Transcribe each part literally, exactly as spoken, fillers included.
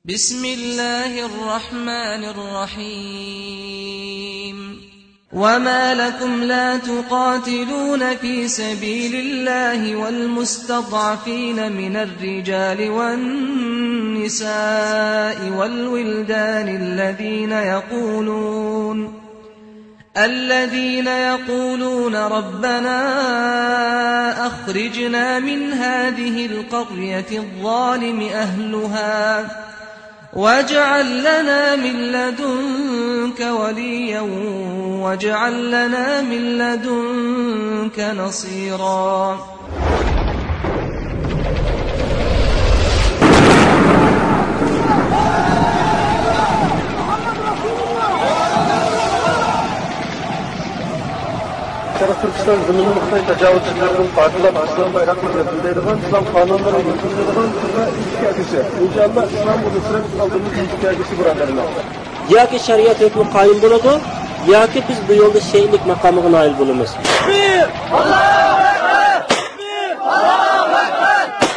بسم الله الرحمن الرحيم. وما لكم لا تقاتلون في سبيل الله والمستضعفين من الرجال والنساء والولدان الذين يقولون الذين يقولون ربنا أخرجنا من هذه القرية الظالم أهلها واجعل لنا من لدنك وليا واجعل لنا من لدنك نصيرا. شەرقىي تۈركىستان زېمىنىنى خىتاي تاجاۋۇزچىلىرىدىن پاكلاپ، ئىسلام بايراقلىرىنى بىلدۈرىدىغان، ئىسلام قانۇنلىرىنى يۈرگۈزىدىغان تۈرمە ئىشكە ئەكىشى. ئىنشائاللا، ئىسلام بۇ نۇسرەت ئالدىمىزدا ئىشكە ئەكىشى، بۇرادەرلەر. ياكى شەرىئەت ھۆكمى قايىم بولىدۇ، ياكى بىز بۇ يولدا شېھىتلىك ماقامىغا نائىل بولىمىز.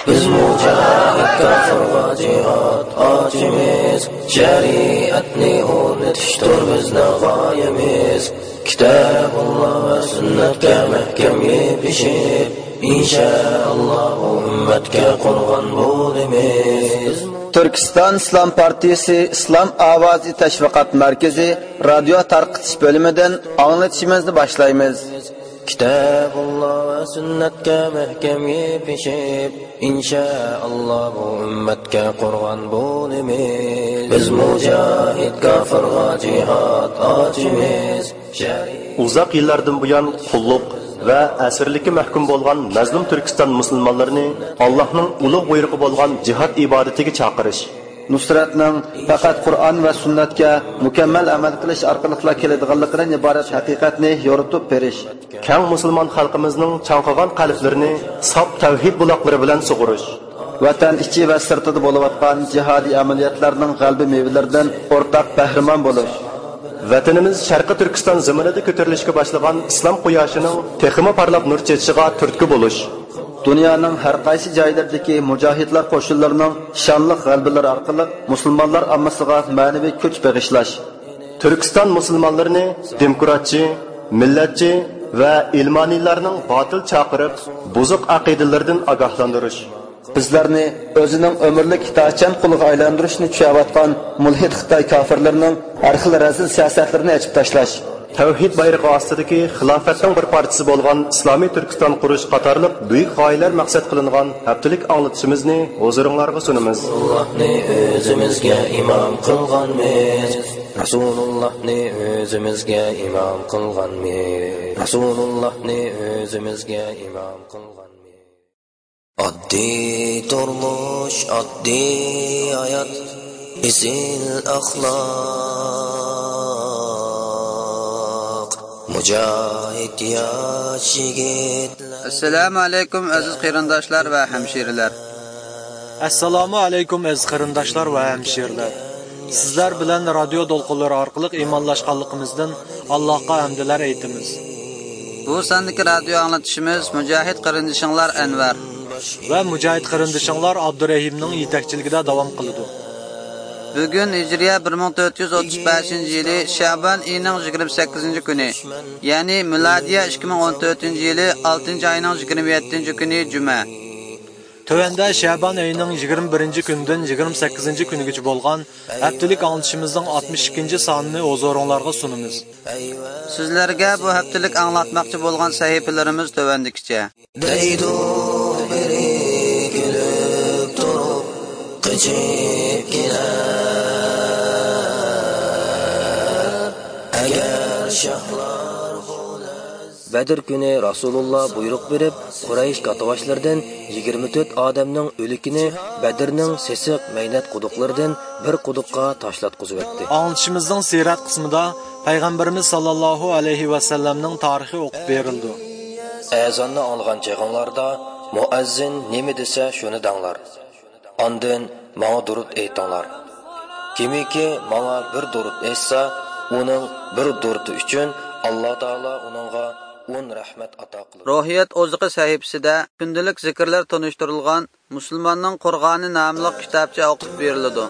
بىز مۇجاھىد كاپىرغا جىھاد ئاچىمىز، شەرىئەتنى ئورنىتىشتۇر بىزنىڭ غايىمىز. كىتابۇللا ۋە سۈننەتكە مەھكەم يېپىشىپ، ئىنشائاللا بۇ ئۈممەتكە قۇربان بولىمىز. تۈركىستان ئىسلام پارتىيىسى ئىسلام ئاۋازى تەشۋىقات مەركىزى رادىيو تارقىتىش بۆلۈمىدىن ئاڭلىتىشىمىزنى باشلايمىز. كىتابۇللا ۋە سۈننەتكە مەھكەم يېپىشىپ، ئىنشائاللا بۇ ئۈممەتكە قۇربان بولىمىز. بىز مۇجاھىد كاپىرغا جىھاد ئاچىمىز. ئۇزاق يىللاردىن بۇيان قۇللۇق ۋە ئەسىرلىككە مەھكۇم بولغان مەزلۇم تۈركىستان مۇسۇلمانلىرىنى ئاللاھنىڭ ئۇلۇغ بۇيرۇقى بولغان جىھاد ئىبادىتىگە چاقىرىش. نۇسرەتنىڭ پەقەت قۇرئان ۋە سۈننەتكە مۇكەممەل ئەمەل قىلىش ئارقىلىقلا كېلىدىغانلىقىدىن ئىبارەت ھەقىقەتنى يورۇتۇپ بېرىش. كەڭ مۇسۇلمان خەلقىمىزنىڭ چاڭقىغان قەلبلىرىنى ساپ تەۋھىد بۇلاقلىرى بىلەن سۇغۇرۇش. ۋەتەن ئىچى ۋە سىرتىدا بولۇۋاتقان جىھادىي ئەمەلىيەتلەرنىڭ غەلىبە مېۋىلىرىدىن ئورتاق بەھرىمەن بولۇش. ۋەتىنىمىز شەرقىي تۈركىستان زېمىنىدا كۆتۈرۈلۈشكە باشلىغان ئىسلام قۇياشىنىڭ تېخىمۇ پارلاپ نۇر چېچىشىغا تۈرتكە بولۇش. دۇنيانىڭ ھەر قايسى جايلىرىدىكى مۇجاھىدلار قوشۇنلىرىنىڭ شانلىق غەلىبىلىرى ئارقىلىق مۇسۇلمانلار ئاممىسىغا مەنىۋى كۈچ بېغىشلاش. تۈركىستان مۇسۇلمانلىرىنى دېموكراتچى، مىللەتچى ۋە ئىلمانىيلارنىڭ باتىل چاقىرىق، بۇزۇق ئەقىدىلىرىدىن ئاگاھلاندۇرۇش. بىزلەرنى ئۆزىنىڭ ئۆمۈرلۈك ئىتائەتچان قۇلىغا ئايلاندۇرۇشنى چۈشەۋاتقان مۇلھىد خىتاي كاپىرلىرىنىڭ ھەر خىل رەزىل سىياسەتلىرىنى ئېچىپ تاشلاش. تەۋھىد بايرىقى ئاستىدىكى خىلاپەتنىڭ بىر پارچىسى بولغان ئىسلامىي تۈركىستان قۇرۇش قاتارلىق بۈيۈك غايىلەر مەقسەت قىلىنغان ھەپتىلىك ئاڭلىتىشىمىزنى ھۇزۇرۇڭلارغا سۇنىمىز. رەسۇلۇللاھنى ئۆزىمىزگە ئىمام قىلغانمىز. رەسۇلۇللاھنى ئۆزىمىزگە ئىمام قىلغانمىز. رەسۇلۇللاھنى ئۆزىمىزگە ئىمام قىلغانمىز. ئاددىي تۇرمۇش، ئاددىي ھايات، ئېسىل ئەخلاق، مۇجاھىد ياش يىگىتلەر. ئەسسالامۇ ئەلەيكۇم، ئەزىز قېرىنداشلار ۋە ھەمشىرىلەر. ئەسسالامۇ ئەلەيكۇم، ئەزىز قېرىنداشلار ۋە ھەمشىرىلەر. سىزلەر بىلەن رادىيو دولقۇنلىرى ئارقىلىق ئىمانلاشقانلىقىمىزدىن ئاللاھقا ھەمدىلەر ئېيتىمىز. بۇ ساندىكى رادىيو ئاڭلىتىشىمىز مۇجاھىد قېرىندىشىڭلار ئەنۋەر ۋە مۇجاھىد قېرىندىشىڭلار ئابدۇرېھىمنىڭ يېتەكچىلىكىدە داۋام قىلىدۇ. بۈگۈن ھىجرىيە بىر مىڭ تۆت يۈز ئوتتۇز بەشىنچى يىلى شەبان ئېيىنىڭ يىگىرمە سەككىزىنچى كۈنى، يەنى مىلادىيە ئىككى مىڭ ئون تۆتىنچى يىلى ئالتىنچى ئاينىڭ يىگىرمە يەتتىنچى كۈنى جۈمە. تۆۋەندە شەبان ئېيىنىڭ يىگىرمە بىرىنچى كۈنىدىن يىگىرمە سەككىزىنچى كۈنىگىچە بولغان ھەپتىلىك ئاڭلىتىشىمىزنىڭ ئاتمىش ئىككىنچى سانىنى ھۇزۇرۇڭلارغا سۇنىمىز. سىزلەرگە بۇ ھەپتىلىك ئاڭلاتماقچى بولغان سەھىپىلىرىمىز تۆۋەندىكىچە. دەيدۇ بىرى كۈلۈپ تۇرۇپ، قېچىپ كېلەر ئەگەر شاھلار بۇ لەز- بەدر كۈنى رەسۇلۇللا بۇيرۇق بېرىپ، قۇرەيش كاتتىباشلىرىدىن يىگىرمە تۆت ئادەمنىڭ ئۆلۈكىنى بەدرنىڭ سېسىق مەينەت قۇدۇقلىرىدىن بىر قۇدۇققا تاشلاتقۇزۇۋەتتى. ئاڭلىتىشىمىزنىڭ سىرەت قىسمىدا پەيغەمبىرىمىز ساللاللاھۇ ئەلەيھى ۋەسەللەمنىڭ تارىخى ئوقۇپ بېرىلىدۇ. ئەزاننى ئاڭلىغان چېغىڭلاردا مۇئەززىن نېمە دېسە، شۇنى دەڭلار. ئاندىن ماڭا دۇرۇت ئېيتىڭلار. كىمكى ماڭا بىر دۇرۇت ئېيتسا، ئۇنىڭ بىر دۇرۇتى ئۈچۈن ئاللا تائالا ئۇنىڭغا ئون رەھمەت ئاتا قىلىدۇ. روھىيەت ئوزۇقى سەھىپىسىدە كۈندىلىك زىكىرلەر تونۇشتۇرۇلغان مۇسۇلماننىڭ قۇرغانى ناملىق كىتابچە ئوقۇپ بېرىلىدۇ.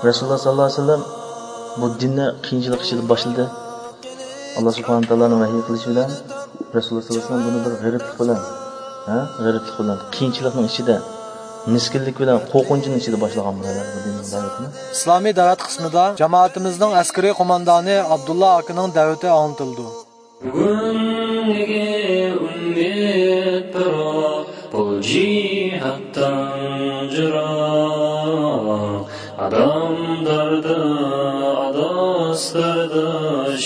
رەسۇلۇللاھ سەللەللاھۇ ئەلەيھى ۋەسەللەم بۇ دىننى قىيىنچىلىق ئىچىدە باشلىدى. ئاللاھ سۇبھانەھۇ ۋە تائالانىڭ ۋەھىي قىلىشى بىلەن رەسۇلۇللاھ سەللەللاھۇ ئەلەيھى ۋەسەللەم بۇنى بىر غېرىبلىق بىلەن، ھە، غېرىبلىق بىلەن، قىيىنچىلىقنىڭ ئىچىدە، مىسكىنلىك بىلەن، قورقۇنچنىڭ ئىچىدە باشلىغان بۇ بۇ دىننىڭ دەۋىتىنى. ئىسلامىي دەۋەت قىسمىدا جامائىتىمىزنىڭ ئەسكىرىي قوماندانى ئابدۇللا ئاكىنىڭ دەۋىتى ئاڭلىتىلىدۇ. بۈگۈنلۈكى ئۈمىد پىراق، بۇ جىھادتىن جىراق. ئادەم دەردى، ئاداس دەردى،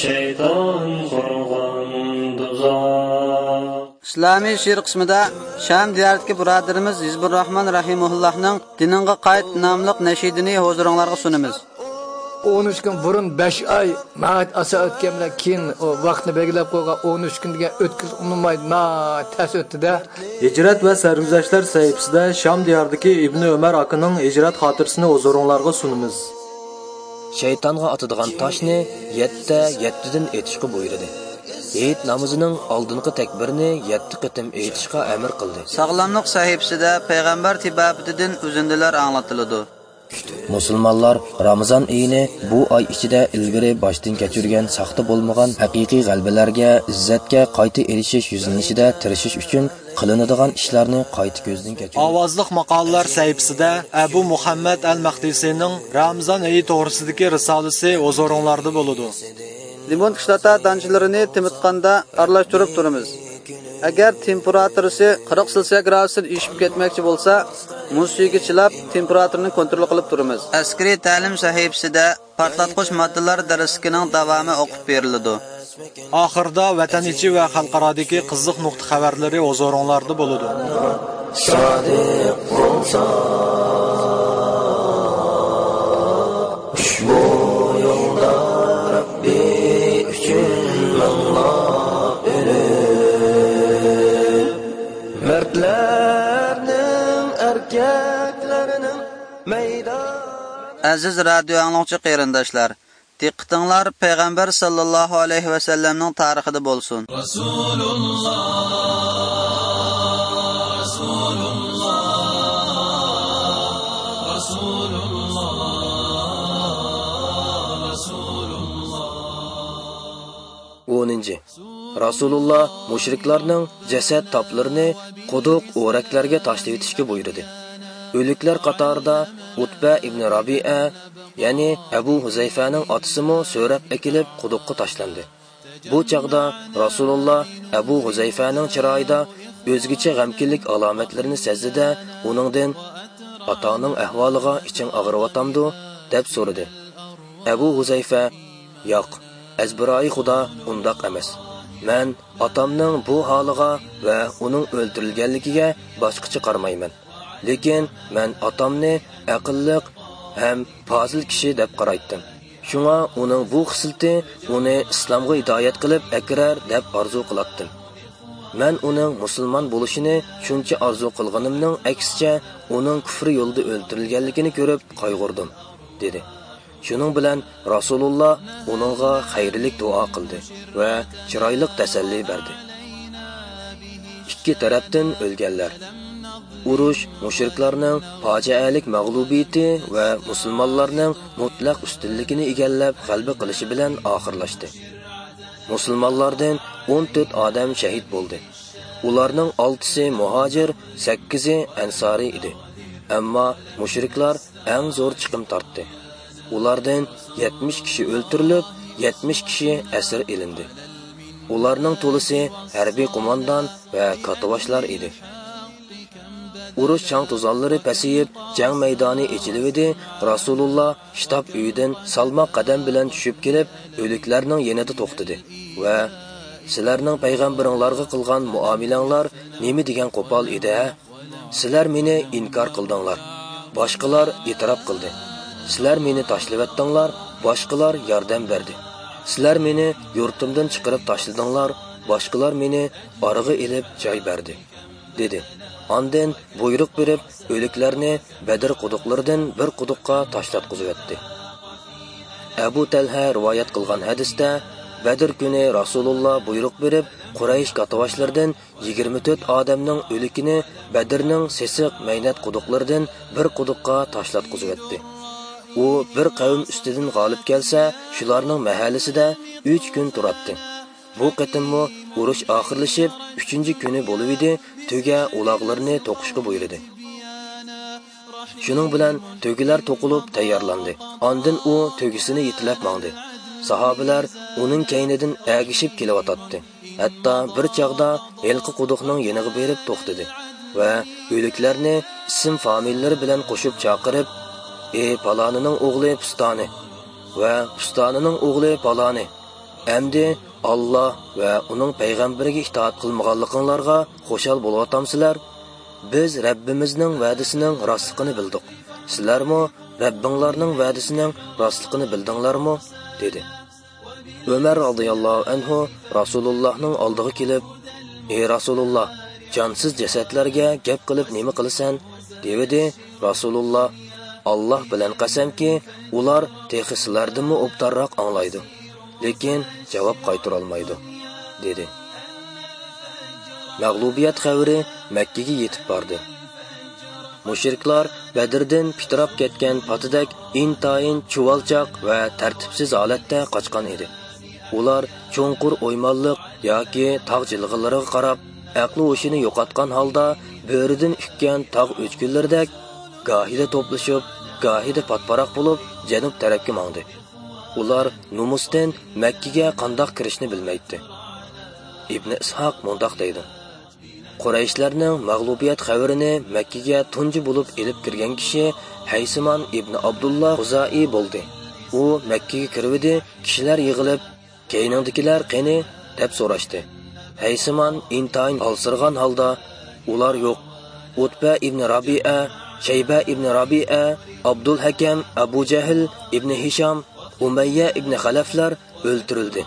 شەيتان قۇرغان دوزاخ. ئىسلامىي شېئىر قىسمىدا شام دىيارىدىكى بۇرادىرىمىز ھىزبۇرراھمان رەھىمۇللاھنىڭ دىنىڭغا قايت ناملىق نەشىدىنى ھۇزۇرۇڭلارغا سۇنىمىز. ئون ئۈچ كۈن بۇرۇن بەش ئاي ناھايىتى ئاسان ئۆتكەن بىلەن كېيىن ئۇ ۋاقىتنى بەلگىلەپ قويغان ئون ئۈچ كۈن دېگەن ئۆتكۈزۈپ ئۇنىماي ناھايىتى تەس ئۆتتى-دە. ھىجرەت ۋە سەرگۈزەشتلەر سەھىپىسىدە شام دىيارىدىكى ئىبنى ئۆمەر ئاكىنىڭ ھىجرەت خاتىرىسىنى ھۇزۇرۇڭلارغا سۇنىمىز. شەيتانغا ئاتىدىغان تاشنى يەتتە يەتتىدىن ئېتىشقا بۇيرۇدى. ھېيت نامىزىنىڭ ئالدىنقى تەكبىرىنى يەتتە قېتىم ئېيتىشقا ئەمر قىلدى. ساغلاملىق سەھىپىسىدە پەيغەمبەر تېبابىتىدىن ئۈزۈندىلەر ئاڭلىتىلىدۇ. مۇسۇلمانلار رامىزان ئېيىنى بۇ ئاي ئىچىدە ئىلگىرى باشتىن كەچۈرگەن ساختا بولمىغان ھەقىقىي غەلىبىلەرگە، ئىززەتكە قايتا ئېرىشىش يۈزلىنىشىدە تىرىشىش ئۈچۈن قىلىنىدىغان ئىشلارنى قايتا كۆزدىن كەچۈرىدۇ. ئاۋازلىق ماقالىلەر سەھىپىسىدە ئەبۇ مۇھەممەد ئەل مەقدىسىنىڭ رامىزان ئېيى توغرىسىدىكى رىسالىسى ھۇزۇرۇڭلاردا بولىدۇ. لىمون كىسلاتا دانچىلىرىنى تېمىتقاندا ئارىلاشتۇرۇپ تۇرىمىز. ئەگەر تېمپېراتۇرىسى قىرىق سېلسىيە گرادۇستىن ئېشىپ كەتمەكچى بولسا، مۇز سۈيىگە چىلاپ، تېمپېراتۇرىنى كونترول قىلىپ تۇرىمىز. ئەسكىرىي تەلىم سەھىپىسىدە پارتلاتقۇچ ماددىلار دەرسلىكىنىڭ داۋامى ئوقۇپ بېرىلىدۇ. ئاخىرىدا ۋەتەن ئىچى ۋە خەلقئارادىكى قىزىق نۇقتا خەۋەرلىرى ھۇزۇرۇڭلاردا بولىدۇ. سادىق بولسا، ئۇشبۇ يولدا رەببى ئۈچۈن مىڭلاپ ئۆلۈپ، مەردلەرنىڭ، ئەركەكلەرنىڭ مەيدان. ئەزىز رادىيو ئاڭلىغۇچى قېرىنداشلار، دىققىتىڭلار پەيغەمبەر ساللاللاھۇ ئەلەيھى ۋەسەللەمنىڭ تارىخىدا بولسۇن. رەسۇلۇللا، رەسۇلۇللا، رەسۇلۇللا، رەسۇلۇللا. ئونىنچى. رەسۇلۇللا مۇشرىكلارنىڭ جەسەت تاپلىرىنى قۇدۇق، ئورەكلەرگە تاشلىۋېتىشكە بۇيرۇدى. ئۆلۈكلەر قاتارىدا ئۇتبە ئىبنى رابىئە، يەنى ئەبۇ ھۇزەيفەنىڭ ئاتىسىمۇ سۆرەپ ئەكېلىپ قۇدۇققا تاشلاندى. بۇ چاغدا رەسۇلۇللا ئەبۇ ھۇزەيفەنىڭ چىرايىدا ئۆزگىچە غەمكىنلىك ئالامەتلىرىنى سەزدى-دە، ئۇنىڭدىن، «ئاتاڭنىڭ ئەھۋالىغا ئىچىڭ ئاغرىۋاتامدۇ؟» دەپ سورىدى. ئەبۇ ھۇزەيفە، «ياق، ئەزبىرايى خۇدا ئۇنداق ئەمەس. مەن ئاتامنىڭ بۇ ھالىغا ۋە ئۇنىڭ ئۆلتۈرۈلگەنلىكىگە باشقىچە قارىمايمەن. لېكىن مەن ئاتامنى ئەقىللىق ھەم پازىل كىشى دەپ قارايتتىم. شۇڭا ئۇنىڭ بۇ خىسلىتى ئۇنى ئىسلامغا ھىدايەت قىلىپ ئەكىرەر دەپ ئارزۇ قىلاتتىم. مەن ئۇنىڭ مۇسۇلمان بولۇشىنى شۇنچە ئارزۇ قىلغىنىمنىڭ ئەكسىچە، ئۇنىڭ كۇفرى يولىدا ئۆلتۈرۈلگەنلىكىنى كۆرۈپ قايغۇردۇم» دېدى. شۇنىڭ بىلەن رەسۇلۇللا ئۇنىڭغا خەيرلىك دۇئا قىلدى ۋە چىرايلىق تەسەللى بەردى. ئىككى تەرەپتىن ئۆلگەنلەر. ئۇرۇش مۇشرىكلارنىڭ پاجىئەلىك مەغلۇبىيىتى ۋە مۇسۇلمانلارنىڭ مۇتلەق ئۈستۈنلۈكىنى ئىگىلەپ غەلىبە قىلىشى بىلەن ئاخىرلاشتى. مۇسۇلمانلاردىن ئون تۆت ئادەم شەھىت بولدى. ئۇلارنىڭ ئالتىسى مۇھاجىر، سەككىزى ئەنسارىي ئىدى. ئەمما مۇشرىكلار ئەڭ زور چىقىم تارتتى. ئۇلاردىن يەتمىش كىشى ئۆلتۈرۈلۈپ، يەتمىش كىشى ئەسىر ئېلىندى. ئۇلارنىڭ تولىسى ھەربىي قوماندان ۋە كاتتىباشلار ئىدى. ئۇرۇش چاڭ-توزانلىرى پەسىيىپ، جەڭ مەيدانى ئېچىلىۋىدى. رەسۇلۇللا شتاب ئۆيىدىن سالماق قەدەم بىلەن چۈشۈپ كېلىپ، ئۆلۈكلەرنىڭ يېنىدا توختىدى ۋە، «سىلەرنىڭ پەيغەمبىرىڭلارغا قىلغان مۇئامىلەڭلار نېمە دېگەن قوپال ئىدى ھە؟ سىلەر مېنى ئىنكار قىلدىڭلار، باشقىلار ئېتىراپ قىلدى. سىلەر مېنى تاشلىۋەتتىڭلار، باشقىلار ياردەم بەردى. سىلەر مېنى يۇرتۇمدىن چىقىرىپ تاشلىدىڭلار، باشقىلار مېنى ئارىغا ئېلىپ جاي بەردى» دېدى. ئاندىن بۇيرۇق بېرىپ، ئۆلۈكلەرنى بەدر قۇدۇقلىرىدىن بىر قۇدۇققا تاشلاتقۇزۇۋەتتى. ئەبۇ تەلھە رىۋايەت قىلغان ھەدىستە، بەدر كۈنى رەسۇلۇللا بۇيرۇق بېرىپ، قۇرەيش كاتتىباشلىرىدىن يىگىرمە تۆت ئادەمنىڭ ئۆلۈكىنى بەدرنىڭ سېسىق مەينەت قۇدۇقلىرىدىن بىر قۇدۇققا تاشلاتقۇزۇۋەتتى. ئۇ بىر قەۋم ئۈستىدىن غالىب كەلسە، شۇلارنىڭ مەھەللىسىدە ئۈچ كۈن تۇراتتى. بۇ قېتىممۇ ئۇرۇش ئاخىرلىشىپ، ئۈچىنچى كۈنى بولۇۋىدى، تۆگە ئۇلاغلىرىنى توقۇشقا بۇيرۇدى. شۇنىڭ بىلەن تۆگىلەر توقۇلۇپ تەييارلاندى. ئاندىن ئۇ تۆگىسىنى يېتىلەپ ماڭدى. ساھابىلەر ئۇنىڭ كەينىدىن ئەگىشىپ كېلىۋاتاتتى. ھەتتا بىر چاغدا ھېلىقى قۇدۇقنىڭ يېنىغا بېرىپ توختىدى ۋە ئۆلۈكلەرنى ئىسىم فامىلىلىرى بىلەن قوشۇپ چاقىرىپ، «ئى پالانىنىڭ ئوغلى پۇستانى ۋە پۇستانىنىڭ ئوغلى پالانى، ئەمدى ئاللا ۋە ئۇنىڭ پەيغەمبىرىگە ئىتائەت قىلمىغانلىقىڭلارغا خۇشال بولۇۋاتامسىلەر؟ بىز رەببىمىزنىڭ ۋەدىسىنىڭ راستلىقىنى بىلدۇق. سىلەرمۇ رەببىڭلارنىڭ ۋەدىسىنىڭ راستلىقىنى بىلدىڭلارمۇ؟» دېدى. ئۆمەر رازىياللاھۇ ئەنھۇ رەسۇلۇللاھنىڭ ئالدىغا كېلىپ، «ئى رەسۇلۇللاھ، جانسىز جەسەتلەرگە گەپ قىلىپ نېمە قىلىسەن؟» دېۋىدى. رەسۇلۇللاھ، «ئاللاھ بىلەن قەسەمكى، ئۇلار تېخى سىلەردىنمۇ ئوبدانراق ئاڭلايدۇ، لېكىن جاۋاب قايتۇرالمايدۇ» دېدى. مەغلۇبىيەت خەۋىرى مەككىگە يېتىپ باردى. مۇشرىكلار بەدردىن پىتىراپ كەتكەن پاتىدەك ئىنتايىن چۇۋالچاق ۋە تەرتىپسىز ھالەتتە قاچقان ئىدى. ئۇلار چوڭقۇر ئويمانلىق ياكى تاغ جىلغىلىرىغا قاراپ، ئەقلى ھوشىنى يوقاتقان ھالدا بۆرىدىن ئۈككەن تاغ ئۆچكىلىرىدەك گاھىدا توپلىشىپ، گاھىدا پاتپاراق بولۇپ، جەنۇب تەرەپكە ماڭدى. ئۇلار نومۇستىن مەككىگە قانداق كىرىشنى بىلمەيتتى. ئىبنى ئىسھاق مۇنداق دەيدۇ: قۇرەيشلەرنىڭ مەغلۇبىيەت خەۋىرىنى مەككىگە تۇنجى بولۇپ ئېلىپ كىرگەن كىشى ھەيسىمان ئىبنى ئابدۇللا خۇزائىي بولدى. ئۇ مەككىگە كىرىۋىدى، كىشىلەر يىغىلىپ، «كەينىڭدىكىلەر قېنى؟» دەپ سوراشتى. ھەيسىمان ئىنتايىن ھالسىرىغان ھالدا، «ئۇلار يوق. ئۇتبە ئىبنى رابىئە، شەيبە ئىبنى رابىئە، ئابدۇل ھەكەم، ئەبۇ جەھىل ئىبنى ھىشام، ئۇمەييە ئىبنى خەلەفلەر ئۆلتۈرۈلدى»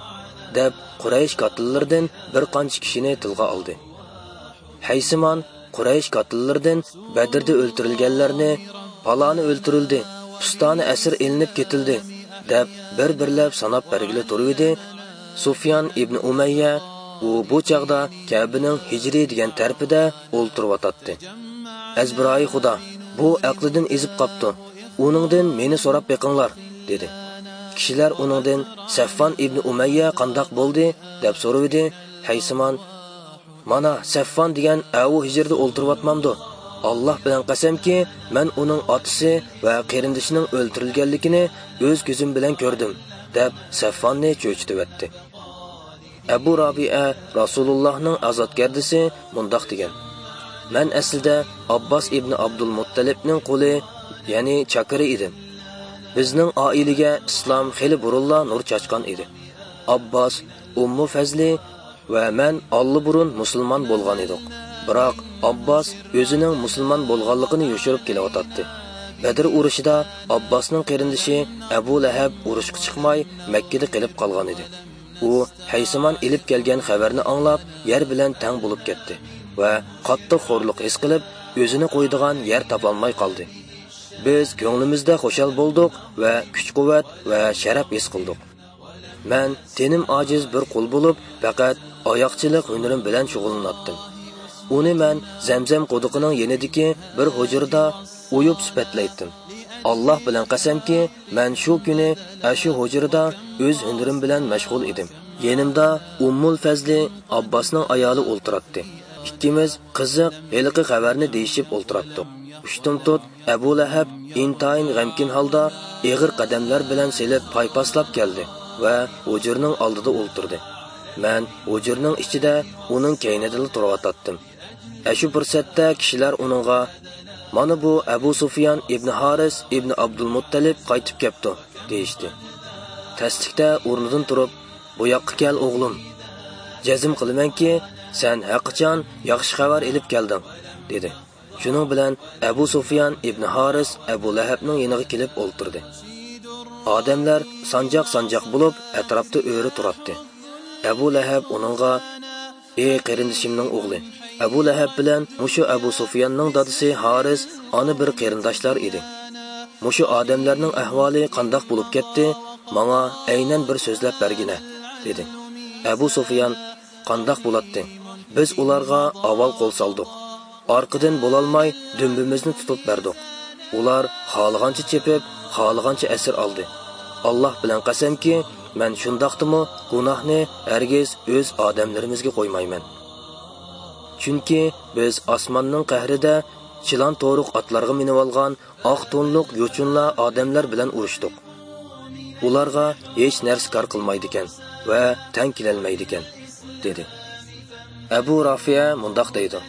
دەپ، قۇرەيش كاتتىلىرىدىن بىر قانچە كىشىنى تىلغا ئالدى. ھەيسىمان قۇرەيش كاتتىلىرىدىن بەدىردە ئۆلتۈرۈلگەنلەرنى، «پالانى ئۆلتۈرۈلدى، پۇستانى ئەسىر ئېلىنىپ كېتىلدى» دەپ، بىر-بىرلەپ ساناپ بەرگىلى تۇرۇۋىدى. سۇفيان ئىبنى ئۇمەييە، ئۇ بۇ چاغدا كەبىنىڭ ھىجرىي دېگەن تەرىپىدە ئولتۇرۇۋاتاتتى. «ئەزبىرايى خۇدا، بۇ ئەقلىدىن ئېزىپ قاپتۇ. ئۇنىڭدىن مېنى سوراپ بېقىڭلار» دېدى. كىشىلەر ئۇنىڭدىن، «سەفۋان ئىبنى ئۇمەييە قانداق بولدى؟» دەپ سورىۋىدى. ھەيسىمان، «مانا، سەفۋان دېگەن ئەۋۇ ھىجرىدە ئولتۇرۇۋاتمامدۇ؟ ئاللاھ بىلەن قەسەمكى، مەن ئۇنىڭ ئاتىسى ۋە قېرىندىشىنىڭ ئۆلتۈرۈلگەنلىكىنى ئۆز كۆزۈم بىلەن كۆردۈم» دەپ، سەفۋاننى چۆچۈتۈۋەتتى. ئەبۇ رابىئە، رەسۇلۇللاھنىڭ ئازادگەردىسى، مۇنداق دېگەن: «مەن ئەسلىدە ئابباس ئىبنى ئابدۇلمۇتتەلىبنىڭ قۇلى، يەنى چاكىرى ئىدىم. بىزنىڭ ئائىلىگە ئىسلام خېلى بۇرۇنلا نۇر چاچقان ئىدى. ئابباس، ئۇممۇ فەزلى ۋە مەن ئاللىبۇرۇن مۇسۇلمان بولغان ئىدۇق. بىراق ئابباس ئۆزىنىڭ مۇسۇلمان بولغانلىقىنى يوشۇرۇپ كېلىۋاتاتتى. بەدر ئۇرۇشىدا ئابباسنىڭ قېرىندىشى ئەبۇ لەھەب ئۇرۇشقا چىقماي، مەككىدە قېلىپ قالغان ئىدى. ئۇ ھەيسىمان ئېلىپ كەلگەن خەۋەرنى ئاڭلاپ، يەر بىلەن تەڭ بولۇپ كەتتى ۋە قاتتىق خورلۇق ھېس قىلىپ، ئۆزىنى قويىدىغان يەر تاپالماي قالدى. بىز كۆڭلىمىزدە خۇشال بولدۇق ۋە كۈچ-قۇۋۋەت ۋە شەرەپ ھېس قىلدۇق. مەن تېنىم ئاجىز بىر قۇل بولۇپ، پەقەت ئاياقچىلىق ھۈنىرىم بىلەن شۇغۇللىناتتىم. ئۇنى مەن زەمزەم قۇدۇقىنىڭ يېنىدىكى بىر ھۇجرىدا ئويۇپ سۈپەتلەيتتىم. ئاللاھ بىلەن قەسەمكى، مەن شۇ كۈنى ئاشۇ ھۇجرىدا ئۆز ھۈنىرىم بىلەن مەشغۇل ئىدىم. يېنىمدا ئۇممۇل فەزلى، ئابباسنىڭ ئايالى ئولتۇراتتى. ئىككىمىز قىزىق ھېلىقى خەۋەرنى دېيىشىپ ئولتۇراتتۇق. ئۇشتۇمتۇت ئەبۇ لەھەب ئىنتايىن غەمكىن ھالدا ئېغىر قەدەملەر بىلەن سېلىپ پايپاسلاپ كەلدى ۋە ھۇجرىنىڭ ئالدىدا ئولتۇردى. مەن ھۇجرىنىڭ ئىچىدە ئۇنىڭ كەينىدىلا تۇرۇۋاتاتتىم. ئەشۇ پۇرسەتتە كىشىلەر ئۇنىڭغا، «مانا بۇ ئەبۇ سۇفيان ئىبنى ھارىس ئىبنى ئابدۇلمۇتتەلىپ قايتىپ كەپتۇ» دېيىشتى. تەسلىكتە ئورنىدىن تۇرۇپ، «بۇ ياققا كەل، ئوغلۇم. جەزم قىلىمەنكى، سەن ھەقىچان ياخشى خەۋەر ئېلىپ كەلدىڭ» دېدى. شۇنىڭ بىلەن ئەبۇ سۇفيان ئىبنى ھارىس ئەبۇ لەھەبنىڭ يېنىغا كېلىپ ئولتۇردى. ئادەملەر سانجاق-سانجاق بولۇپ ئەتراپتا ئۆرە تۇراتتى. ئەبۇ لەھەب ئۇنىڭغا، «ئى قېرىندىشىمنىڭ ئوغلى، ئەبۇ لەھەب بىلەن مۇشۇ ئەبۇ سۇفياننىڭ دادىسى ھارىس ئانا بىر قېرىنداشلار ئىدى. مۇشۇ ئادەملەرنىڭ ئەھۋالى قانداق بولۇپ كەتتى، ماڭا ئەينەن بىر سۆزلەپ بەرگىنە» دېدى. ئەبۇ سۇفيان، «قانداق بولاتتى؟ بىز ئۇلارغا ئاۋۋال قول سالدۇق. ئارقىدىن بولالماي دۈمبىمىزنى تۇتۇپ بەردۇق. ئۇلار خالىغانچە چېپىپ، خالىغانچە ئەسىر ئالدى. ئاللاھ بىلەن قەسەمكى، مەن شۇنداقتىمۇ گۇناھنى ھەرگىز ئۆز ئادەملىرىمىزگە قويمايمەن. چۈنكى بىز ئاسماننىڭ قەھرىدە چىلان تورۇق ئاتلارغا مىنىۋالغان ئاق تونلۇق يوچۇنلار ئادەملەر بىلەن ئۇرۇشتۇق. ئۇلارغا ھېچ نەرسە كار قىلمايدىكەن ۋە تەڭ كېلەلمەيدىكەن، دېدى. ئەبۇ رافىئە مۇنداق دەيدۇ: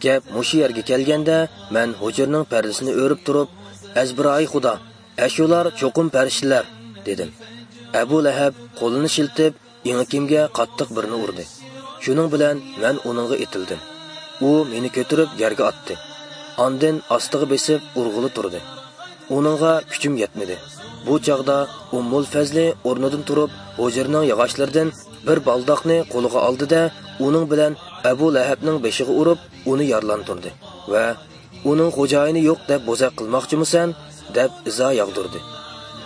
گەپ مۇشۇ يەرگە كەلگەندە، مەن ھۇجرىنىڭ پەردىسىنى ئۆرۈپ تۇرۇپ، ئەزبىرايى خۇدا، ئەشۇلار چوقۇم پەرىشتىلەر، دېدىم. ئەبۇ لەھەب قولىنى شىلتىپ، ئېڭىكىمگە قاتتىق بىرنى ئۇردى. شۇنىڭ بىلەن مەن ئۇنىڭغا ئېتىلدىم. ئۇ مېنى كۆتۈرۈپ يەرگە ئاتتى. ئاندىن ئاستىغا بېسىپ ئۇرغىلى تۇردى. ئۇنىڭغا كۈچۈم يەتمىدى. بۇ چاغدا ئۇممۇل فەزلى ئورنىدىن تۇرۇپ، ھۇجرىنىڭ ياغاچلىرىدىن بىر بالداقنى قولىغا ئالدى-دە، ئۇنىڭ بىلەن ئەبۇ لەھەبنىڭ بېشىغا ئۇرۇپ، ئۇنى يارىلاندۇردى ۋە ئۇنىڭ خوجايىنى يوق دەپ بوزەك قىلماقچىمۇسەن؟ دەپ ئىزا ياغدۇردى.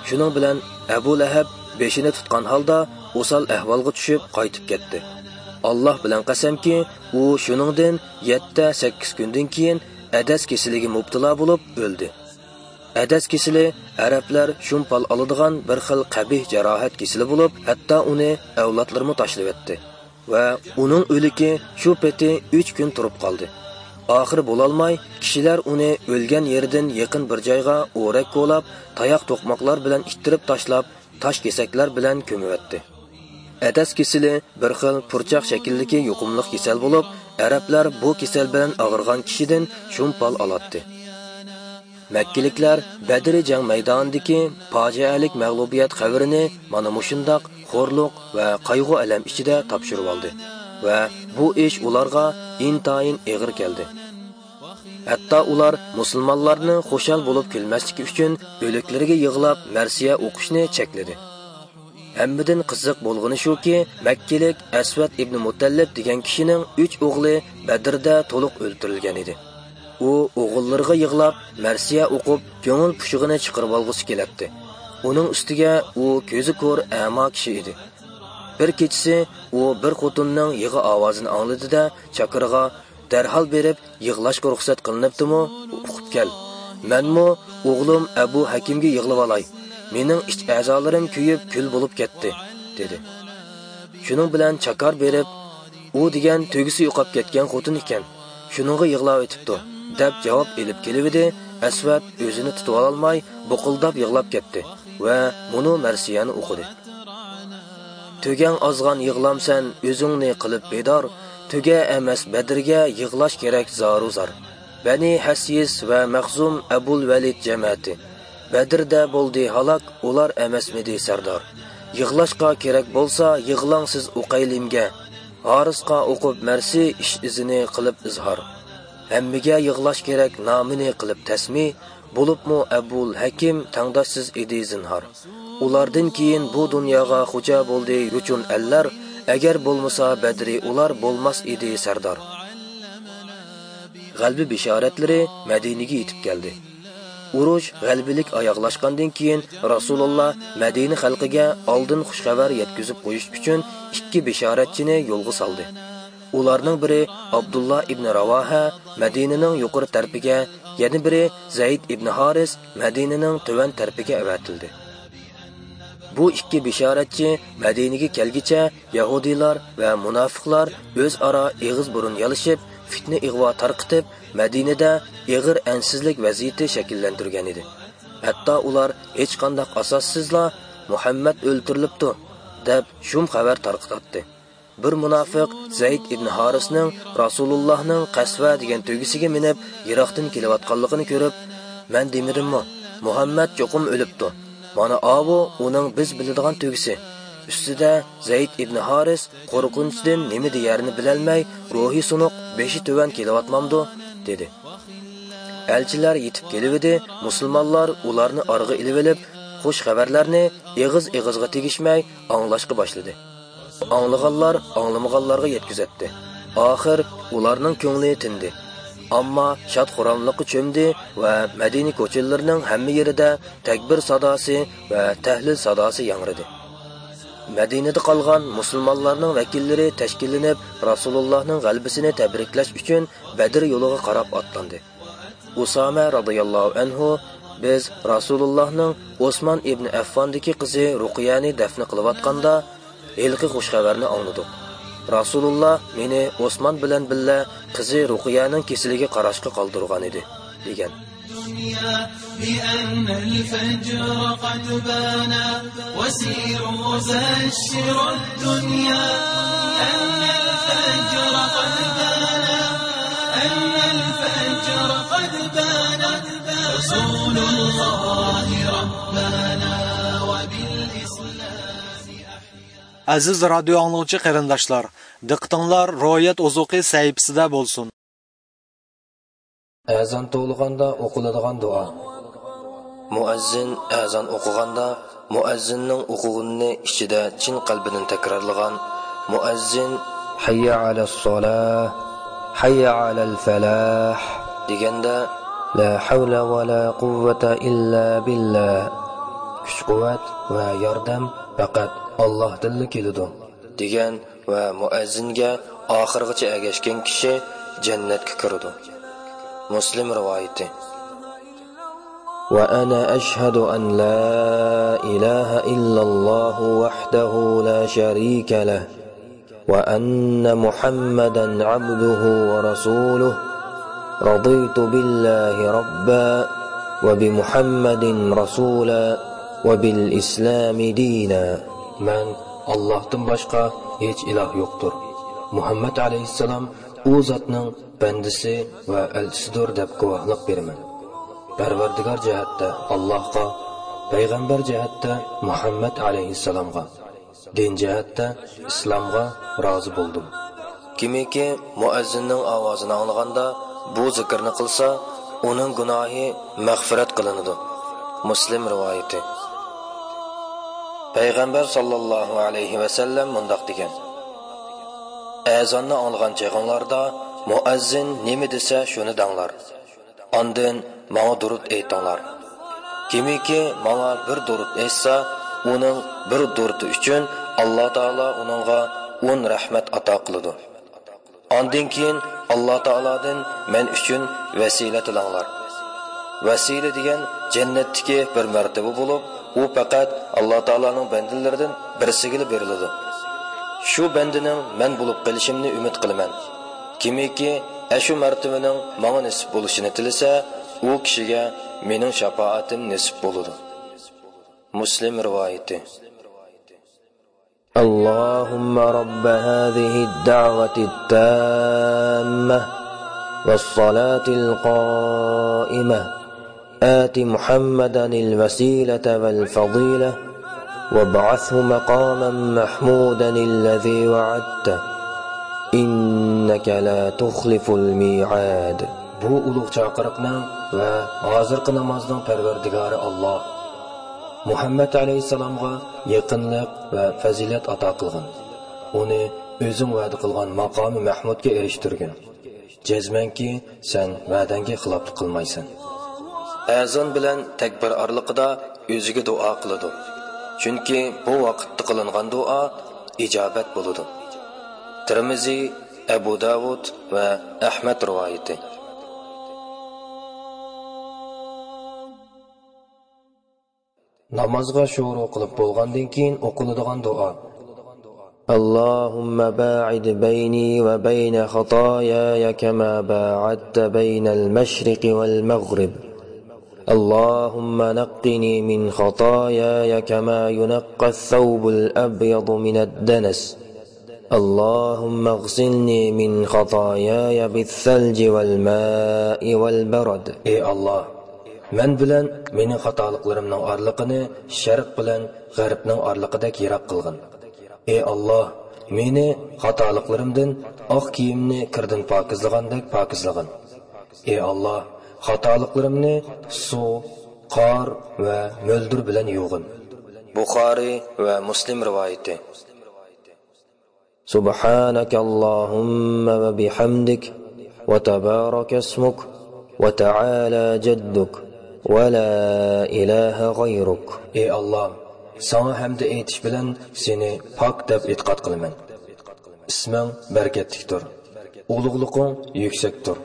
شۇنىڭ بىلەن ئەبۇ لەھەب بېشىنى تۇتقان ھالدا ئوسال ئەھۋالغا چۈشۈپ قايتىپ كەتتى. ئاللاھ بىلەن قەسەمكى، ئۇ شۇنىڭدىن يەتتە-سەككىز كۈندىن كېيىن ئەدەس كېسىلىگە مۇپتىلا بولۇپ ئۆلدى. ئەدەس كېسىلى ئەرەبلەر شۇمپال ئالىدىغان بىر خىل قەبىھ جاراھەت كېسىلى بولۇپ، ھەتتا ئۇنى ئەۋلادلىرىمۇ تاشلىۋەتتى. ۋە ئۇنىڭ ئۆلۈكى شۇ پېتى ئۈچ كۈن تۇرۇپ قالدى. ئاخىرى بولالماي، كىشىلەر ئۇنى ئۆلگەن يېرىدىن يېقىن بىر جايغا ئورەك كولاپ، تاياق توقماقلار بىلەن ئىتتىرىپ تاشلاپ، تاش كېسەكلەر بىلەن كۆمۈۋەتتى. ئەدەس كېسىلى بىر خىل پۇرچاق شەكىلدىكى يۇقۇملۇق كېسەل بولۇپ، ئەرەبلەر بۇ كېسەل بىلەن ئاغرىغان كىشىدىن شۇمپال ئالاتتى. مەككىلىكلەر بەدرى جەڭ مەيدانىدىكى پاجىئەلىك مەغلۇبىيەت خەۋىرىنى مانا مۇشۇنداق خورلۇق ۋە قايغۇ-ئەلەم ئىچىدە تاپشۇرۇۋالدى ۋە بۇ ئىش ئۇلارغا ئىنتايىن ئېغىر كەلدى. ھەتتا ئۇلار مۇسۇلمانلارنىڭ خۇشال بولۇپ كۈلمەسلىكى ئۈچۈن ئۆلۈكلىرىگە يىغلاپ مەرسىيە ئوقۇشنى چەكلىدى. ھەممىدىن قىزىق بولغىنى شۇكى، مەككىلىك ئەسۋەد ئىبنى مۇتەللىپ دېگەن كىشىنىڭ ئۈچ ئوغلى بەدىردە تولۇق ئۆلتۈرۈلگەن ئىدى. ئۇ ئوغۇللىرىغا يىغلاپ، مەرسىيە ئوقۇپ، كۆڭۈل پۇشۇقىنى چىقىرىۋالغۇسى كېلەتتى. ئۇنىڭ ئۈستىگە ئۇ كۆزى كور، ئەما كىشى ئىدى. بىر كېچىسى ئۇ بىر خوتۇننىڭ يىغا ئاۋازىنى ئاڭلىدى-دە، چاكىرىغا، دەرھال بېرىپ يىغلاشقا رۇخسەت قىلىنىپتىمۇ، ئۇقۇپ كەل. مەنمۇ ئوغلۇم ئەبۇ ھەكىمگە يىغلىۋالاي. مېنىڭ ئىچ ئەزالىرىم كۆيۈپ كۈل بولۇپ كەتتى، دېدى. شۇنىڭ بىلەن چاكار بېرىپ، ئۇ دېگەن تۆگىسى يوقاپ كەتكەن خوتۇن ئىكەن، شۇنىڭغا يىغلاۋېتىپتۇ، دەپ جاۋاب ئېلىپ كېلىۋىدى. ئەسۋەد ئۆزىنى تۇتۇۋالالماي، بۇقۇلداپ يىغلاپ كەتتى ۋە مۇنۇ مەرسىيەنى ئوقۇدى. تۆگەڭ ئازغان يىغلامسەن ئۆزۈڭنى قىلىپ بىدار، تۆگە ئەمەس بەدرىگە يىغلاش كېرەك زارۇ زار. بەنى ھەسيىس ۋە مەخزۇم ئەبۇل ۋەلىد جەمەتى، بەدرىدە بولدى ھالاك، ئۇلار ئەمەسمىدى سەردار؟ يىغلاشقا كېرەك بولسا يىغلاڭ سىز ئۇقەيلىمگە، ھارىسقا ئوقۇپ مەرسى ئىش ئىزىنى قىلىپ ئىزھار. ھەممىگە يىغلاش كېرەك نامىنى قىلىپ تەسمى، بولۇپمۇ ئەبۇل ھەكىم تەڭداشسىز ئىدى زىنھار. ئۇلاردىن كېيىن بۇ دۇنياغا خوجا بولدى يوچۇن ئەللەر، ئەگەر بولمىسا بەدرى ئۇلار بولماس ئىدى سەردار. غەلىبە بېشارەتلىرى مەدىنىگە يېتىپ كەلدى. ئۇرۇش غەلىبىلىك ئاياغلاشقاندىن كېيىن، رەسۇلۇللا مەدىنە خەلقىگە ئالدىن خۇش خەۋەر يەتكۈزۈپ قويۇش ئۈچۈن ئىككى بېشارەتچىنى يولغا سالدى. ئۇلارنىڭ بىرى ئابدۇللا ئىبنى راۋاھە مەدىنىنىڭ يۇقىرى تەرىپىگە، يەنە بىرى زەيد ئىبنى ھارىس مەدىنىنىڭ تۆۋەن تەرىپىگە ئەۋەتىلدى. بۇ ئىككى بېشارەتچى مەدىنىگە كەلگىچە يەھۇدىيلار ۋە مۇناپىقلار ئۆزئارا ئېغىز بۇرۇن يالىشىپ، فىتنە ئىغۋا تارقىتىپ، مەدىنىدە ئېغىر ئەنسىزلىك ۋەزىيىتى شەكىللەندۈرگەن ئىدى. ھەتتا ئۇلار ھېچقانداق ئاساسسىزلا، مۇھەممەد ئۆلتۈرۈلۈپتۇ، دەپ شۇم خەۋەر تارقىتاتتى. بىر مۇناپىق زەيد ئىبن ھارىسنىڭ رەسۇلۇللاھنىڭ قەسۋە دېگەن تۆگىسىگە مىنىپ يىراقتىن كېلىۋاتقانلىقىنى كۆرۈپ، مەن دېمىدىممۇ، مۇھەممەد چوقۇم ئۆلۈپتۇ. مانا ئاۋۇ ئۇنىڭ بىز بىلىدىغان تۆگىسى. ئۈستىدە زەيد ئىبن ھارىس قورقۇنچتىن نېمە دېيەرنى بىلەلمەي، روھى سۇنۇق، بېشى تۆۋەن كېلىۋاتمامدۇ؟ دېدى. ئەلچىلەر يېتىپ كېلىۋىدى، مۇسۇلمانلار ئۇلارنى ئارىغا ئېلىۋېلىپ، خۇش خەۋەرلەرنى ئېغىز-ئېغىزغا تېگىشمەي ئاڭلاشقا باشلىدى. ئاڭلىغانلار ئاڭلىمىغانلارغا يەتكۈزەتتى. ئاخىر ئۇلارنىڭ كۆڭلى تىندى. ئامما شاد-خۇراملىققا چۆمدى ۋە مەدىنە كوچىلىرىنىڭ ھەممە يېرىدە تەكبىر ساداسى ۋە تەھلىل ساداسى ياڭرىدى. مەدىنىدە قالغان مۇسۇلمانلارنىڭ ۋەكىللىرى تەشكىللىنىپ، رەسۇلۇللاھنىڭ غەلىبىسىنى تەبرىكلەش ئۈچۈن بەدر يولىغا قاراپ ئاتلاندى. ئۇسامە رازىياللاھۇ ئەنھۇ بىز رەسۇلۇللاھنىڭ ئوسمان ئىبنى ئەففاندىكى قىزى رۇقىيەنى دەفنە قىلىۋاتقاندا، ھېلىقى خۇش خەۋەرنى ئاڭلىدۇق. رەسۇلۇللا مېنى ئوسمان بىلەن بىللە قىزى رۇقىيەنىڭ كېسىلىگە قاراشقا قالدۇرغانىدى، دېگەن. الدنيا بأن الفجر قد بان، وسيروا بشروا الدنيا أن الفجر قد بان، أن الفجر قد بان، رسول الله ربنا وبالإسلام أحيا. ئەزىز رادىيو ئاڭلىغۇچى قېرىنداشلار، دىققىتىڭلار روھىيەت ئوزۇقى سەھىپىسىدە بولسۇن. ئەزان توۋلىغاندا ئوقۇلىدىغان دۇئا. مۇئەززىن ئەزان ئوقۇغاندا، مۇئەززىننىڭ ئوقۇغىنىنى ئىچىدە چىن قەلبىدىن تەكرارلىغان، مۇئەززىن «ھەييە ئەلەسسالاھ، ھەييە ئەلەلفەلاھ» دېگەندە، «لا ھەۋلە ۋە لا قۇۋۋەتە ئىللا بىللا»، كۈچ-قۇۋۋەت ۋە ياردەم پەقەت ئاللاھتىنلا كېلىدۇ، دېگەن ۋە مۇئەززىنگە ئاخىرغىچە ئەگەشكەن كىشى جەننەتكە كىرىدۇ. مۇسلىم رىۋايىتى. وأنا أشهد أن لا إله إلا الله وحده لا شريك له، وأن محمدا عبده ورسوله، رضيت بالله ربا، وبمحمد رسولا، وبالإسلام دينا. مەن ئاللاھتىن باشقا ھېچ ئىلاھ يوقتۇر. مۇھەممەد ئەلەيھىسسالام ئۇ زاتنىڭ بەندىسى ۋە ئەلچىسىدۇر دەپ گۇۋاھلىق بېرىمەن. پەرۋەردىگار جەھەتتە ئاللاھقا، پەيغەمبەر جەھەتتە مۇھەممەد ئەلەيھىسسالامغا، دىن جەھەتتە ئىسلامغا رازى بولدۇم. كىمكى مۇئەززىننىڭ ئاۋازىنى ئاڭلىغاندا بۇ زىكىرنى قىلسا، ئۇنىڭ گۇناھى مەغپىرەت قىلىنىدۇ. مۇسلىم رىۋايىتى. پەيغەمبەر ساللاللاھۇ ئەلەيھى ۋەسەللەم مۇنداق دېگەن: ئەزاننى ئاڭلىغان چېغىڭلاردا مۇئەززىن نېمە دېسە، شۇنى دەڭلار. ئاندىن ماڭا دۇرۇت ئېيتىڭلار. كىمكى ماڭا بىر دۇرۇت ئېيتسا، ئۇنىڭ بىر دۇرۇتى ئۈچۈن ئاللا تائالا ئۇنىڭغا ئون رەھمەت ئاتا قىلىدۇ. ئاندىن كېيىن ئاللا تائالادىن مەن ئۈچۈن ۋەسىلە تىلەڭلار. ۋەسىلە دېگەن جەننەتتىكى بىر مەرتىۋە بولۇپ، ئۇ پەقەت ئاللا تائالانىڭ بەندىلىرىدىن بىرسىگىلا بېرىلىدۇ. شۇ بەندىنىڭ مەن بولۇپ قېلىشىمنى ئۈمىد قىلىمەن. كىمكى ئەشۇ مەرتىۋىنىڭ ماڭا نېسىپ بولۇشىنى تىلىسە، ئۇ كىشىگە مېنىڭ شاپائەتىم نېسىپ بولىدۇ. مۇسلىم رىۋايىتى. اللهم رب هذه الدعوة التامة والصلاة القائمة، آت محمدا الوسيلة والفضيلة، وابعثه مقاما محمودا الذي وعدته، إنك لا تخلف الميعاد. بۇ ئۇلۇغ چاقىرىقنىڭ ۋە ھازىرقى نامازنىڭ پەرۋەردىگارى ئاللا، مۇھەممەد ئەلەيھىسسالامغا يېقىنلىق ۋە پەزىلەت ئاتا قىلغىن. ئۇنى ئۆزۈڭ ۋەدە قىلغان ماقامى مەھمۇدقا ئېرىشتۈرگىن. جەزمەنكى، سەن ۋەدەڭگە خىلاپلىق قىلمايسەن. ئەزان بىلەن تەكبىر ئارىلىقىدا ئۆزىگە دۇئا قىلىدۇ. چۈنكى بۇ ۋاقىتتا قىلىنغان دۇئا ئىجابەت بولىدۇ. تىرمىزى، ئەبۇ داۋۇد ۋە ئەھمەد رىۋايىتى. نامازغا شورۇ قىلىپ بولغاندىن كېيىن ئوقۇلىدىغان دۇئا. اللهم باعد بيني وبين خطاياي كما باعدت بين المشرق والمغرب. اللهم نقني من خطاياي كما ينقى الثوب الأبيض من الدنس. اللهم اغسلني من خطاياي بالثلج والماء والبرد. ئەي ئاللا، مەن بىلەن مېنىڭ خاتالىقلىرىمنىڭ ئارىلىقىنى شەرق بىلەن غەربنىڭ ئارىلىقىدەك يىراق قىلغىن. ئەي ئاللا، مېنى خاتالىقلىرىمدىن ئاق كىيىمنى كىردىن پاكىزلىغاندەك پاكىزلىغىن. ئەي ئاللا، خاتالىقلىرىمنى سۇ، قار ۋە مۆلدۈر بىلەن يۇغىن. بۇخارىي ۋە مۇسلىم رىۋايىتى. سبحانك اللهم وبحمدك، وتبارك اسمك، وتعالى جدك، ولا إله غيرك. ئەي ئاللا، ساڭا ھەمدە ئېيتىش بىلەن سېنى پاك دەپ ئېتىقاد قىلىمەن. ئىسمىڭ بەرىكەتلىكتۇر، ئۇلۇغلۇقۇڭ يۈكسەكتۇر،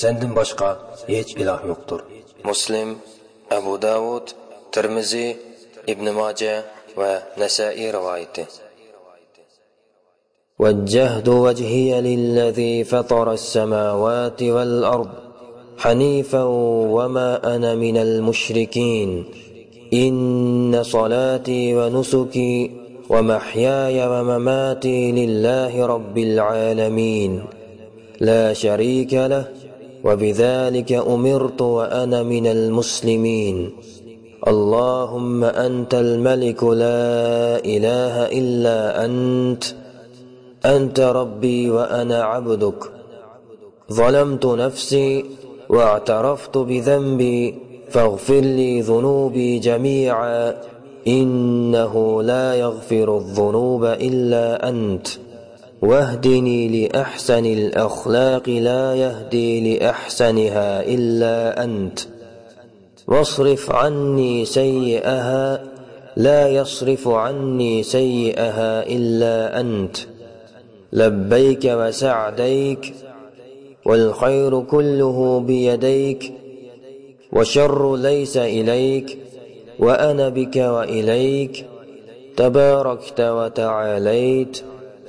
سەندىن باشقا ھېچ ئىلاھ يوقتۇر. مۇسلىم، ئەبۇ داۋۇد، تىرمىزى، ئىبنى ماجە ۋە نەسائىي رىۋايىتى. وجهت وجهي للذي فطر السماوات والأرض حنيفا وما أنا من المشركين. إن صلاتي ونسكي ومحياي ومماتي لله رب العالمين لا شريك له وبذلك أمرت وأنا من المسلمين. اللهم أنت الملك لا إله إلا أنت، أنت ربي وأنا عبدك، ظلمت نفسي واعترفت بذنبي فاغفر لي ذنوبي جميعا، إنه لا يغفر الذنوب إلا أنت، واهدني لأحسن الأخلاق لا يهدي لأحسنها إلا أنت، واصرف عني سيئها لا يصرف عني سيئها إلا أنت، لبيك وسعديك، والخير كله بيديك، والشر ليس إليك، وأنا بك وإليك، تباركت وتعاليت،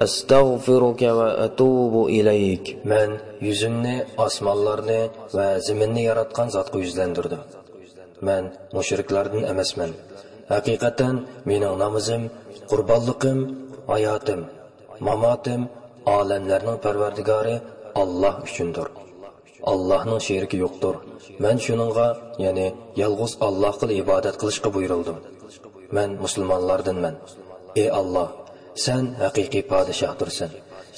أستغفرك وأتوب إليك. مەن يۈزۈمنى ئاسمانلارنى ۋە زېمىننى ياراتقان زاتقا يۈزلەندۈردۈم. مەن مۇشرىكلاردىن ئەمەسمەن. ھەقىقەتەن مېنىڭ نامىزىم، قۇربانلىقىم، ھاياتىم، ماماتىم ئالەملەرنىڭ پەرۋەردىگارى ئاللاھ ئۈچۈندۇر. ئاللاھنىڭ شېرىكى يوقتۇر. مەن شۇنىڭغا، يەنى يالغۇز ئاللاھقىلا ئىبادەت قىلىشقا بۇيرۇلدۇم. مەن مۇسۇلمانلاردىنمەن. ئى ئاللاھ، سەن ھەقىقىي پادىشاھدۇرسەن.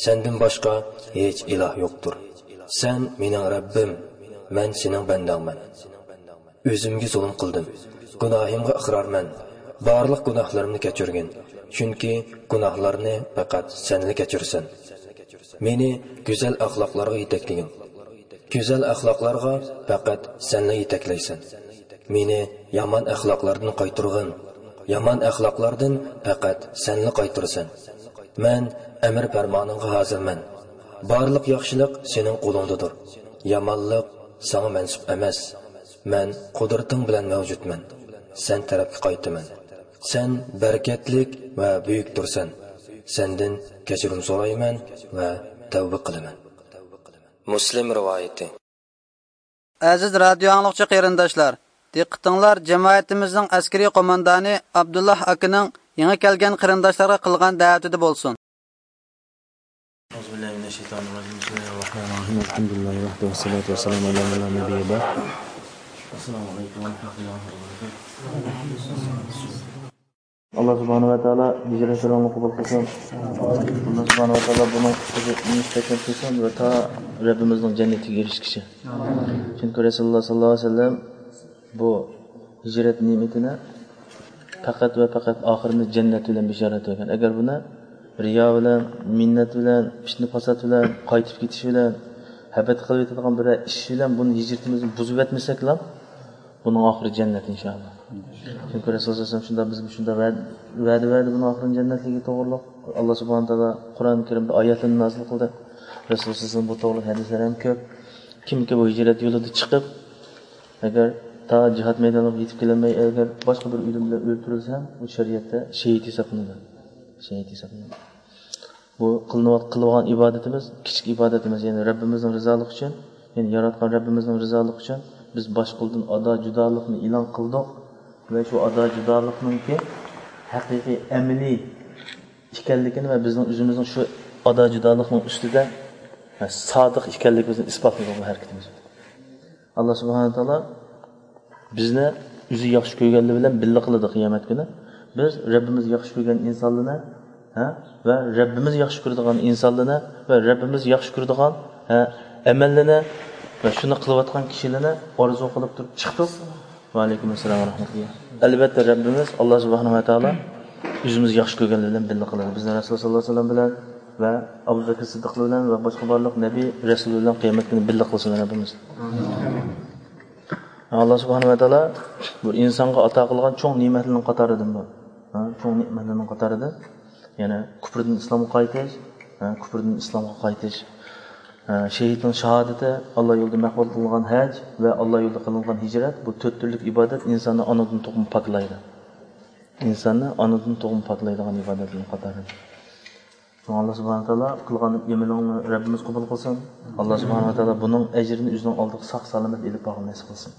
سەندىن باشقا ھېچ ئىلاھ يوقتۇر. سەن مېنىڭ رەببىم، مەن سېنىڭ بەندەڭمەن. ئۆزۈمگە زۇلۇم قىلدىم. گۇناھىمغا ئىقرارمەن. بارلىق گۇناھلىرىمنى كەچۈرگىن. چۈنكى گۇناھلارنى پەقەت سەنلا كەچۈرىسەن. مېنى گۈزەل ئەخلاقلارغا يېتەكلىگىن. گۈزەل ئەخلاقلارغا پەقەت سەنلا يېتەكلەيسەن. مېنى يامان ئەخلاقلاردىن قايتۇرغىن. يامان ئەخلاقلاردىن پەقەت سەنلا قايتۇرىسەن. مەن ئەمر پەرمانىڭغا ھازىرمەن. بارلىق ياخشىلىق سېنىڭ قولۇڭدىدۇر. يامانلىق ساڭا مەنسۇپ ئەمەس. مەن قۇدرىتىڭ بىلەن مەۋجۇتمەن. سەن تەرەپكە قايتىمەن. سەن بەرىكەتلىك ۋە بۈيۈكتۇرسەن. سەندىن كەچۈرۈم سورايمەن ۋە تەۋبە قىلىمەن. مۇسلىم رىۋايىتى. ئەزىز رادىيو ئاڭلىغۇچى قېرىنداشلار، دىققىتىڭلار جەمئىيىتىمىزنىڭ ئەسكىرىي قوماندانى ئابدۇللا ئاكىنىڭ يېڭى كەلگەن قېرىنداشلارغا قىلغان دەۋىتىدە بولسۇن. أعوذ بالله من الشيطان الرجيم. بسم الله الرحمن الرحيم. الحمد لله وحده والصلاة والسلام على من لا نبي بعده. السلام عليكم ورحمة الله وبركاته. ئاللا سۇبھانەھۇ ۋە تائالا ھىجرەتلىرىڭلارنى قوبۇل قىلسۇن. ئاللا سۇبھانەھۇ ۋە تائالا بۇنىڭ ئۈستىگە مۇستەھكەم قىلسۇن ۋە تا رەببىمىزنىڭ جەننىتىگە ئېرىشكىچە. چۈنكى رەسۇلۇللا ساللاللاھۇ ئەلەيھى ۋەسەللەم بۇ ھىجرەت نېمىتىنى پەقەت ۋە پەقەت ئاخىرىنى جەننەت بىلەن بېشارەت بەرگەن. ئەگەر بۇنى رىيا بىلەن، مىننەت بىلەن، پىتنە پاسات بىلەن، قايتىپ كېتىش بىلەن، ھەبەت قىلىۋېتىدىغان بىرەر ئىش بىلەن بۇنى ھىجرىتىمىزنى بۇزۇۋەتمىسەكلا، بۇنىڭ ئاخىرى جەننەت، ئىنشائاللا. چۈنكى رەسۇل سەللەللاھۇ ئەلەيھى ۋەسەللەم شۇنداق بىزگە شۇنداق ۋەدە، ۋەدە بەردى بۇنىڭ ئاخىرىنى جەننەتلىكى توغرۇلۇق. ئاللا سۇبھانەھۇ ۋە تائالا قۇرئان كەرىمدە ئايەتلەرنى نازىل قىلدى. رەسۇل سەللەللاھۇ ئەلەيھى ۋەسەللەم بۇ توغرۇلۇق ھەدىسلەر ھەم كۆپ. كىمكى بۇ ھىجرەت يولىدا چىقىپ، ئەگەر تا جىھاد مەيدانىغا يېتىپ كېلەلمەي، ئەگەر باشقا بىر ئۆلۈم بىلەن ئۆلتۈرۈلسە، ئۇ شەرىئەتتە شېھىت ھېسابلىنىدۇ. شېھىت ھېسابلىنىدۇ. بۇ قىلىنىۋات-، قىلىۋالغان ئىبادىتىمىز كىچىك ئىبادەت ئەمەس، يەنى رەببىمىزنىڭ رىزالىقى ئۈچۈن، يەنى ياراتقان رەببىمىزنىڭ رىزالىقى ئۈچۈن بىز باش قولدىن ئادا جۇدالىقنى ئېلان قىلدۇق ۋە شۇ ئادا جۇدالىقنىڭكى ھەقىقىي ئەمەلىي ئىكەنلىكىنى ۋە بىزنىڭ ئۆزىمىزنىڭ شۇ ئادا جۇدالىقنىڭ ئۈستىدە سادىق ئىكەنلىكىمىزنى ئىسپاتلىدۇق بۇ ھەرىكىتىمىز بىلەن. ئاللا سۇبھانەھۇ ۋە تائالا بىزنى ئۆزى ياخشى كۆرگەنلىرى بىلەن بىللە قىلىدۇ قىيامەت كۈنى. بىز رەببىمىز ياخشى كۆرگەن ئىنسانلىرىنى، ھە، ۋە رەببىمىز ياخشى كۆرىدىغان ئىنسانلىرىنى ۋە رەببىمىز ياخشى كۆرىدىغان، ھە، ئەمەللىرىنى ۋە شۇنى قىلىۋاتقان كىشىلەرنى ئارزۇ قىلىپ تۇرۇپ چىقتۇق. ۋەئەلەيكۇم ئەسسالام ۋە رەھمەتۇللا. ئەلۋەتتە، رەببىمىز ئاللا سۇبھانەھۇ ۋە تائالا ئۆزىمىز ياخشى كۆرگەنلەر بىلەن بىللە قىلىدۇ. بىزنى رەسۇل سەللەللاھۇ ئەلەيھى ۋەسەللەم بىلەن ۋە ئەبۇ بەكرى سىددىقلار بىلەن ۋە باشقا بارلىق نەبىي رەسۇللار بىلەن قىيامەت كۈنى بىللە قىلسۇن رەببىمىز. ئاللا سۇبھانەھۇ ۋە تائالا بۇ ئىنسانغا ئاتا قىلغان چوڭ نېمەتلەرنىڭ قاتارىدىن بۇ. ھە، چوڭ نېمەتلەرنىڭ قاتارىدىن. يەنى كۇپۇردىن ئىسلامغا قايتىش، ھە، كۇپۇردىن ئىسلامغا قايتىش. شېھىتنىڭ شاھادىتى، ئاللا يولىدا مەقبۇل قىلىنغان ھەج ۋە ئاللا يولىدا قىلىنغان ھىجرەت، بۇ تۆت تۈرلۈك ئىبادەت ئىنساننى ئانىدىن تۇغما پاكلايدۇ. ئىنساننى ئانىدىن تۇغما پاكلايدىغان ئىبادەتلەرنىڭ قاتارىدا. شۇڭا ئاللا سۇبھانەھۇ ۋە تائالا قىلغان ئەمىلىڭنى رەببىمىز قوبۇل قىلسۇن. ئاللا سۇبھانەھۇ ۋە تائالا بۇنىڭ ئەجرىنى ئۆزىنىڭ ئالدىغا ساق سالامەت ئېلىپ بارغىلى نېسىپ قىلسۇن.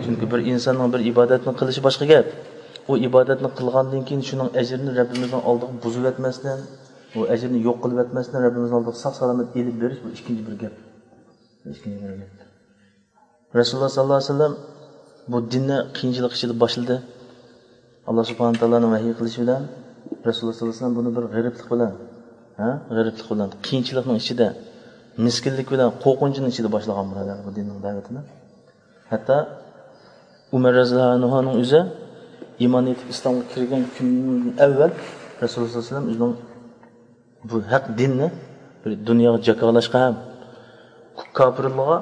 چۈنكى بىر ئىنساننىڭ بىر ئىبادەتنى قىلىشى باشقا گەپ. ئۇ ئىبادەتنى قىلغاندىن كېيىن شۇنىڭ ئەجرىنى رەببىمىزنىڭ ئالدىغا بۇزۇۋەتمەستىن، ئۇ ئەجرىنى يوق قىلىۋەتمەستىن، رەببىمىزنىڭ ئالدىغا ساق سالامەت ئېلىپ بېرىش، بۇ ئىككىنچى بىر گەپ. ئىككىنچى بىر گەپ. رەسۇلۇللا ساللاللاھۇ ئەلەيھى ۋەسەللەم بۇ دىننى قىيىنچىلىق ئىچىدە باشلىدى. ئاللا سۇبھانەھۇ تائالانىڭ ۋەھىي قىلىشى بىلەن رەسۇلۇللا ساللاللاھۇ ئەلەيھى ۋەسەللەم بۇنى بىر غېرىبلىق بىلەن، ھە، غېرىبلىق بىلەن، قىيىنچىلىقنىڭ ئىچىدە، مىسكىنلىك بىلەن، قورقۇنچنىڭ ئىچىدە باشلىغان، بۇرادەر، بۇ دىننىڭ دەۋىتىنى. ھەتتا ئۇمەر رەزىياللاھۇ ئەنھۇنىڭ ئۆزى ئىمان ئېيتىپ ئىسلامغا كىرگەن كۈندىن ئەۋۋەل رەسۇلۇللا ساللاللاھۇ ئەلەيھى ۋەسەللەم ئۆزىنىڭ بۇ ھەق دىننى بىر دۇنياغا جاكارلاشقا ھەم كاپىرلارغا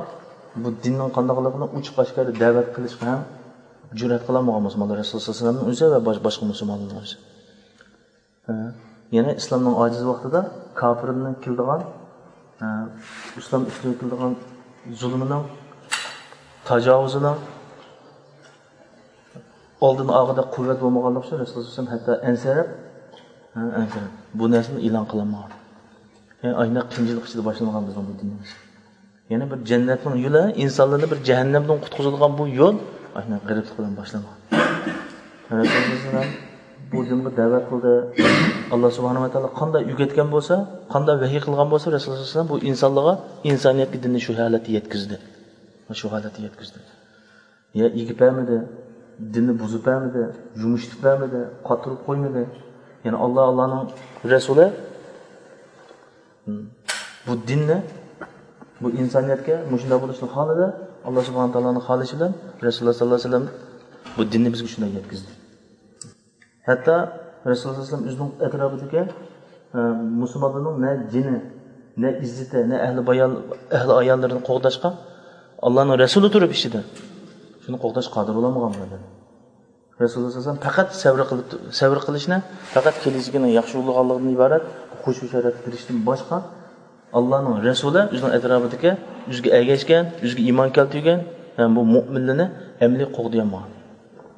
بۇ دىننىڭ قانداقلىقىنى ئوچۇق ئاشكارا دەۋەت قىلىشقا ھەم جۈرئەت قىلالمىغان مۇسۇلمانلار، رەسۇلۇللا ساللاللاھۇ ئەلەيھى ۋەسەللەمنىڭ ئۆزى ۋە باش-، باشقا مۇسۇلمانلارنىڭ ئۆزى. ھە. يەنى ئىسلامنىڭ ئاجىز ۋاقتىدا كاپىرلارنىڭ كېلىدىغان، ھە، ئىسلام ئۈستىگە كېلىدىغان زۇلمىنىڭ، تاجاۋۇزىنىڭ ئالدىنى ئالغۇدەك قۇۋۋەت بولمىغانلىقى ئۈچۈن رەسۇلۇللا ساللاللاھۇ ئەلەيھى ۋەسەللەم ھەتتا ئەنسىرەپ، ھە، ئەنسىرەپ بۇ نەرسىنى ئېلان قىلالمىغان. يەنى ئاشۇنداق قىيىنچىلىق ئىچىدە باشلانغان بىزنىڭ بۇ دىنىمىز. يەنى بىر جەننەتنىڭ يولى، ئىنسانلارنى بىر جەھەننەمدىن قۇتقۇزىدىغان بۇ يول ئاشۇنداق غېرىبلىق بىلەن باشلانغان. رەسۇلۇللا ساللاللاھۇ ئەلەيھى ۋەسەللەم بۇ دىنغا دەۋەت قىلدى. ئاللا سۇبھانەھۇ ۋە تائالا قانداق ئۆگەتكەن بولسا، قانداق ۋەھىي قىلغان بولسا، رەسۇلۇللا ساللاللاھۇ ئەلەيھى ۋەسەللەم بۇ ئىنسانلارغا، ئىنسانىيەتكە دىننى شۇ ھالەتتە يەتكۈزدى. شۇ ھالەتتە يەتكۈزدى. يا ئېگىپ بەرمىدى، دىننى بۇزۇپ بەرمىدى، يۇمشىتىپ بەرمىدى، قاتۇرۇپ قويمىدى. يەنى ئاللا، ئاللانىڭ رەسۇلى، ھم، بۇ دىننى، بۇ ئىنسانىيەتكە مۇشۇنداق بولۇشنى خالىدى. ئاللا سۇبھانەھۇ تائالانىڭ خالىشى بىلەن رەسۇلۇللا ساللاللاھۇ ئەلەيھى ۋەسەللەم بۇ دىننى بىزگە شۇنداق يەتكۈزدى. ھەتتا رەسۇلۇللا ساللاللاھۇ ئەلەيھى ۋەسەللەم ئۆزىنىڭ ئەتراپىدىكى، ئە، مۇسۇلمانلارنىڭ نە جېنى، نە ئىززىتى، نە ئەھلى بايان-، ئەھلى ئاياللىرىنى قوغداشقا ئاللانىڭ رەسۇلى تۇرۇپ ئىچىدە شۇنى قوغداشقا قادىر بولالمىغان بۇ ئادەم. رەسۇلۇللا ساللاللاھۇ ئەلەيھى ۋەسەللەم پەقەت سەۋر قىلىپ، سەۋر قىلىشنى، پەقەت كېلىچىكىنىڭ ياخشى بولىدىغانلىقىدىن ئىبارەت خۇشۇ شەرەپكە كىرىشتىن باشقا، ئاللانىڭ رەسۇلى ئۆزىنىڭ ئەتراپىدىكى ئۆزىگە ئەگەشكەن، ئۆزىگە ئىمان كەلتۈرگەن، ھەم بۇ مۆمىنلىرىنى ئەمەلىي قوغدىيالمىغان.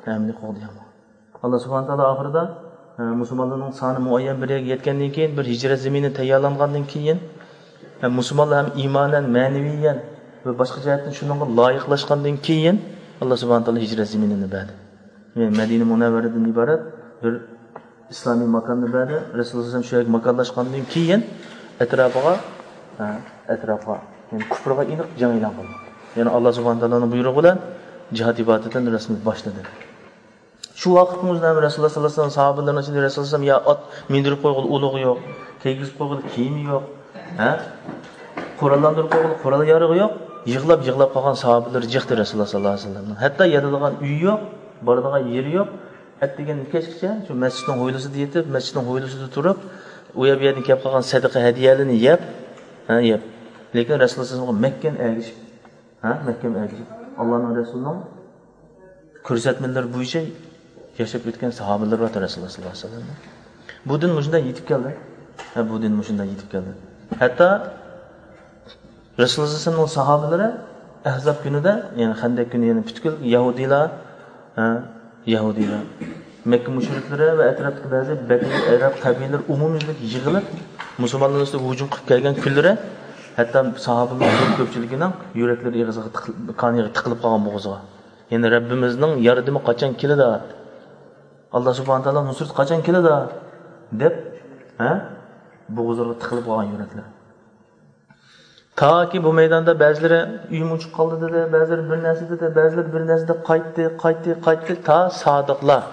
ئەمەلىي قوغدىيالمىغان. ئاللا سۇبھانەھۇ تائالا ئاخىرىدا، ئە، مۇسۇلمانلارنىڭ سانى مۇئەييەن بىر يەرگە يەتكەندىن كېيىن، بىر ھىجرەت زېمىنى تەييارلانغاندىن كېيىن، ھەم مۇسۇلمانلار ھەم ئىمانەن، مەنىۋىيەن ۋە باشقا جەھەتتىن شۇنىڭغا لايىقلاشقاندىن كېيىن، ئاللا سۇبھانەھۇ تائالا ھىجرەت زېمىنىنى بەردى. يەنى مەدىنە مۇنەۋۋەرىدىن ئىبارەت بىر ئىسلامىي ماكاننى بەردى. رەسۇلۇللا سەللەللاھۇ ئەلەيھى ۋەسەللەم شۇ يەرگە ماكانلاشقاندىن كېيىن، ئەتراپىغا، ھە، ئەتراپىغا، يەنى كۇپرىغا ئېنىق جەڭ ئېلان قىلدى. يەنى ئاللا سۇبھانەھۇ تائالانىڭ بۇيرۇقى بىلەن جىھاد ئىبادىتىنى رەسمىي باشلىدى. شۇ ۋاقىتنىڭ ئۆزىدە رەسۇلۇللا سەللەللاھۇ ئەلەيھى ۋەسەللەم ساھابىلىرىنىڭ ئىچىدە رەسۇلۇللا سەللەللاھۇ ئەلەيھى ۋەسەللەم يا ئات مىندۈرۈپ قويغىلى ئۇلىغى يوق، كىيگۈزۈپ قويغىلى كىيىمى يوق، ھە؟ قوراللاندۇرۇپ قويغىلى قورال يارىغى يوق. يىغلاپ، يىغلاپ قالغان ساھابىلىرى جىقتى رەسۇلۇللا سەللەللاھۇ ئەلەيھى ۋەسەللەمنىڭ. ھەتتا ياتىدىغان ئۆيى يوق، بارىدىغان يېرى يوق. ئەتىگەندىن كەچكىچە شۇ مەسچىتنىڭ ھويلىسىدا يېتىپ، مەسچىتنىڭ ھويلىسىدا تۇرۇپ، ئۇ يەر بۇ يەردىن كېلىپ قالغان سەدىقە ھەدىيەلىرىنى يەپ، ھە، يەپ. لېكىن رەسۇلۇللا سەللەللاھۇ ئەلەيھى ۋەسەللەمگە مەھكەم ئەگىشىپ، ھە، مەھكەم ئەگىشىپ، ئاللانىڭ رەسۇلىنىڭ كۆرسەتمىلىرى بويىچە ياشاپ ئۆتكەن ساھابىلىرى بار رەسۇلۇللا سەللەللاھۇ ئەلەيھى ۋەسەللەم. بۇ دىن مۇشۇنداق يېتىپ كەلدى. ھە، بۇ دىن مۇشۇنداق يېتىپ كەلدى. ھەتتا رەسۇلۇللا سەللەللاھۇ ئەلەيھى ۋەسەللەمنىڭ ساھابىلىرى ئەھزاب كۈنىدە، يەنى خەندەك كۈنى، يەنى پۈتكۈل يەھۇدىيلار، ھە، يەھۇدىيلار، مەككە مۇشرىكلىرى ۋە ئەتراپتىكى بەزى بەدەۋىي ئەرەب قەبىلىلىرى ئومۇميۈزلۈك يىغىلىپ، مۇسۇلمانلار ئۈستىگە ھۇجۇم قىلىپ كەلگەن كۈنلىرى، ھەتتا ساھابىلەر كۆپچىلىكىنىڭ يۈرەكلىرى ئېغىزىغا تىقىل-، كانىغا تىقىلىپ قالغان بوغۇزىغا. يەنى رەببىمىزنىڭ ياردىمى قاچان كېلىدۇ؟ ئاللا سۇبھانەھۇ تائالا نۇسرىتى قاچان كېلىدۇ؟ دەپ، ھە؟ بوغۇزلىرىغا تىقىلىپ قالغان يۈرەكلەر. تاكى بۇ مەيداندا بەزىلىرى ئۆيۈم ئۇچۇپ قالدى دېدى، بەزىلىرى بىر نەرسە دېدى، بەزىلىرى بىر نەرسە دەپ قايتتى، قايتتى، قايتتى، تا سادىقلار،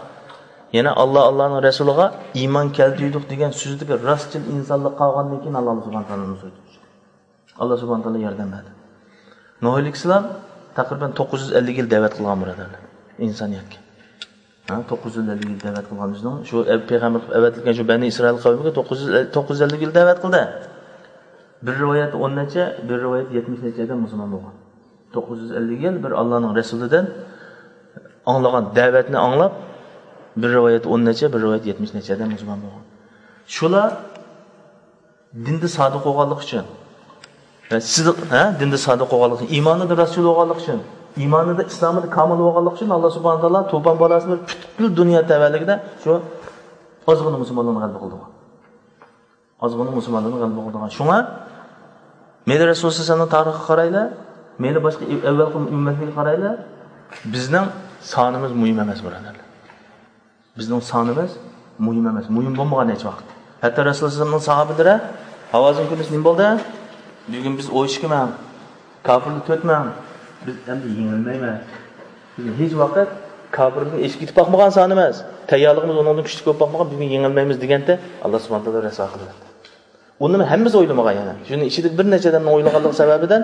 يەنى ئاللا، ئاللانىڭ رەسۇلىغا ئىمان كەلتۈردۇق دېگەن سۆزدىكى راستچىل ئىنسانلار قالغاندىن كېيىن ئاللا سۇبھانەھۇ تائالا نۇسرىتى چۈشتى. ئاللا سۇبھانەھۇ تائالا ياردەم بەردى. نۇھ ئەلەيھىسسالام تەقرىبەن توققۇز يۈز ئەللىك يىل دەۋەت قىلغان، بۇرادەرلەر، ئىنسانىيەتكە. ھە، توققۇز يۈز ئەللىك يىل دەۋەت قىلغان ئۆزىنىڭ شۇ ئەپ-، پەيغەمبەر قىلىپ ئەۋەتىلگەن شۇ بەنى ئىسرائىل قەۋمىگە توققۇز يۈز، توققۇز يۈز ئەللىك يىل دەۋەت قىلدى. بىر رىۋايەتتە ئون نەچچە، بىر رىۋايەتتە يەتمىش نەچچە ئادەم مۇسۇلمان بولغان. توققۇز يۈز ئەللىك يىل بىر ئاللانىڭ رەسۇلىدىن ئاڭلىغان دەۋەتنى ئاڭلاپ، بىر رىۋايەتتە ئون نەچچە، بىر رىۋايەتتە يەتمىش نەچچە ئادەم مۇسۇلمان بولغان. شۇلار دىندا سادىق بولغانلىقى ئۈچۈن، سىدىق، ھە، دىندا سادىق بولغانلىقى ئۈچۈن، ئىمانىدا راستچىل بولغانلىقى ئۈچۈن، ئىمانىدا، ئىسلامىدا كامىل بولغانلىقى ئۈچۈن، ئاللا سۇبھانەھۇ ۋە تائالا توپان بالاسىنى بېرىپ، پۈتكۈل دۇنيا تەۋەلىكىدە شۇ ئازغىنە مۇسۇلمانلارنى غەلىبە قىلدۇرغان. ئازغىنە مۇسۇلمانلارنى غەلىبە قىلدۇرغان. شۇڭا مەيلى رەسۇلۇللا سەللەللاھۇ ئەلەيھى ۋەسەللەمنىڭ تارىخىغا قارايلى، مەيلى باشقا ئەۋۋەلقى ئۈممەتلەرگە قارايلى، بىزنىڭ سانىمىز مۇھىم ئەمەس، بۇرادەرلەر. بىزنىڭ سانىمىز مۇھىم ئەمەس، مۇھىم بولمىغان ھېچ ۋاقىت. ھەتتا رەسۇلۇللا سەللەللاھۇ ئەلەيھى ۋەسەللەمنىڭ ساھابىلىرى، ھاۋازىن كۈندۈز نېمە بولدى؟ بۈگۈن بىز ئون ئىككى مىڭ، كاپىرلار تۆت مىڭ، بىز ئەمدى يېڭىلمەيمىز. بىز ھېچ ۋاقىت كاپىرلارنى ئېشىپ كېتىپ باقمىغان سانىمىز، تەييارلىقىمىز ئۇنىڭدىن كۈچلۈك بولۇپ باقمىغان، بۈگۈن يېڭىلمەيمىز دېگەندە، ئاللا سۇبھانەھۇ ۋە تائالا رەسۋا قىلىۋەتتى. ئۇنى ھەممىسى ئويلىمىغان يەنە. شۇنىڭ ئىچىدىكى بىر نەچچە ئادەمنىڭ ئويلىغانلىقى سەۋەبىدىن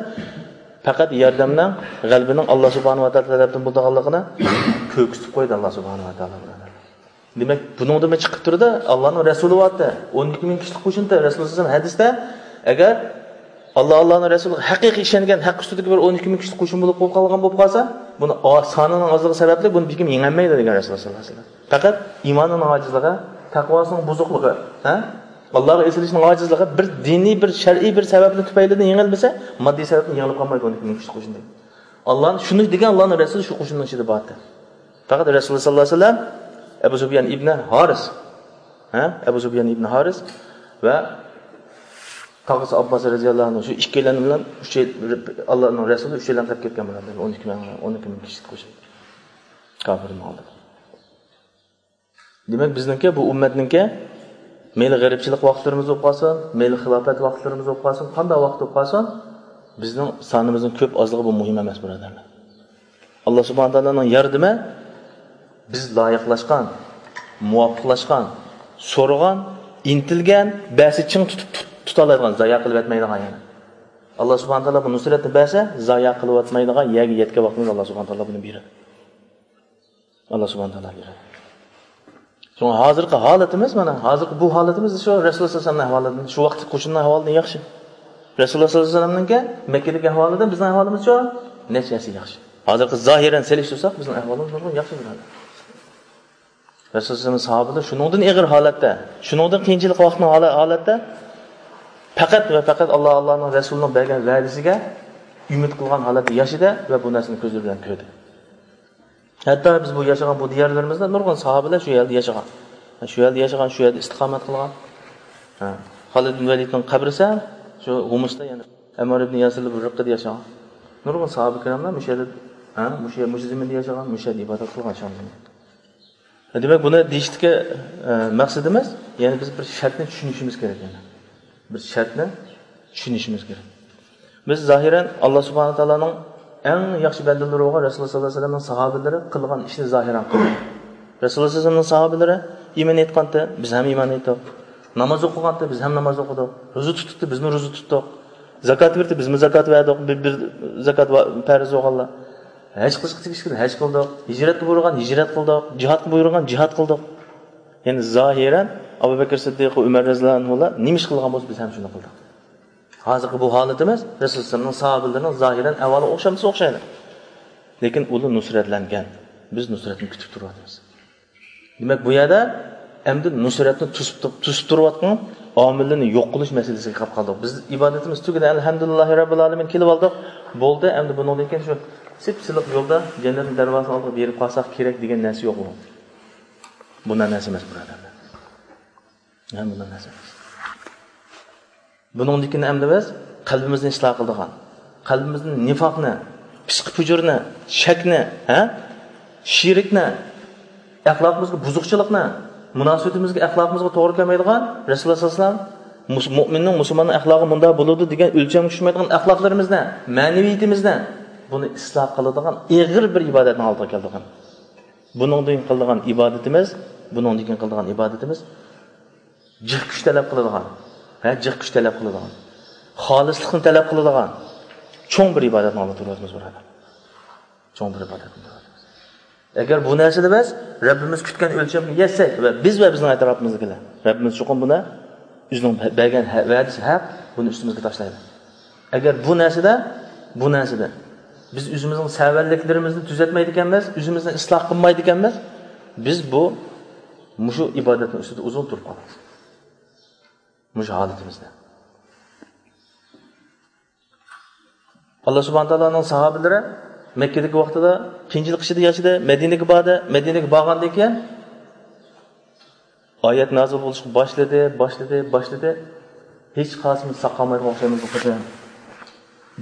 پەقەت ياردەمنىڭ، غەلىبىنىڭ ئاللا سۇبھانەھۇ ۋە تائالا تەرەپتىن بولىدىغانلىقىنى كۆرسىتىپ قويدى ئاللا سۇبھانەھۇ ۋە تائالا. دېمەك، بۇنىڭدىن چىقىپ تۇرىدۇ، ئاللانىڭ رەسۇلى بارتى، ئون ئىككى مىڭ كىشىلىك قوشۇنتى. رەسۇلۇللا سەللەللاھۇ ئەلەيھى ۋەسەللەم ھەدىستە، ئەگەر ئاللا، ئاللانىڭ رەسۇلىغا ھەقىقىي ئىشەنگەن، ھەق ئۈستىدىكى بىر ئون ئىككى مىڭ كىشىلىك قوشۇن بولۇپ قالغان بولۇپ قالسا، بۇنى ئا-، سانىنىڭ ئازلىقى سەۋەبلىك بۇنى بىر كىم يېڭەلمەيدۇ دېگەن رەسۇلۇللا سەللەللاھۇ ئەلەيھى ۋەسەللەم. پەقەت ئىمانىنىڭ ئاجىزلىقى، تەقۋاسىنىڭ بۇزۇقلۇقى، ھە؟ ئاللاغا ئېسىلىشنىڭ ئاجىزلىقى، بىر دىنىي، بىر شەرئىي بىر سەۋەبنىڭ تۈپەيلىدىن يېڭىلمىسە، ماددىي سەۋەبتىن يېڭىلىپ قالمايدۇ ئون ئىككى مىڭ كىشىلىك قوشۇن دېگەن. ئاللانى شۇنى دېگەن، ئاللانىڭ رەسۇلى شۇ قوشۇننىڭ ئىچىدە بارتى. پەقەت رەسۇلۇللا سەللەللاھۇ ئەلەيھى ۋەسەللەم ئەبۇ سۇپيان ئىبنى ھارىس، ھە؟ ئەبۇ سۇپيان ئىبنى ھارىس ۋە تاغىسى ئابباس رەزىياللاھۇ ئەنھۇ، شۇ ئىككىيلەن بىلەن ئۈچەي-، ئاللانىڭ رەسۇلى ئۈچەيلەن قېلىپ كەتكەن بۇلار، ئون ئىككى مىڭ، ئون ئىككى مىڭ كىشىلىك قوشۇن كاپىرنىڭ ئالدىدا. دېمەك، بىزنىڭكى، بۇ ئۈممەتنىڭكى مەيلى غېرىبچىلىق ۋاقىتلىرىمىز بولۇپ قالسۇن، مەيلى خىلاپەت ۋاقىتلىرىمىز بولۇپ قالسۇن، قانداق ۋاقىت بولۇپ قالسۇن، بىزنىڭ سانىمىزنىڭ كۆپ ئازلىقى بۇ مۇھىم ئەمەس، بۇرادەرلەر. ئاللا سۇبھانەھۇ ۋە تائالانىڭ ياردىمى بىز لايىقلاشقان، مۇۋاپىقلاشقان، سورىغان، ئىنتىلگەن، بەرسە چىڭ تۇتۇپ تۇت-، تۇتالايدىغان، زايە قىلىۋەتمەيدىغان يەنى. ئاللا سۇبھانەھۇ ۋە تائالا بۇ نۇسرەتنى بەرسە، زايە قىلىۋەتمەيدىغان يەرگە يەتكەن ۋاقتىمىزدا ئاللا سۇبھانەھۇ ۋە تائالا بۇنى بېرىدۇ. ئاللا سۇبھانەھۇ ۋە تائالا بېرىدۇ. شۇڭا ھازىرقى ھالىتىمىز، مانا، ھازىرقى بۇ ھالىتىمىز شۇ رەسۇلۇللا سەللەللاھۇ ئەلەيھى ۋەسەللەمنىڭ ئەھۋالىدىن، شۇ ۋاقىتتىكى قوشۇننىڭ ئەھۋالىدىن ياخشى. رەسۇلۇللا سەللەللاھۇ ئەلەيھى ۋەسەللەمنىڭكى مەككىدىكى ئەھۋالىدىن بىزنىڭ ئەھۋالىمىز شۇ نەچچە ھەسسە ياخشى. ھازىرقى زاھىرەن سېلىشتۇرساق، بىزنىڭ ئەھۋالىمىز نۇرغۇن ياخشى، بۇرادەر. رەسۇلۇللا سەللەللاھۇ ئەلەيھى ۋەسەللەم ساھابىلەر شۇنىڭدىن ئېغىر ھالەتتە، شۇنىڭدىن قىيىنچىلىق ۋاقىتنىڭ ھالە-، ھالەتتە پەقەت ۋە پەقەت ئاللا، ئاللانىڭ رەسۇلىنىڭ بەرگەن ۋەدىسىگە ئۈمىد قىلغان ھالەتتە ياشىدى ۋە بۇ نەرسىنى كۆزلىرى بىلەن كۆردى. ھەتتا بىز بۇ ياشىغان بۇ دىيارلىرىمىزدا نۇرغۇن ساھابىلەر شۇ يەردە ياشىغان. شۇ يەردە ياشىغان، شۇ يەردە ئىستىقامەت قىلغان. ھە. خالىد ئىبن ۋەلىدنىڭ قەبرىسى شۇ ھۇمۇستا، يەنى ئەممار ئىبن ياسىرلار بىر رىققىدە ياشىغان. نۇرغۇن ساھابە كىراملار مۇشۇ يەردە، ھە، مۇشۇ يەر-، مۇشۇ زېمىندا ياشىغان، مۇشۇ يەردە ئىبادەت قىلغان شام زېمىنىدا. دېمەك، بۇنى دېيىشتىكى، ئە، مەقسىتىمىز، يەنى بىز بىر شەرتنى چۈشىنىشىمىز كېرەك، يەنى. بىر شەرتنى چۈشىنىشىمىز كېرەك. بىز زاھىرەن ئاللا سۇبھانەھۇ ۋە تائالانىڭ ئەڭ ياخشى بەندىلىرى بولغان رەسۇلۇللا سەللەللاھۇ ئەلەيھى ۋەسەللەمنىڭ ساھابىلىرى قىلغان ئىشنى زاھىرەن قىلدۇق. رەسۇلۇللا سەللەللاھۇ ئەلەيھى ۋەسەللەمنىڭ ساھابىلىرى ئىمان ئېيتقانتى، بىز ھەم ئىمان ئېيتتۇق. ناماز ئوقۇغانتى، بىز ھەم ناماز ئوقۇدۇق. روزا تۇتتى، بىزمۇ روزا تۇتتۇق. زاكات بەردى، بىزمۇ زاكات بەردۇق. بىر، بىر زاكات ۋا-، پەرز بولغانلار. ھەج قىلىشقا تېگىشلىك ھەج قىلدۇق. ھىجرەتكە بۇيرۇغان ھىجرەت قىلدۇق. جىھادقا بۇيرۇغان جىھاد قىلدۇق. يەنى زاھىرەن ئابۇ بەكرى سىددىق ۋە ئۆمەر رەزىياللاھۇ ئەنھۇلار نېمە ئىش قىلغان بولسا، بىز ھەم شۇنى قىلدۇق. ھازىرقى بۇ ھالىتىمىز رەسۇلۇللا سەللەللاھۇ ئەلەيھى ۋەسەللەمنىڭ ساھابىلىرىنىڭ زاھىرەن ئەھۋالىغا ئوخشامسا ئوخشايدۇ. لېكىن ئۇلار نۇسرەتلەنگەن. بىز نۇسرەتنى كۈتۈپ تۇرۇۋاتىمىز. دېمەك، بۇ يەردە ئەمدى نۇسرەتنى توسۇپ، توسۇپ تۇرۇۋاتقان ئامىللارنى يوق قىلىش مەسىلىسىگە كېلىپ قالدۇق. بىز ئىبادىتىمىز تۈگىدى، ئەلھەمدۇلىللاھى رەببىل ئالەمىن، كېلىۋالدۇق. بولدى، ئەمدى بۇنىڭدىن كېيىن شۇ سىپسىلىق يولدا جەننەتنىڭ دەرۋازىسىنىڭ ئالدىغا بېرىپ قالساق كېرەك دېگەن نەرسە يوق بۇ. بۇنداق نەرسە ئەمەس، بۇرادەرلەر. ھە، بۇنداق نەرسە ئەمەس. بۇنىڭدىن كېيىن ئەمدى بىز قەلبىمىزنى ئىسلاھ قىلىدىغان، قەلبىمىزدىن نىفاقنى، پىسقى پۇجۇرنى، شەكنى، ھە، شېرىكنى، ئەخلاقىمىزغا بۇزۇقچىلىقنى، مۇناسىۋىتىمىزگە، ئەخلاقىمىزغا توغرا كەلمەيدىغان، رەسۇلۇللا سەللەللاھۇ ئەلەيھى ۋەسەللەم مۇس-، مۇئمىننىڭ، مۇسۇلماننىڭ ئەخلاقى مۇنداق بولىدۇ دېگەن ئۆلچەمگە چۈشمەيدىغان ئەخلاقلىرىمىزنى، مەنىۋىيىتىمىزنى، بۇنى ئىسلاھ قىلىدىغان ئېغىر بىر ئىبادەتنىڭ ئالدىغا كەلدۇق. بۇنىڭدىن قىلىدىغان ئىبادىتىمىز، بۇنىڭدىن كېيىن قىلىدىغان ئىبادىتىمىز جىق كۈچ تەلەپ قىلىدىغان، ھە، جىق كۈچ تەلەپ قىلىدىغان، خالىسلىقنى تەلەپ قىلىدىغان چوڭ بىر ئىبادەتنىڭ ئالدىدا تۇرۇۋاتىمىز، بۇرادەر. چوڭ بىر ئىبادەتنى تۇرۇۋاتىمىز. ئەگەر بۇ نەرسىدە بىز رەببىمىز كۈتكەن ئۆلچەمگە يەتسەك ۋە بىز ۋە بىزنىڭ ئەتراپىمىزدىكىلەر، رەببىمىز چوقۇم بۇنى ئۆزىنىڭ بەرگەن ھە-، ۋەدىسى ھەق، بۇنى ئۈستىمىزگە تاشلايدۇ. ئەگەر بۇ نەرسىدە، بۇ نەرسىدە بىز ئۆزىمىزنىڭ سەۋەنلىكلىرىمىزنى تۈزەتمەيدىكەنمىز، ئۆزىمىزنى ئىسلاھ قىلمايدىكەنمىز، بىز بۇ، مۇشۇ ئىبادەتنىڭ ئۈستىدە ئۇزۇن تۇرۇپ قالىمىز. مۇشۇ ھالىتىمىزدە. ئاللا سۇبھانە تائالانىڭ ساھابىلىرى مەككىدىكى ۋاقتىدا قىيىنچىلىق ئىچىدە ياشىدى، مەدىنىگە باردى، مەدىنىگە بارغاندىن كېيىن ئايەت نازىل بولۇشقا باشلىدى، باشلىدى، باشلىدى. ھېچقايسىمىز ساقالمايدىغان ئوخشايمىز بۇ قېتىم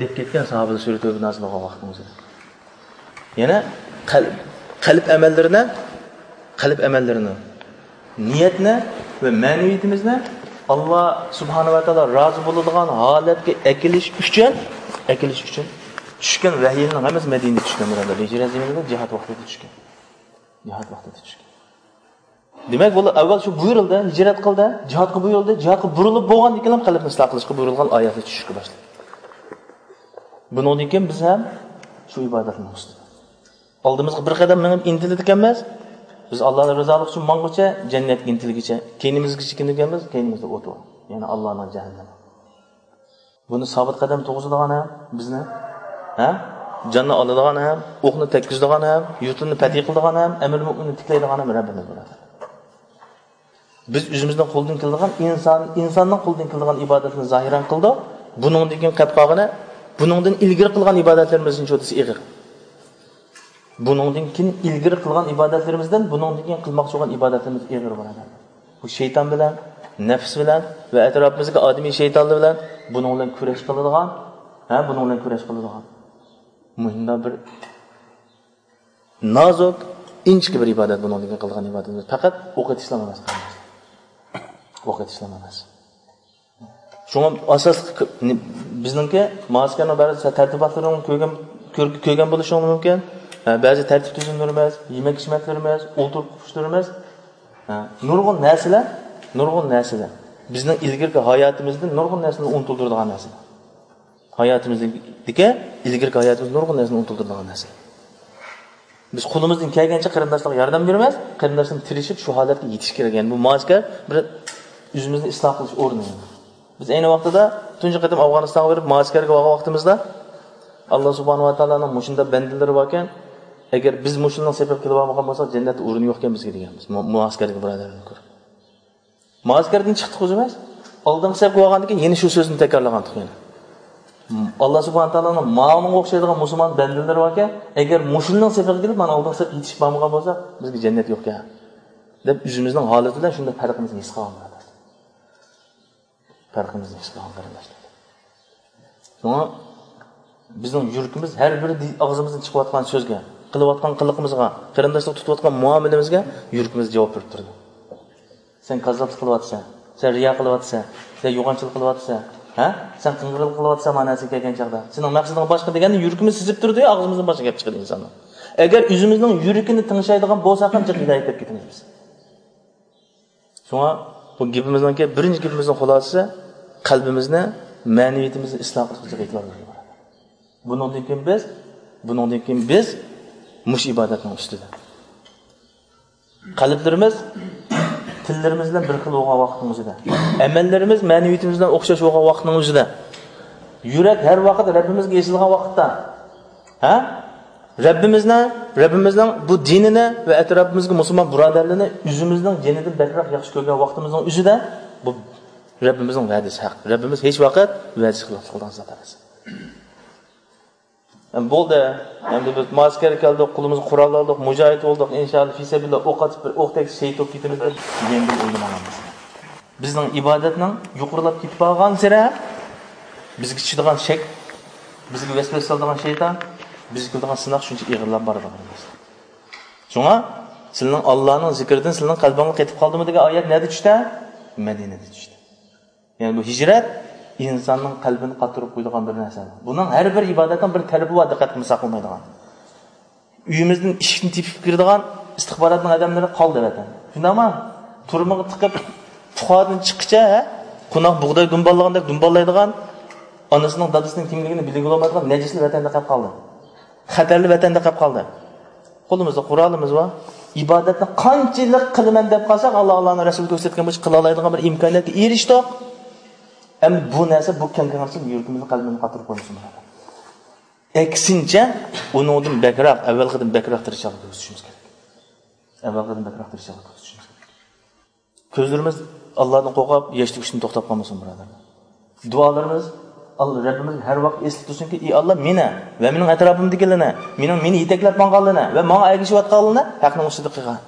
دەپ كەتكەن ساھابىلەر سۈرە تەۋبە نازىل بولغان ۋاقتىمىزدا. يەنە قەلب، قەلب ئەمەللىرىنى، قەلب ئەمەللىرىنى، نىيەتنى ۋە مەنىۋىيىتىمىزنى ئاللا سۇبھانە ۋە تائالا رازى بولىدىغان ھالەتكە ئەكېلىش ئۈچۈن، ئەكېلىش ئۈچۈن چۈشكەن ۋەھىينىڭ ھەممىسى مەدىنىدە چۈشكەن، بۇرادەرلەر. ھىجرەت زېمىنىدا جىھاد ۋاقتىدا چۈشكەن. جىھاد ۋاقتىدا چۈشكەن. دېمەك، بۇلار ئەۋۋەل شۇ بۇيرۇلدى، ھىجرەت قىلدى، جىھادقا بۇيرۇلدى، جىھادقا بۇرۇلۇپ بولغاندىن كېيىن قەلبنى ئىسلاھ قىلىشقا بۇيرۇلغان ئايەتلەر چۈشۈشكە باشلىدى. بۇنىڭدىن كېيىن بىز ھەم شۇ ئىبادەتنىڭ ئۈستىدە. ئالدىمىزغا بىر قەدەم مېڭىپ ئىنتىلىدىكەنمىز، بىز ئاللانىڭ رىزالىقى ئۈچۈن ماڭغۇچە، جەننەتكە ئىنتىلگۈچە، كەينىمىزگە چېكىنىدىكەنمىز، كەينىمىزدە ئوت بار. يەنى ئاللانىڭ جەھەننىمى. بۇنى سابىت قەدەم تۇرغۇزىدىغان ھەم بىزنى، ھە؟ جاننى ئالىدىغان ھەم، ئوقنى تەگكۈزىدىغان ھەم، يۇرتىنى پەتھى قىلىدىغان ھەم، ئەمىر مۆمىننى تىكلەيدىغان ھەم رەببىمىز بۇرادەر. بىز ئۆزىمىزنىڭ قولىدىن كېلىدىغان، ئىنسان، ئىنساننىڭ قولىدىن كېلىدىغان ئىبادەتنى زاھىرەن قىلدۇق. بۇنىڭدىن كېيىن قېلىپ قالغىنى، بۇنىڭدىن ئىلگىرى قىلغان ئىبادەتلىرىمىزنىڭ چوتىسى ئېغىر. بۇنىڭدىن كېيىن ئىلگىرى قىلغان ئىبادەتلىرىمىزدىن بۇنىڭدىن كېيىن قىلماقچى بولغان ئىبادەتلىرىمىز ئېغىر، بۇرادەر. بۇ شەيتان بىلەن، نەپس بىلەن ۋە ئەتراپىمىزدىكى ئادىمىي شەيتانلار بىلەن بۇنىڭ بىلەن كۈرەش قىلىدىغان، ھە، بۇنىڭ بىلەن كۈرەش قىلىدىغان مۇشۇنداق بىر نازۇك، ئىنچىكە بىر ئىبادەت بۇنىڭدىن كېيىن قىلغان ئىبادىتىمىز. پەقەت ئوق ئېتىشلا ئەمەس، قېرىنداشلار. ئوق ئېتىشلا ئەمەس. شۇڭا ئاساسلىق ك-، نى-، بىزنىڭكى مائەسكەرنىڭ بەزى تەرتىباتلىرىنى كۆرگەن، كۆر-، كۆرگەن بولۇشىڭىز مۇمكىن. ھە، بەزى تەرتىپ تۈزۈملىرىمىز، يېمەك-ئىچمەكلىرىمىز، ئولتۇرۇپ قوپۇشلىرىمىز، ھە، نۇرغۇن نەرسىلەر، نۇرغۇن نەرسىلەر بىزنىڭ ئىلگىرىكى ھاياتىمىزدىن نۇرغۇن نەرسىنى ئۇنتۇلدۇرىدىغان نەرسىلەر. ھاياتىمىزدىكى، ئىلگىرىكى ھاياتىمىزدا نۇرغۇن نەرسىنى ئۇنتۇلدۇرىدىغان نەرسە. بىز قولىمىزدىن كەلگەنچە قېرىنداشلارغا ياردەم بېرىمىز، قېرىنداشلار تىرىشىپ شۇ ھالەتكە يېتىش كېرەك. يەنى بۇ مائەسكەر بىر ئۆزىمىزنى ئىسلاھ قىلىش ئورنى. بىز ئەينى ۋاقتىدا تۇنجى قېتىم ئافغانىستانغا بېرىپ مائەسكەرگە بارغان ۋاقتىمىزدا، ئاللا سۇبھانەھۇ ۋە تائالانىڭ مۇشۇنداق بەندىلىرى باركەن، ئەگەر بىز مۇشۇنىڭ سېپىگە كېلىپ ئالمىغان بولساق، جەننەتتە ئورۇن يوقكەن بىزگە دېگەنمىز. مۇ-، مۇئەسكەردىكى بۇرادەرلەرنى كۆرۈپ. مائەسكەردىن چىقتۇق ئۆزىمىز. ئالدىنقى سەپكە بارغاندىن كېيىن يەنە شۇ سۆزنى تەكرارلىغانتۇق يەنە. ئاللا سۇبھانە تائالانىڭ ماڭا ئوخشايدىغان مۇسۇلمان بەندىلىرى باركەن، ئەگەر مۇشۇنىڭ سېپىگە كېلىپ، مانا ئالدىنقى سەپكە يېتىشىپ بارمىغان بولسا، بىزگە جەننەت يوقكەن، دەپ ئۆزىمىزنىڭ ھالىتى بىلەن شۇنداق پەرقىمىزنى ھېس قىلغان بۇرادەر. پەرقىمىزنى ھېس قىلغان قېرىنداشلار. شۇڭا بىزنىڭ يۈرىكىمىز ھەر بىر دى-، ئاغزىمىزدىن چىقىۋاتقان سۆزگە، قىلىۋاتقان قىلىقىمىزغا، قېرىنداشلىق تۇتۇۋاتقان مۇئامىلىمىزگە يۈرىكىمىز جاۋاب بېرىپ تۇرىدۇ. سەن كاززاپلىق قىلىۋاتىسەن، سەن رىيا قىلىۋاتىسەن، سەن يوغانچىلىق قىلىۋاتىسەن، ھە؟ سەن قىڭغىرلىق قىلىۋاتىسەن مانا سەن كەلگەن چاغدا. سېنىڭ مەقسىتىڭ باشقا دېگەندە يۈرىكىمىز سېزىپ تۇرىدۇ، ئاغزىمىزدىن باشقا گەپ چىقىدۇ ئىنساننىڭ. ئەگەر ئۆزىمىزنىڭ يۈرىكىنى تىڭشايدىغان بولساق ھەم جىق ھىدايەت تېپىپ كېتىمىز بىز. شۇڭا بۇ گېپىمىزنىڭكى بىرىنچى گېپىمىزنىڭ خۇلاسىسى، قەلبىمىزنى، مەنىۋىيىتىمىزنى ئىسلاھ قىلىشقا ئېتىبار بېرىمىز. بۇنىڭدىن كېيىن بىز، بۇنىڭدىن كېيىن بىز مۇشۇ ئىبادەتنىڭ ئۈستىدە. قەلبلىرىمىز تىللىرىمىز بىلەن بىر خىل بولغان ۋاقىتنىڭ ئۆزىدە، ئەمەللىرىمىز مەنىۋىيىتىمىز بىلەن ئوخشاش بولغان ۋاقىتنىڭ ئۆزىدە، يۈرەك ھەر ۋاقىت رەببىمىزگە ئېسىلغان ۋاقىتتا، ھە؟ رەببىمىزنى، رەببىمىزنىڭ بۇ دىنىنى ۋە ئەتراپىمىزدىكى مۇسۇلمان بۇرادەرلىرىنى ئۆزىمىزنىڭ جېنىدىن بەكرەك ياخشى كۆرگەن ۋاقتىمىزنىڭ ئۆزىدە، بۇ رەببىمىزنىڭ ۋەدىسى ھەق. رەببىمىز ھېچ ۋاقىت ۋەدىسى خىلاپلىق قىلىدىغان زات ئەمەس. بولدى. ئەمدى بىز مائەسكەرگە كەلدۇق، قولىمىزغا قورال ئالدۇق، مۇجاھىد بولدۇق، ئىنشائاللا، پىسەبىللا ئوق ئاتىپ، بىر ئوق تەگسە شېھىت بولۇپ كېتىمىز دەپ يەڭگىل ئويلىماڭلار. بىزنىڭ ئىبادەتنىڭ يۇقىرىلاپ كېتىپ بارغانسېرى بىزگە چۈشىدىغان شەك، بىزگە ۋەسۋەسە سالىدىغان شەيتان، بىزگە كېلىدىغان سىناق شۇنچە ئېغىرلاپ بارىدۇ، قېرىنداشلار. شۇڭا سىلىنىڭ ئاللانىڭ زىكرىدىن سىلىنىڭ قەلبىڭلار قېتىپ قالدىمۇ دېگەن ئايەت نەدە چۈشتى؟ مەدىنىدە چۈشتى. يەنى بۇ ھىجرەت ئىنساننىڭ قەلبىنى قاتۇرۇپ قويىدىغان بىر نەرسە. بۇنىڭ ھەر بىر ئىبادەتنىڭ بىر تەلىپى بار، دىققەت قىلمىساق بولمايدىغان. ئۆيىمىزدىن ئىشىكنى تېپىپ كىرىدىغان، ئىستىخباراتنىڭ ئادەملىرى قالدى ۋەتەندە. شۇنداقمۇ؟ تۈرمىگە تىقىپ، پۇخادىن چىققىچە، ھە؟ قوناق بۇغداي دۇمباللىغاندەك دۇمباللايدىغان، ئانىسىنىڭ، دادىسىنىڭ كىملىكىنى بىلگىلى بولمايدىغان نەجىسلىك ۋەتەندە قېلىپ قالدى. خەتەرلىك ۋەتەندە قېلىپ قالدى. قولىمىزدا قورالىمىز بار. ئىبادەتنى قانچىلىك قىلىمەن دەپ قالساق، ئاللا، ئاللانىڭ رەسۇلى كۆرسەتكەن بويىچە قىلالايدىغان بىر ئىمكانىيەتكە ئېرىشتۇق. ئەمدى بۇ نەرسە، بۇ كەڭ كەڭرىسى يۈرىكىمىزنى، قەلبىمىزنى قاتۇرۇپ قويمىسۇن، بۇرادەر. ئەكسىنچە، ئۇنىڭدىن بەكرەك، ئەۋۋەلقىدىن بەكرەك تىرىشچانلىق كۆرسىتىشىمىز كېرەك. ئەۋۋەلقىدىن بەكرەك تىرىشچانلىق كۆرسىتىشىمىز كېرەك. كۆزلىرىمىز ئاللادىن قورقۇپ، ياش تۆكۈشتىن توختاپ قالمىسۇن، بۇرادەرلەر. دۇئالىرىمىز ئاللا رەببىمىز ھەر ۋاقىت ئېسىدە تۇرسۇنكى، ئى ئاللا، مېنى ۋە مېنىڭ ئەتراپىمدىكىلەرنى، مېنىڭ، مېنى يېتەكلەپ ماڭغانلىرىنى ۋە ماڭا ئەگىشىۋاتقانلىرىنى ھەقنىڭ ئۈستىدە قىلغىن،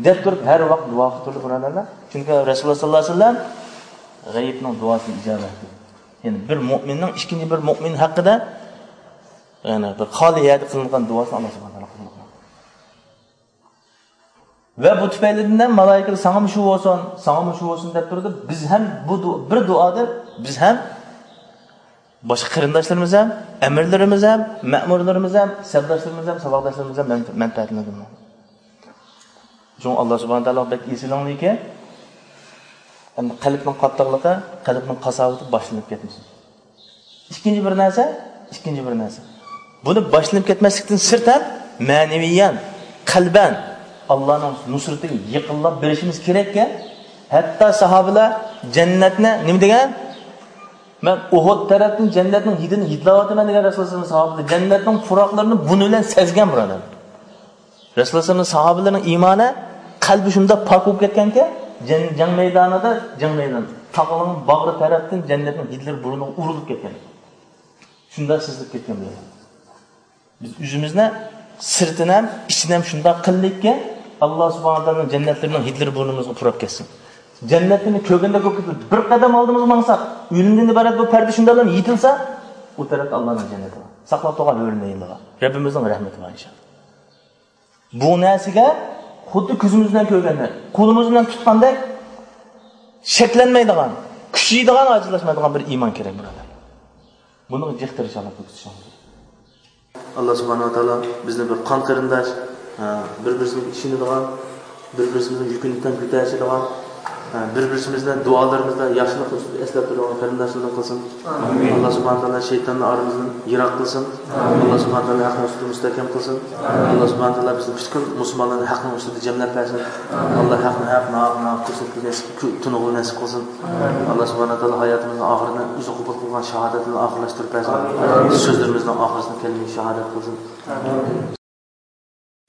دەپ تۇرۇپ ھەر ۋاقىت دۇئا قىلىپ تۇردى، بۇرادەرلەر. چۈنكى رەسۇلۇللا ساللاللاھۇ ئەلەيھى ۋەسەللەم غەيىبنىڭ دۇئاسىنى ئىجابەت قىلدى. يەنى بىر مۆمىننىڭ ئىككىنچى بىر مۆمىن ھەققىدە، يەنى بىر خالىي يەردە قىلىنغان دۇئاسىنى ئاللا سۇبھانەھۇ ۋە تائالا قوبۇل قىلمايدۇ. ۋە بۇ تۈپەيلىدىن ھەم مالائىكىلەر ساڭىمۇ شۇ بولسۇن، ساڭىمۇ شۇ بولسۇن دەپ تۇرىدۇ. بىز ھەم بۇ دۇ-، بىر دۇئادىن بىز ھەم باشقا قېرىنداشلىرىمىز ھەم، ئەمىرلىرىمىز ھەم، مەمۇرلىرىمىز ھەم، سەپداشلىرىمىز ھەم، ساۋاقداشلىرىمىز ھەم مەن-، مەنپەئەتلىنىدۇ. شۇڭا ئاللا سۇبھانەھۇ ۋە تائالا بەك ئېسىلىڭلىكى، ئەمدى قەلبنىڭ قاتتىقلىقى، قەلبنىڭ قاساۋىتى باشلىنىپ كەتمىسۇن. ئىككىنچى بىر نەرسە، ئىككىنچى بىر نەرسە. بۇنى باشلىنىپ كەتمەسلىكتىن سىرت ھەم مەنىۋىيەن، قەلبەن ئاللانىڭ نۇسرىتىگە يېقىنلاپ بېرىشىمىز كېرەككەن. ھەتتا ساھابىلەر جەننەتنى نېمە دېگەن؟ «مەن ئۇھۇد تەرەپتىن جەننەتنىڭ ھىدىنى ھىدلاۋاتىمەن» دېگەن رەسۇلۇللا ساھابىلەر. جەننەتنىڭ پۇراقلىرىنى بۇنى بىلەن سەزگەن، بۇرادەر. رەسۇلۇللا ساھابىلەرنىڭ ئىمانى، قەلبى شۇنداق پاك بولۇپ كەتكەنكى، جەن-، جەڭ مەيدانىدا، جەڭ مەيدانى، تاغنىڭ باغرى تەرەپتىن جەننەتنىڭ ھىدلىرى بۇرنىغا ئۇرۇلۇپ كەتكەن. شۇنداق سېزىلىپ كەتكەن بۇلار. بىز ئۆزىمىزنى سىرتىنى ھەم، ئىچىنى ھەم شۇنداق قىلدۇقكى، ئاللا سۇبھانەھۇ ۋە تائالانىڭ جەننەتلىرىنىڭ ھىدلىرى بۇرنىمىزغا پۇراپ كەتسۇن. جەننەتنى كۆرگەندەك بولۇپ كېتىپ، بىر قەدەم ئالدىمىزغا ماڭساق، ئۆلۈمدىن ئىبارەت بۇ پەردە شۇنداقلا يېپىلسا، ئۇ تەرەپتە ئاللانىڭ جەننىتى بار. ساقلاپ تۇرغان ھۆرىلەر بار. رەببىمىزنىڭ رەھمىتى بار، ئىنشائاللا. بۇ نەرسىگە خۇددى كۆزىمىز بىلەن كۆرگەندەك، قولىمىز بىلەن تۇتقاندەك شەكلەنمەيدىغان، كۈچىيىدىغان، ئاجىزلاشمايدىغان بىر ئىمان كېرەك، بۇرادەرلەر. بۇنىڭغا جىق تىرىشىڭلار، كۆكسىتىشىڭلار. ئاللا سۇبھانەھۇ ۋە تائالا بىزنى بىر قان قېرىنداش، ھە، بىر-بىرىمىزگە ئىشىنىدىغان، بىر-بىرىمىزنىڭ يۈكىنى تەڭ كۆتەرىشىدىغان، ھە، بىر-بىرىمىزنى دۇئالىرىمىزدا ياخشىلىق ئۈستىدە ئەسلەپ تۇرىدىغان قېرىنداشلاردىن قىلسۇن. ئامىن. ئاللا سۇبھانەھۇ ۋە تائالا شەيتاننى ئارىمىزدىن يىراق قىلسۇن. ئامىن. ئاللا سۇبھانەھۇ ۋە تائالا ھەقنىڭ ئۈستىدە مۇستەھكەم قىلسۇن. ئامىن. ئاللا سۇبھانەھۇ ۋە تائالا بىزنى پۈتكۈل مۇسۇلمانلارنى ھەقنىڭ ئۈستىدە جەملەپ بەرسۇن. ئامىن. ئاللا ھەقنى ھەق، ناھەقنى ناھەق كۆرسەتكىلى نېسىپ، تونۇغىلى نېسىپ قىلسۇن. ئاللا سۇبھانەھۇ ۋە تائالا ھاياتىمىزنىڭ ئاخىرىنى ئۆزى قوبۇل قىلغان شاھادەت بىلەن ئاخىرلاشتۇرۇپ بەرسۇن. سۆزلىرىمىزنىڭ ئاخىرىسىنى كەلىمە شاھادەت قىلسۇن.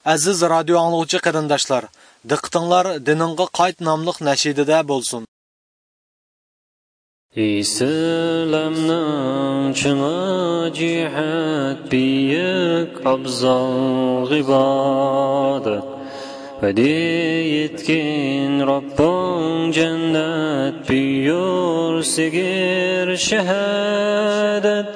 ئەزىز رادىيو ئاڭلىغۇچى قېرىنداشلار، دىققىتىڭلار دىنىڭغا قايت ناملىق نەشىدىدە بولسۇن. ئىسلامنىڭ چىڭى جىھاد، بۈيۈك ئابزال ئىبادەت. ۋەدە يەتكەن رەببىڭ جەننەت، بۇيۇر سىغىر شاھادەت.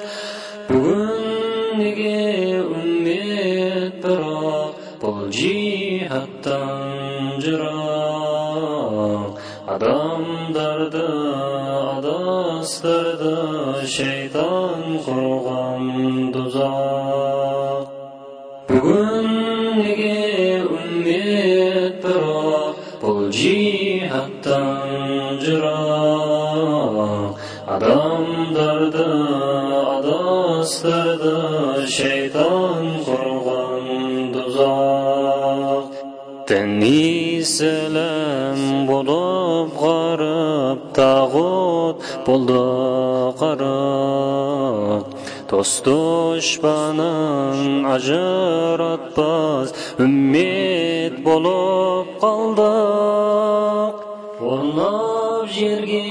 بۈگۈنگى ئۈممەت بىراق، بۇ جىھادتىن يىراق. ئادەم دەردى، ئاداس دەردى، شەيتان قۇرغان دوزاخ. بۈگۈنگى ئۈممەت بىراق، بۇ جىھادتىن يىراق. ئادەم دەردى، ئاداس دەردى، شەيتان قۇرغان دوزاخ. دىن ئىسلام بولۇپ غېرىب، تاغۇت بولدى غېرىب. دوست دۈشمەننى ئاجراتماس ئۈممەت بولۇپ قالدۇق. ئورناپ يەرگە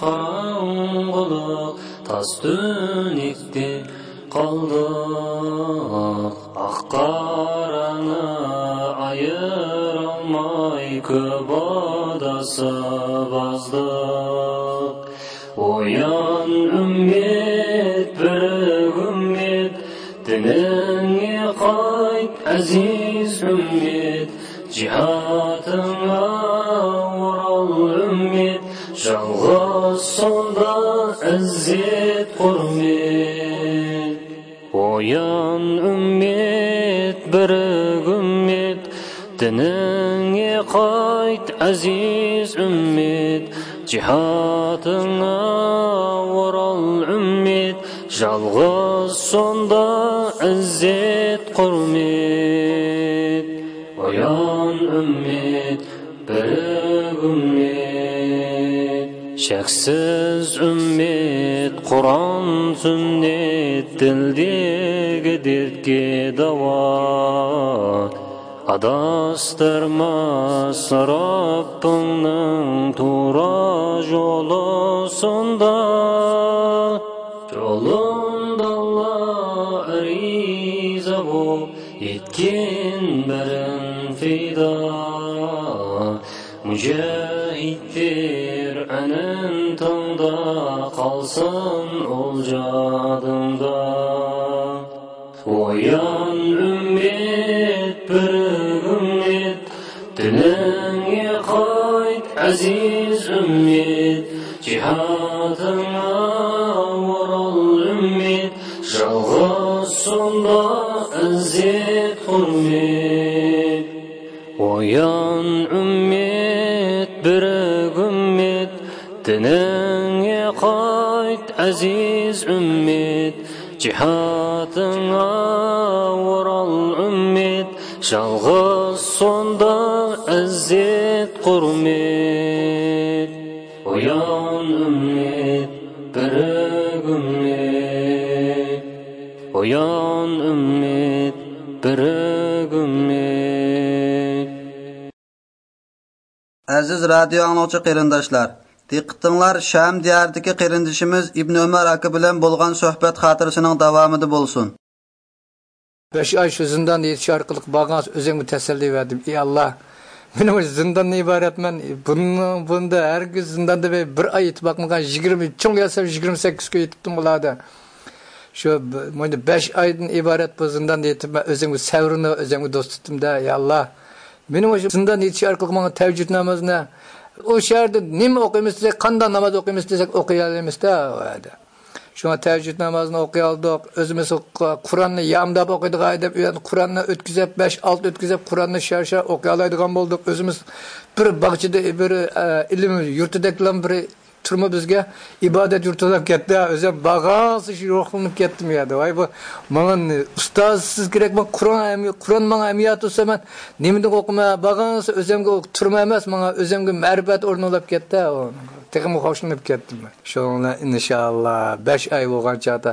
قاراڭغۇلۇق، تاس تۈنۈكتە قالدۇق. ئاق قارانى ئايرالماي، كۆپ ئاداس بازدۇق. ئويان ئۈممەت، بىر ئۈممەت، دىنىڭغا قايت، ئەزىز ئۈممەت، جىھادىڭغا ئورال ئۈممەت، يالغۇز سۇندا ئىززەت ھۆرمەت. ئويان ئۈممەت، بىر ئۈممەت، دىنىڭغا قايت، ئەزىز ئۈممەت، جىھادىڭغا ئورال ئۈممەت، يالغۇز سۇندا ئىززەت ھۆرمەت. ئويان ئۈممەت، بىر ئۈممەت، شەكسىز ئۈممەت، قۇرئان سۈننەت، دىلدىكى دەردكە داۋا. ئاداستۇرماس رەببىڭنىڭ تۇرا يولى سۇندا. ئالۇنداللا ئەرىزە بوپ يەتكىن بەرىن پىدا. مۇجاھىد پىرئەنىن تاڭدا قالسۇن ئۇل جادىڭدا. ئويان ئۈممەت، بىر ئۈممەت، دىنىڭگە قايت ئەزىز ئۈممەت، جىھادىڭغا ۋۇرۇل ئۈممەت، يالغۇزسۇندا ئىززەت ھۆرمەت. ئويان ئۈممەت، بىر ئۈممەت، دىنىڭگە قايت ئەزىز ئۈممەت، جىھادىڭغا ۋۇرۇل ئۈممەت، يالغۇزسۇندا ئىززەت ھۆرمەت. ئويان ئۈممەت، بىر ئۈممەت، ئويان ئۈممەت، بىر ئۈممەت. ئەزىز رادىيو ئاڭلىغۇچى قېرىنداشلار، دىققىتىڭلار شام دىيارىدىكى قېرىندىشىمىز ئىبن ئۆمەر ئاكا بىلەن بولغان سۆھبەت خاتىرىسىنىڭ داۋامىدا بولسۇن. بەش ئاي شۇ زىنداندا يېتىش ئارقىلىق بارغانسېرى ئۆزۈمگە تەسەللى بەردىم. ئى ئاللا، مېنىڭ مۇشۇ زىنداندىن ئىبارەتمەن. بۇنىڭ، بۇندا ھەرگىز زىنداندا بىر، بىر ئاي يېتىپ باقمىغان، يىگىرمە، چوڭ ياسام يىگىرمە سەككىز كۈن يېتىپتىم ئۇلاردا. شۇ ب-، مۇنداق بەش ئايدىن ئىبارەت بۇ زىنداندا يېتىپ، مەن ئۆزۈمگە سەۋرنى ئۆزۈمگە دوست تۇتتۇم-دە، يا ئاللا. مېنىڭ مۇشۇ زىنداندا يېتىش ئارقىلىق ماڭا تەھەججۇد نامازىنى، ئۇ شەھەردە نېمە ئوقۇيمىز دېسەك، قانداق ناماز ئوقۇيمىز دېسەك، ئوقۇيالايمىز-دە ئۇ يەردە. شۇڭا تەھەججۇد نامازىنى ئوقۇيالىدۇق. ئۆزىمىز قۇ-، قۇرئاننى يامداپ ئوقۇيدىغان ئادەم ئۇ يەردە قۇرئاننى ئۆتكۈزۈپ، بەش، ئالتە ئۆتكۈزۈپ، قۇرئاننى شار-شار ئوقۇيالايدىغان بولدۇق. ئۆزىمىز بىر باغچىدا، بىر، ئە، ئىلىم يۇرتىدەكلا بىر تۈرمە بىزگە ئىبادەت يۇرتى بولاپ كەتتى. ئۆزۈم بارغانسېرى شۇ روھلىنىپ كەتتىم يا دەپ. ۋاي، بۇ ماڭا نې-، ئۇستازسىز كېرەك، ماڭا قۇرئان ھەم-، قۇرئان ماڭا ھەممە يات بولسا، مەن نېمىدىن ئوقۇيمەن؟ بارغانسېرى ئۆزۈمگە ئوق-، تۈرمە ئەمەس، ماڭا ئۆزۈمگە مەرىپەت ئورنى بولاپ كەتتى. ئۇ تېخىمۇ خوشلىنىپ كەتتىم مەن. شۇنىڭ بىلەن ئىنشائاللا بەش ئاي بولغان چاغدا،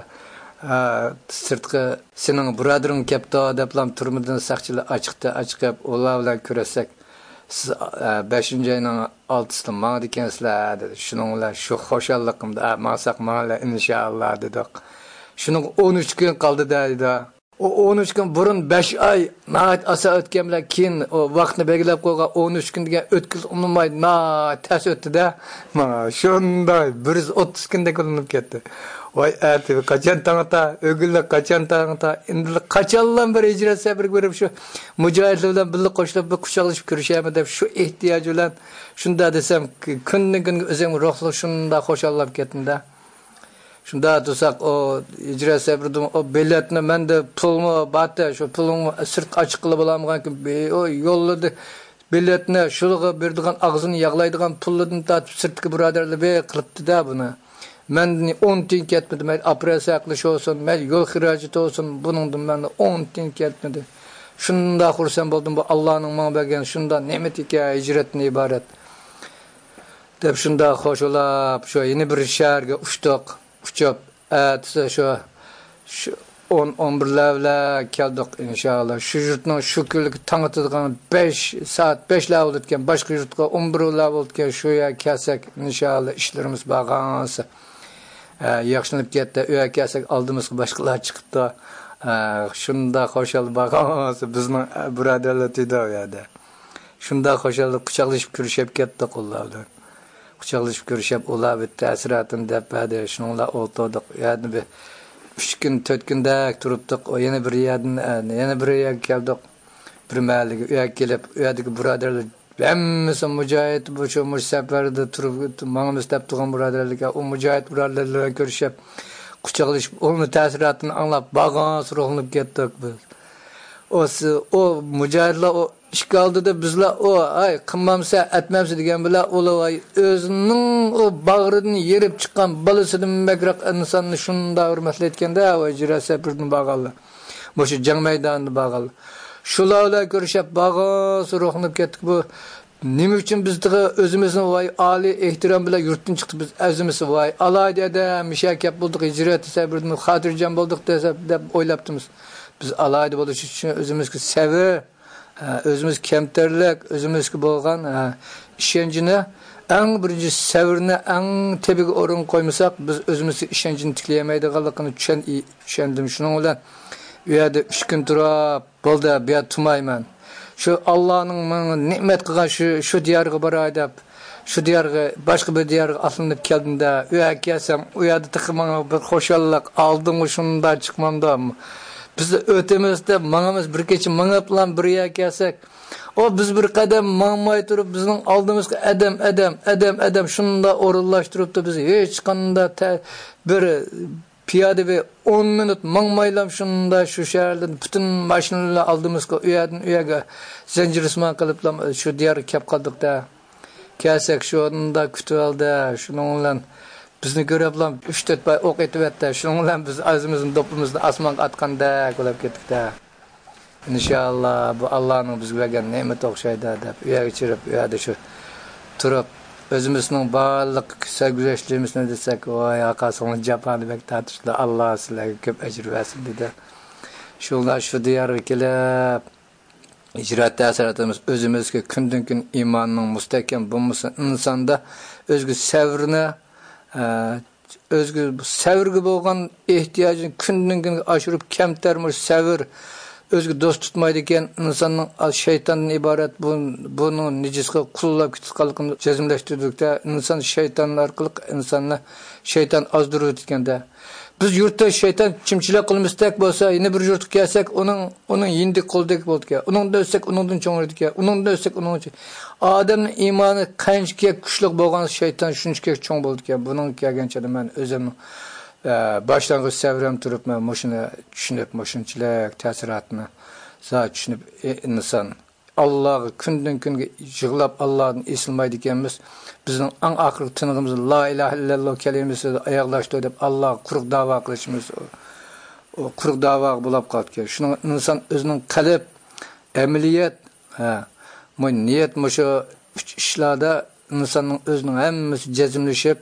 ھە، سىرتقى سېنىڭ بۇرادىرىڭ كەپتۇ دەپلا تۈرمىدىن ساقچىلار ئاچىقتى، ئاچىقىپ، ئۇلار بىلەن كۆرۈشسەك، سىز، ئە، بەشىنچى ئاينىڭ ئالتىسىدا ماڭىدىكەنسىلەر، دېدى. شۇنىڭ بىلەن شۇ خۇشاللىقىمدا، ئە، ماڭساق ماڭىلى، ئىنشائاللا، دېدۇق. شۇنىڭغا ئون ئۈچ كۈن قالدى دەيدۇ. ئۇ ئون ئۈچ كۈن بۇرۇن بەش ئاي ناھايىتى ئاسان ئۆتكەن بىلەن كېيىن ئۇ ۋاقىتنى بەلگىلەپ قويغان ئون ئۈچ كۈن دېگەن ئۆتكىلى ئۇنىماي ناھايىتى تەس ئۆتتى-دە. ماڭا شۇنداق بىر يۈز ئوتتۇز كۈندەك بىلىنىپ كەتتى. ۋاي، ئەتە قاچان تاڭ ئاتا، ئۆگۈنلۈك قاچان تاڭ ئاتا، ئەمدى قاچانلا بىر ھىجرەت سەپىرىگە بېرىپ، شۇ مۇجاھىدلار بىلەن بىللە قوشۇلۇپ، بىر قۇچاقلىشىپ كۆرۈشەيمۇ دەپ، شۇ ئېھتىياج بىلەن شۇنداق دېسەم، كۈندىن كۈنگە ئۆزۈمگە روھلۇق شۇنداق خۇشاللاپ كەتتىم-دە. شۇنداق تۇرساق، ئۇ ھىجرەت سەپىرىدىن ئۇ بېلەتنى، مەندە پۇلمۇ بارتى، شۇ پۇلۇمنى سىرتقا ئاچىققىلى بولالمىغانكىن، بى-، ئۇ يوللىدى. بېلەتنى شۇلىغا بېرىدىغان، ئاغزىنى ياغلايدىغان پۇلىدىن تارتىپ سىرتتىكى بۇرادەرلەر بەك قىلىپتۇ-دە بۇنى. مەندىن ئون تىيىن كەتمىدى. مەيلى ئوپېراتسىيە قىلىش بولسۇن، مەيلى يول خىراجىتى بولسۇن، بۇنىڭدىن مەندىن ئون تىيىن كەتمىدى. شۇنداق خۇرسەن بولدۇم، بۇ ئاللانىڭ ماڭا بەرگەن شۇنداق نېمىتىكەن، ھىجرەتتىن ئىبارەت. دەپ شۇنداق خوشلاپ، شۇ يەنە بىر شەھەرگە ئۇچتۇق. ئۇچۇپ، ئەتىسى شۇ، شۇ ئون، ئون بىرلەر بىلەن كەلدۇق، ئىنشائاللا. شۇ يۇرتنىڭ شۇ كۈنلۈكى تاڭ ئاتىدىغان بەش، سائەت بەشلەر بولىدىكەن، باشقا يۇرتقا ئون بىرلەر بولىدىكەن، شۇ يەرگە كەلسەك، ئىنشائاللا، ئىشلىرىمىز بارغانسېرى، ئە، ياخشىلىنىپ كەتتى. ئۇ يەرگە كەلسەك، ئالدىمىزغا باشقىلار چىقىپتۇ. ئە، شۇنداق خۇشال بارغانسېرى، بىزنىڭ، ئە، بۇرادەرلەر تۇيدى ئۇ يەردە. شۇنداق خۇشاللىق، قۇچاقلىشىپ كۆرۈشۈپ كەتتۇق ئۇلار بىلەن. قۇچاقلىشىپ كۆرۈشۈپ، ئۇلار بىر تەسىراتىنى دەپ بەردى. شۇنىڭ بىلەن ئولتۇردۇق. يەنە بىر ئۈچ كۈن، تۆت كۈندەك تۇرۇپتۇق. ئۇ يەنە بىر يەردىن، ئە، يەنە بىر يەرگە كەلدۇق. بىر مەھەللىگە، ئۇ يەرگە كېلىپ، ئۇ يەردىكى بۇرادەرلەر ھەممىسى مۇجاھىد، مۇشۇ، مۇشۇ سەپەردە تۇرۇپ، ماڭىمىز دەپ تۇرغان بۇرادەرلەرگە، ئۇ مۇجاھىد بۇرادەرلەر بىلەن كۆرۈشۈپ، قۇچاقلىشىپ، ئۇنىڭ تەسىراتىنى ئاڭلاپ، بارغانسېرى روھلىنىپ كەتتۇق بىز. ئۇ س-، ئۇ مۇجاھىدلار ئۇ ئىككى ئالدىدا بىزلەر ئۇ، ئاي، قىلمامسە، ئەتمەمسە دېگەن بىلەن، ئۇلار، ۋاي، ئۆزىنىڭ ئۇ باغرىدىن يېرىپ چىققان بالىسىدىن بەكرەك ئىنساننى شۇنداق ھۆرمەتلەيدىكەن-دە، ۋاي، ھىجرەت سەپىرىدىن بارغانلار. مۇشۇ جەڭ مەيدانىدا بارغانلار. شۇلار بىلەن كۆرۈشۈپ بارغانسېرى روھلىنىپ كەتتۇق. بۇ نېمە ئۈچۈن بىز تېخى ئۆزىمىزنى، ۋاي، ئالىي ئېھتىرام بىلەن يۇرتتىن چىقتۇق، بىز ئۆزىمىز، ۋاي، ئالاھىدە ئادەم، مۇشۇ يەرگە كەپ بولدۇق، ھىجرەت سەپىرىدىن خاتىرجەم بولدۇق دەپ، دەپ ئويلاپتىمىز. بىز ئالاھىدە بولۇش ئۈچۈن ئۆزىمىزگە سەۋر، ئۆزىمىز كەمتەرلىك، ئۆزىمىزگە بولغان، ئىشەنچنى، ئەڭ بىرىنچى سەۋرنى ئەڭ تېپىگە ئورۇن قويمىساق، بىز ئۆزىمىزگە ئىشەنچنى تىكلىيەلمەيدىغانلىقىنى چۈشەن-، چۈشەندىم. شۇنىڭ بىلەن ئۇ يەردە ئۈچ كۈن تۇرۇپ، بولدى، بۇ يەردە تۇرمايمەن. شۇ ئاللانىڭ ماڭا نېمەت قىلغان شۇ، شۇ دىيارغا باراي دەپ، شۇ دىيارغا، باشقا بىر دىيارغا ئاتلىنىپ كەلدىم-دە، ئۇ يەرگە كەلسەم، ئۇ يەردە تېخى ماڭا بىر خۇشاللىق، ئالدىڭغا شۇنداق چىقمامدۇ؟ بىز ئۆتىمىز دەپ ماڭىمىز، بىر كېچە مېڭىپلا بىر يەرگە كەلسەك، ئۇ بىز بىر قەدەم ماڭماي تۇرۇپ، بىزنىڭ ئالدىمىزغا ئادەم، ئادەم، ئادەم، ئادەم شۇنداق ئورۇنلاشتۇرۇپتۇ. بىز ھېچقانداق تە-، بىر پىيادە بىر ئون مىنۇت ماڭمايلا شۇنداق شۇ شەھەردىن پۈتۈن ماشىنىلار ئالدىمىزغا، ئۇ يەردىن ئۇ يەرگە زەنجىرسىمان قىلىپلا شۇ دىيارغا كەپ قالدۇق-دە. كەلسەك شۇنداق كۈتۈۋالدى. شۇنىڭ بىلەن بىزنى كۆرۈپلا ئۈچ تۆت پاي ئوق ئېتىۋەتتى. شۇنىڭ بىلەن بىز ئۆزىمىزنىڭ دوپپىمىزنى ئاسمانغا ئاتقاندەك بولۇپ كەتتۇق-دە. ئىنشاللا، بۇ ئاللانىڭ بىزگە بەرگەن نېمىتى ئوخشايدۇ دەپ، ئۇ يەرگە چىرىپ، ئۇ يەردە شۇ تۇرۇپ، ئۆزىمىزنىڭ بارلىق سەرگۈزەشتلىرىمىزنى دېسەك، ۋاي، ئاقا، سىڭلى جاپانى بەك تارتىشتى، ئاللا سىلەرگە كۆپ ئەجىر بەرسۇن، دېدى. شۇنداق شۇ دىيارغا كېلىپ، ھىجرەت تەسىراتىمىز ئۆزىمىزگە كۈندىن-كۈن ئىماننىڭ مۇستەھكەم بولمىسا، ئىنساندا ئۆزىگە سەۋرنى، ئە، ئۆزىگە سەۋرگە بولغان ئېھتىياجىنى كۈندىن-كۈنگە ئاشۇرۇپ، كەمتەر مۇشۇ سەۋر ئۆزىگە دوست تۇتمايدىكەن، ئىنساننىڭ شەيتاندىن ئىبارەت بۇ، بۇنىڭ نىجىسقا قۇللاپ كېتىدىغانلىقىنى جەزملەشتۈردۇق-دە، ئىنسان شەيتان ئارقىلىق ئىنساننى شەيتان ئازدۇرۇۋېتىدىكەن-دە. بىز يۇرتتا شەيتان چىمچىلەك قىلمىسىدەك بولسا، يەنە بىر يۇرتقا كەلسەك، ئۇنىڭ، ئۇنىڭ يېنىدىكى قولىدىكى بولىدىكەن، ئۇنىڭدىن ئۆتسەك، ئۇنىڭدىن چوڭىيىدىكەن، ئۇنىڭدىن ئۆتسەك، ئۇنىڭدىن چوڭ-، ئادەمنىڭ ئىمانى قانچىكى كۈچلۈك بولغان شەيتان شۇنچىكى چوڭ بولىدىكەن. بۇنىڭغا كەلگەن چېغىدا مەن ئۆزۈمنىڭ، ئە، باشلانغۇچ سەۋرىم تۇرۇپ، مەن مۇشۇنى چۈشىنىپ، مۇشۇنچىلىك تەسىراتنى زادى چۈشىنىپ، ئى، ئىنسان ئاللاغا كۈندىن كۈنگە يىغلاپ، ئاللادىن ئېسىلمايدىكەنمىز. بىزنىڭ ئەڭ ئاخىرقى تىنىقىمىز لا ئىلاھە ئىللەللا كەلىمىسىدە ئاياغلاشتى دەپ، ئاللاغا قۇرۇق داۋا قىلىشىمىز، ئۇ قۇرۇق داۋاغا بولاپ قالىدىكەن. شۇنىڭ ئىنسان ئۆزىنىڭ قەلب، ئەمەلىيەت، ھە، مۇ-، نىيەت، مۇشۇ ئۈچ ئىشلاردا ئىنساننىڭ ئۆزىنىڭ ھەممىسى جەزملىشىپ،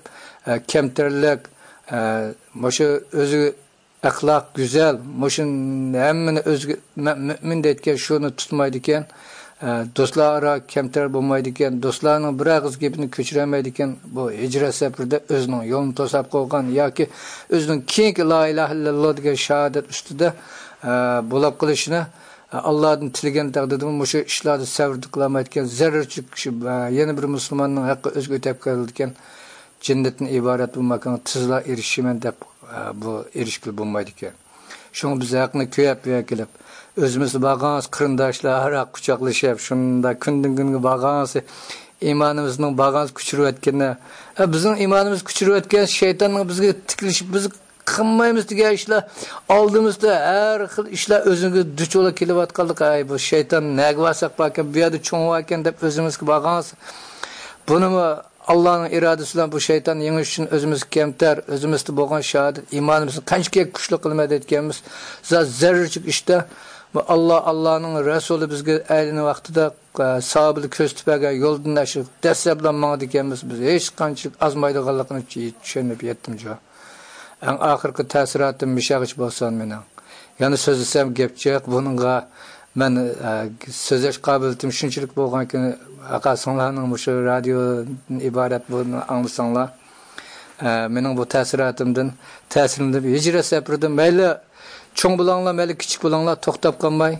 ھە، كەمتەرلىك، ھە، مۇشۇ ئۆزى ئەخلاق گۈزەل، مۇشۇ ھەممىنى ئۆزىگە مە-، مۆمىن دەيدىكەن، شۇنى تۇتمايدىكەن. ئە، دوستلار ئارا كەمتەر بولمايدىكەن، دوستلارنىڭ بىر ئېغىز گېپىنى كۆچۈرەلمەيدىكەن. بۇ ھىجرەت سەپىرىدە ئۆزىنىڭ يولىنى توساپ قويغان ياكى ئۆزىنىڭ كېيىنكى لا ئىلاھە ئىللاللا دېگەن شاھادەت ئۈستىدە، ئە، بولاپ قېلىشىنى، ئە، ئاللادىن تىلىگەن تەقدىردىمۇ مۇشۇ ئىشلاردا سەۋر قىلالمايدىكەن. زەررىچىلىك شۇ، ئە، يەنە بىر مۇسۇلماننىڭ ھەققى ئۆزىگە ئۆتەپ كېلىدىكەن. جەننەتتىن ئىبارەت بۇ ماكانغا تېزلا ئېرىشىمەن دەپ، ئە، بۇ ئېرىشكىلى بولمايدىكەن. شۇڭا بىز ھەقنى كۆيەپ بۇ يەرگە كېلىپ، ئۆزىمىز بارغانسى قېرىنداشلار ھاراق قۇچاقلىشىپ، شۇنداق كۈندىن كۈنگە بارغانسى ئىمانىمىزنىڭ بارغانسى كۆچۈرۈۋەتكىنى، ئە، بىزنىڭ ئىمانىمىز كۆچۈرۈۋەتكەن شەيتاننىڭ بىزگە تىكلىشىپ، بىز قىلمايمىز دېگەن ئىشلار، ئالدىمىزدا ھەر خىل ئىشلار ئۆزىمىزگە دۇچ بولا كېلىۋاتقانلىقى، ئەي، بۇ شەيتان نەگە بارساق باركەن، بۇ يەردە چوڭ باركەن دەپ ئۆزىمىزگە بارغانسى، بۇنىمۇ ئاللانىڭ ئىرادىسى بىلەن بۇ شەيتان يېڭىش ئۈچۈن ئۆزىمىز كەمتەر، ئۆزىمىزدە بولغان شاھادەت، ئىمانىمىزنى قانچىكى كۈچلۈك قىلىمەن دەيدىكەنمىز، زا-، زەررىچىك ئىشتا بۇ ئاللا، ئاللانىڭ رەسۇلى بىزگە ئەيلىنىش ۋاقتىدا، ئە، ساھابىلەر كۆرسىتىپ بەرگەن يولدىن ئاشۇ دەسسەپلا ماڭىدىكەنمىز، بىز ھېچقانچىلىك ئازمايدىغانلىقىنى چۈشىنىپ يەتتىم جۇ. ئەڭ ئاخىرقى تەسىراتىم مۇشۇغىچە بولسۇن مېنىڭ. يەنە سۆزلىسەم گەپ جىق. بۇنىڭغا مەن، ئە، سۆزلەش قابىلىيىتىم شۇنچىلىك بولغانكى، ئاقا سىڭلارنىڭ مۇشۇ رادىيودىن ئىبارەت بۇنى ئاڭلىساڭلار، ئە، مېنىڭ بۇ تەسىراتىمدىن تەسىرلىنىپ، ھىجرەت سەپىرىدە مەيلى چوڭ بولاڭلار، مەيلى كىچىك بولاڭلار، توختاپ قالماي،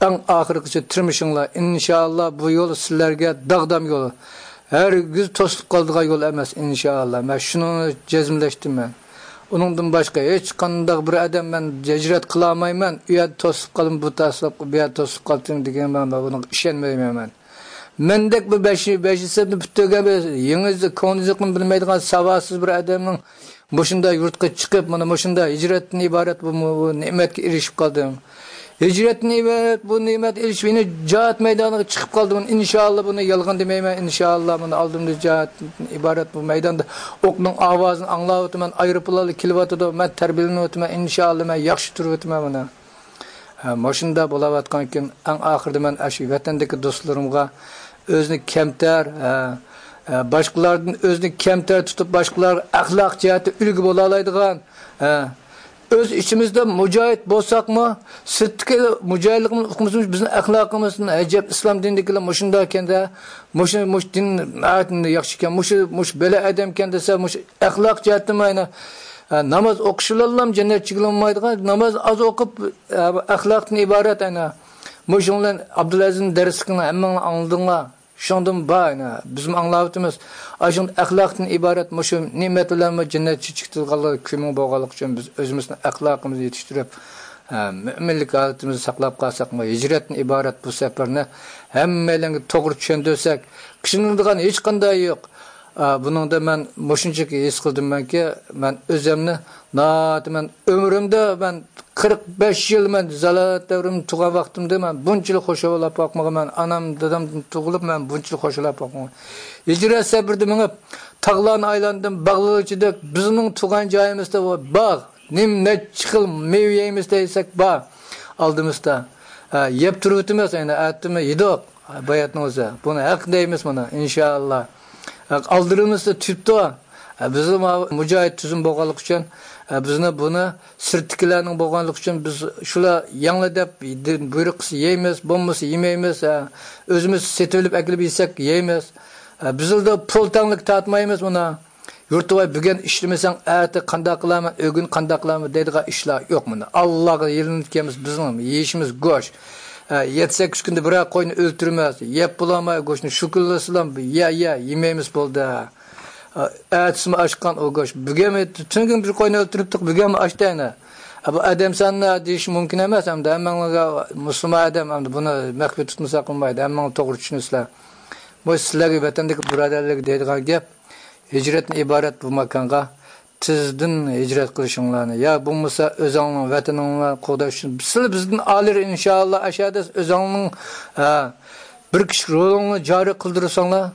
ئەڭ ئاخىرقىچە تىرمىشىڭلار. ئىنشائاللا، بۇ يول سىلەرگە داغدام يول. ھەرگىز توسۇلۇپ قالىدىغان يول ئەمەس، ئىنشائاللا. مەن شۇنى جەزملەشتىم مەن. ئۇنىڭدىن باشقا ھېچقانداق بىر ئادەم مەن ھىجرەت قىلالمايمەن، ئۇ يەردە توسۇلۇپ قالدىم، بۇ توسۇلۇپ، بۇ يەردە توسۇلۇپ قالدىم دېگەن مەن، مەن بۇنىڭغا ئىشەنمەيمەن مەن. مەندەك بىر بەش، بەش ھېسابنى پۈتتۈرگەن بىر يېڭىزى، كونىزىقىنى بىلمەيدىغان ساۋاتسىز بىر ئادەمنىڭ مۇشۇنداق يۇرتقا چىقىپ، مانا مۇشۇنداق ھىجرەتتىن ئىبارەت بۇ، بۇ نېمەتكە ئېرىشىپ قالدىم. ھىجرەتتىن ئىبارەت بۇ نېمەت ئېرىشىپ، يەنە جىھاد مەيدانىغا چىقىپ قالدىم. ئىنشائاللا، بۇنى يالغان دېمەيمەن. ئىنشائاللا، مانا ئالدىمدا جىھادتىن ئىبارەت بۇ مەيداندا ئوقنىڭ ئاۋازىنى ئاڭلاۋاتىمەن، ئايروپىلانلار كېلىۋاتىدۇ، مەن تەربىيەلىنىۋاتىمەن. ئىنشائاللا، مەن ياخشى تۇرۇۋاتىمەن مانا. ھە، مۇشۇنداق بولاۋاتقانكىن، ئەڭ ئاخىرىدا مەن ئاشۇ ۋەتەندىكى دوستلىرىمغا ئۆزىنى كەمتەر، ھە، ھە، باشقىلاردىن ئۆزىنى كەمتەر تۇتۇپ، باشقىلارغا ئەخلاق جەھەتتە ئۈلگە بولالايدىغان، ھە، ئۆز ئىچىمىزدە مۇجاھىد بولساقمۇ، سىرتتىكى مۇجاھىدلىقىمىز ئۇقمىسىمۇ، بىزنىڭ ئەخلاقىمىز ئەجەب ئىسلام دىنىدىكىلەر مۇشۇنداق ئىكەندە، مۇشۇ، مۇشۇ دىن ناھايىتى ياخشى ئىكەن، مۇشۇ، مۇشۇ بەلە ئادەمكەن دېسە، مۇشۇ ئەخلاق جەھەتتىن ئەنە، ئە، ناماز ئوقۇش بىلەنلا جەننەتچى بولالمايدىغان، ناماز ئاز ئوقۇپ، ئە، ئەخلاقتىن ئىبارەت ئەنە. مۇشۇنىڭ بىلەن ئابدۇلئەزىزنىڭ دەرسلىكىنى ھەممىڭلار ئاڭلىدىڭلار. شۇنىڭدىن بار، يەنە بىزمۇ ئاڭلاۋاتىمىز. ئاشۇ ئەخلاقتىن ئىبارەت مۇشۇ نېمەت بىلەنمۇ جەننەتچە چىقىدىغانلىقى كۈمۈڭ بولغانلىقى ئۈچۈن بىز ئۆزىمىزنىڭ ئەخلاقىمىزنى يېتىشتۈرۈپ، ھە، مۆمىنلىك ھالىتىمىزنى ساقلاپ قالساقمۇ، ھىجرەتتىن ئىبارەت بۇ سەپەرنى ھەممەيلەنگە توغرا چۈشەندۈرسەك، قىينىلىدىغان ھېچقانداق يوق. ئا، بۇنىڭدا مەن مۇشۇنچىلىك ھېس قىلدىممەنكى، مەن ئۆزۈمنى ناھايىتى، مەن ئۆمرۈمدە مەن قىرىق بەش يىل مەن زالالەت دەۋرىمدە تۇغان ۋاقتىمدا مەن بۇنچىلىك خۇش بولاپ باقمىغان. مەن ئانام، دادامدىن تۇغۇلۇپ مەن بۇنچىلىك خۇش بولاپ باقمىغان. ھىجرەت سەپىرىدە مېڭىپ، تاغلارنى ئايلاندىم، باغلار ئىچىدە بىزنىڭ تۇغان جايىمىزدا بار باغ. نېمە، نەچچە خىل مېۋە يەيمىز دېسەك بار ئالدىمىزدا. ھە، يەپ تۇرۇۋېتىمىز، ئەنە ئەتىمۇ يېدۇق. باياتنىڭ ئۆزى. بۇنى ھەق دەيمىز مانا، ئىنشائاللا. ھەق ئالدىرىمىزدا تۈپتۇ. ھە، بىزمۇ مۇجاھىد تۈزۈم بولغانلىقى ئۈچۈن، ھە، بىزنى بۇنى سىرتتىكىلەرنىڭ بولغانلىقى ئۈچۈن بىز شۇلار يەڭلە دەپ بۇيرۇق قىلسا يەيمىز، بولمىسا يېمەيمىز. ھە، ئۆزىمىز سېتىۋېلىپ ئەكېلىپ يېسەك يەيمىز. ھە، بىزلەردە پۇل تەڭلىك تارتمايمىز مانا. يۇرتۇۋاي، بۈگۈن ئىشلىمىسەڭ، ئەتە قانداق قىلارمەن، ئۆگۈن قانداق قىلارمەن دەيدىغان ئىشلار يوق مانا. ئاللاغا يېلىنىپ كەلمىسە، بىزنىڭ يېيىشىمىز گۆش. ھە، يەتتە سەككىز كۈندە بىرەر قوينى ئۆلتۈرىمىز، يەپ بولالماي گۆشنى، شۇ كۈنلەرسىلەم يە، يە، يېمەيمىز بولدى. ھە، ئەتىسىمۇ ئاشقان ئۇ گۆش. بۈگۈنمۇ، تۈنۈگۈن بىر قوينى ئۆلتۈرۈپتۇق، بۈگۈنمۇ ئاشتى يەنە. ھە، بۇ ئادەم سانى دېيىش مۇمكىن ئەمەس، ئەمدى ھەممىڭلارغا مۇسۇلمان ئادەم، ئەمدى بۇنى مەخپىي تۇتمىساق بولمايدۇ، ھەممىڭلار توغرا چۈشىنىسىلەر. بۇ سىلەرگە ۋەتەندىكى بۇرادەرلەرگە دەيدىغان گەپ، ھىجرەتتىن ئىبارەت بۇ ماكانغا تېزدىن ھىجرەت قىلىشىڭلارنى، يا بولمىسا ئۆزۈڭنىڭ ۋەتىنىڭلارنى قوغداش ئۈچۈن. سىلەر بىزدىن ئالىي ئىنشائاللا، ئەشەدە ئۆزۈڭنىڭ، ھە، بىر كىشىلىك رولۇڭنى جارى قىلدۇرساڭلار،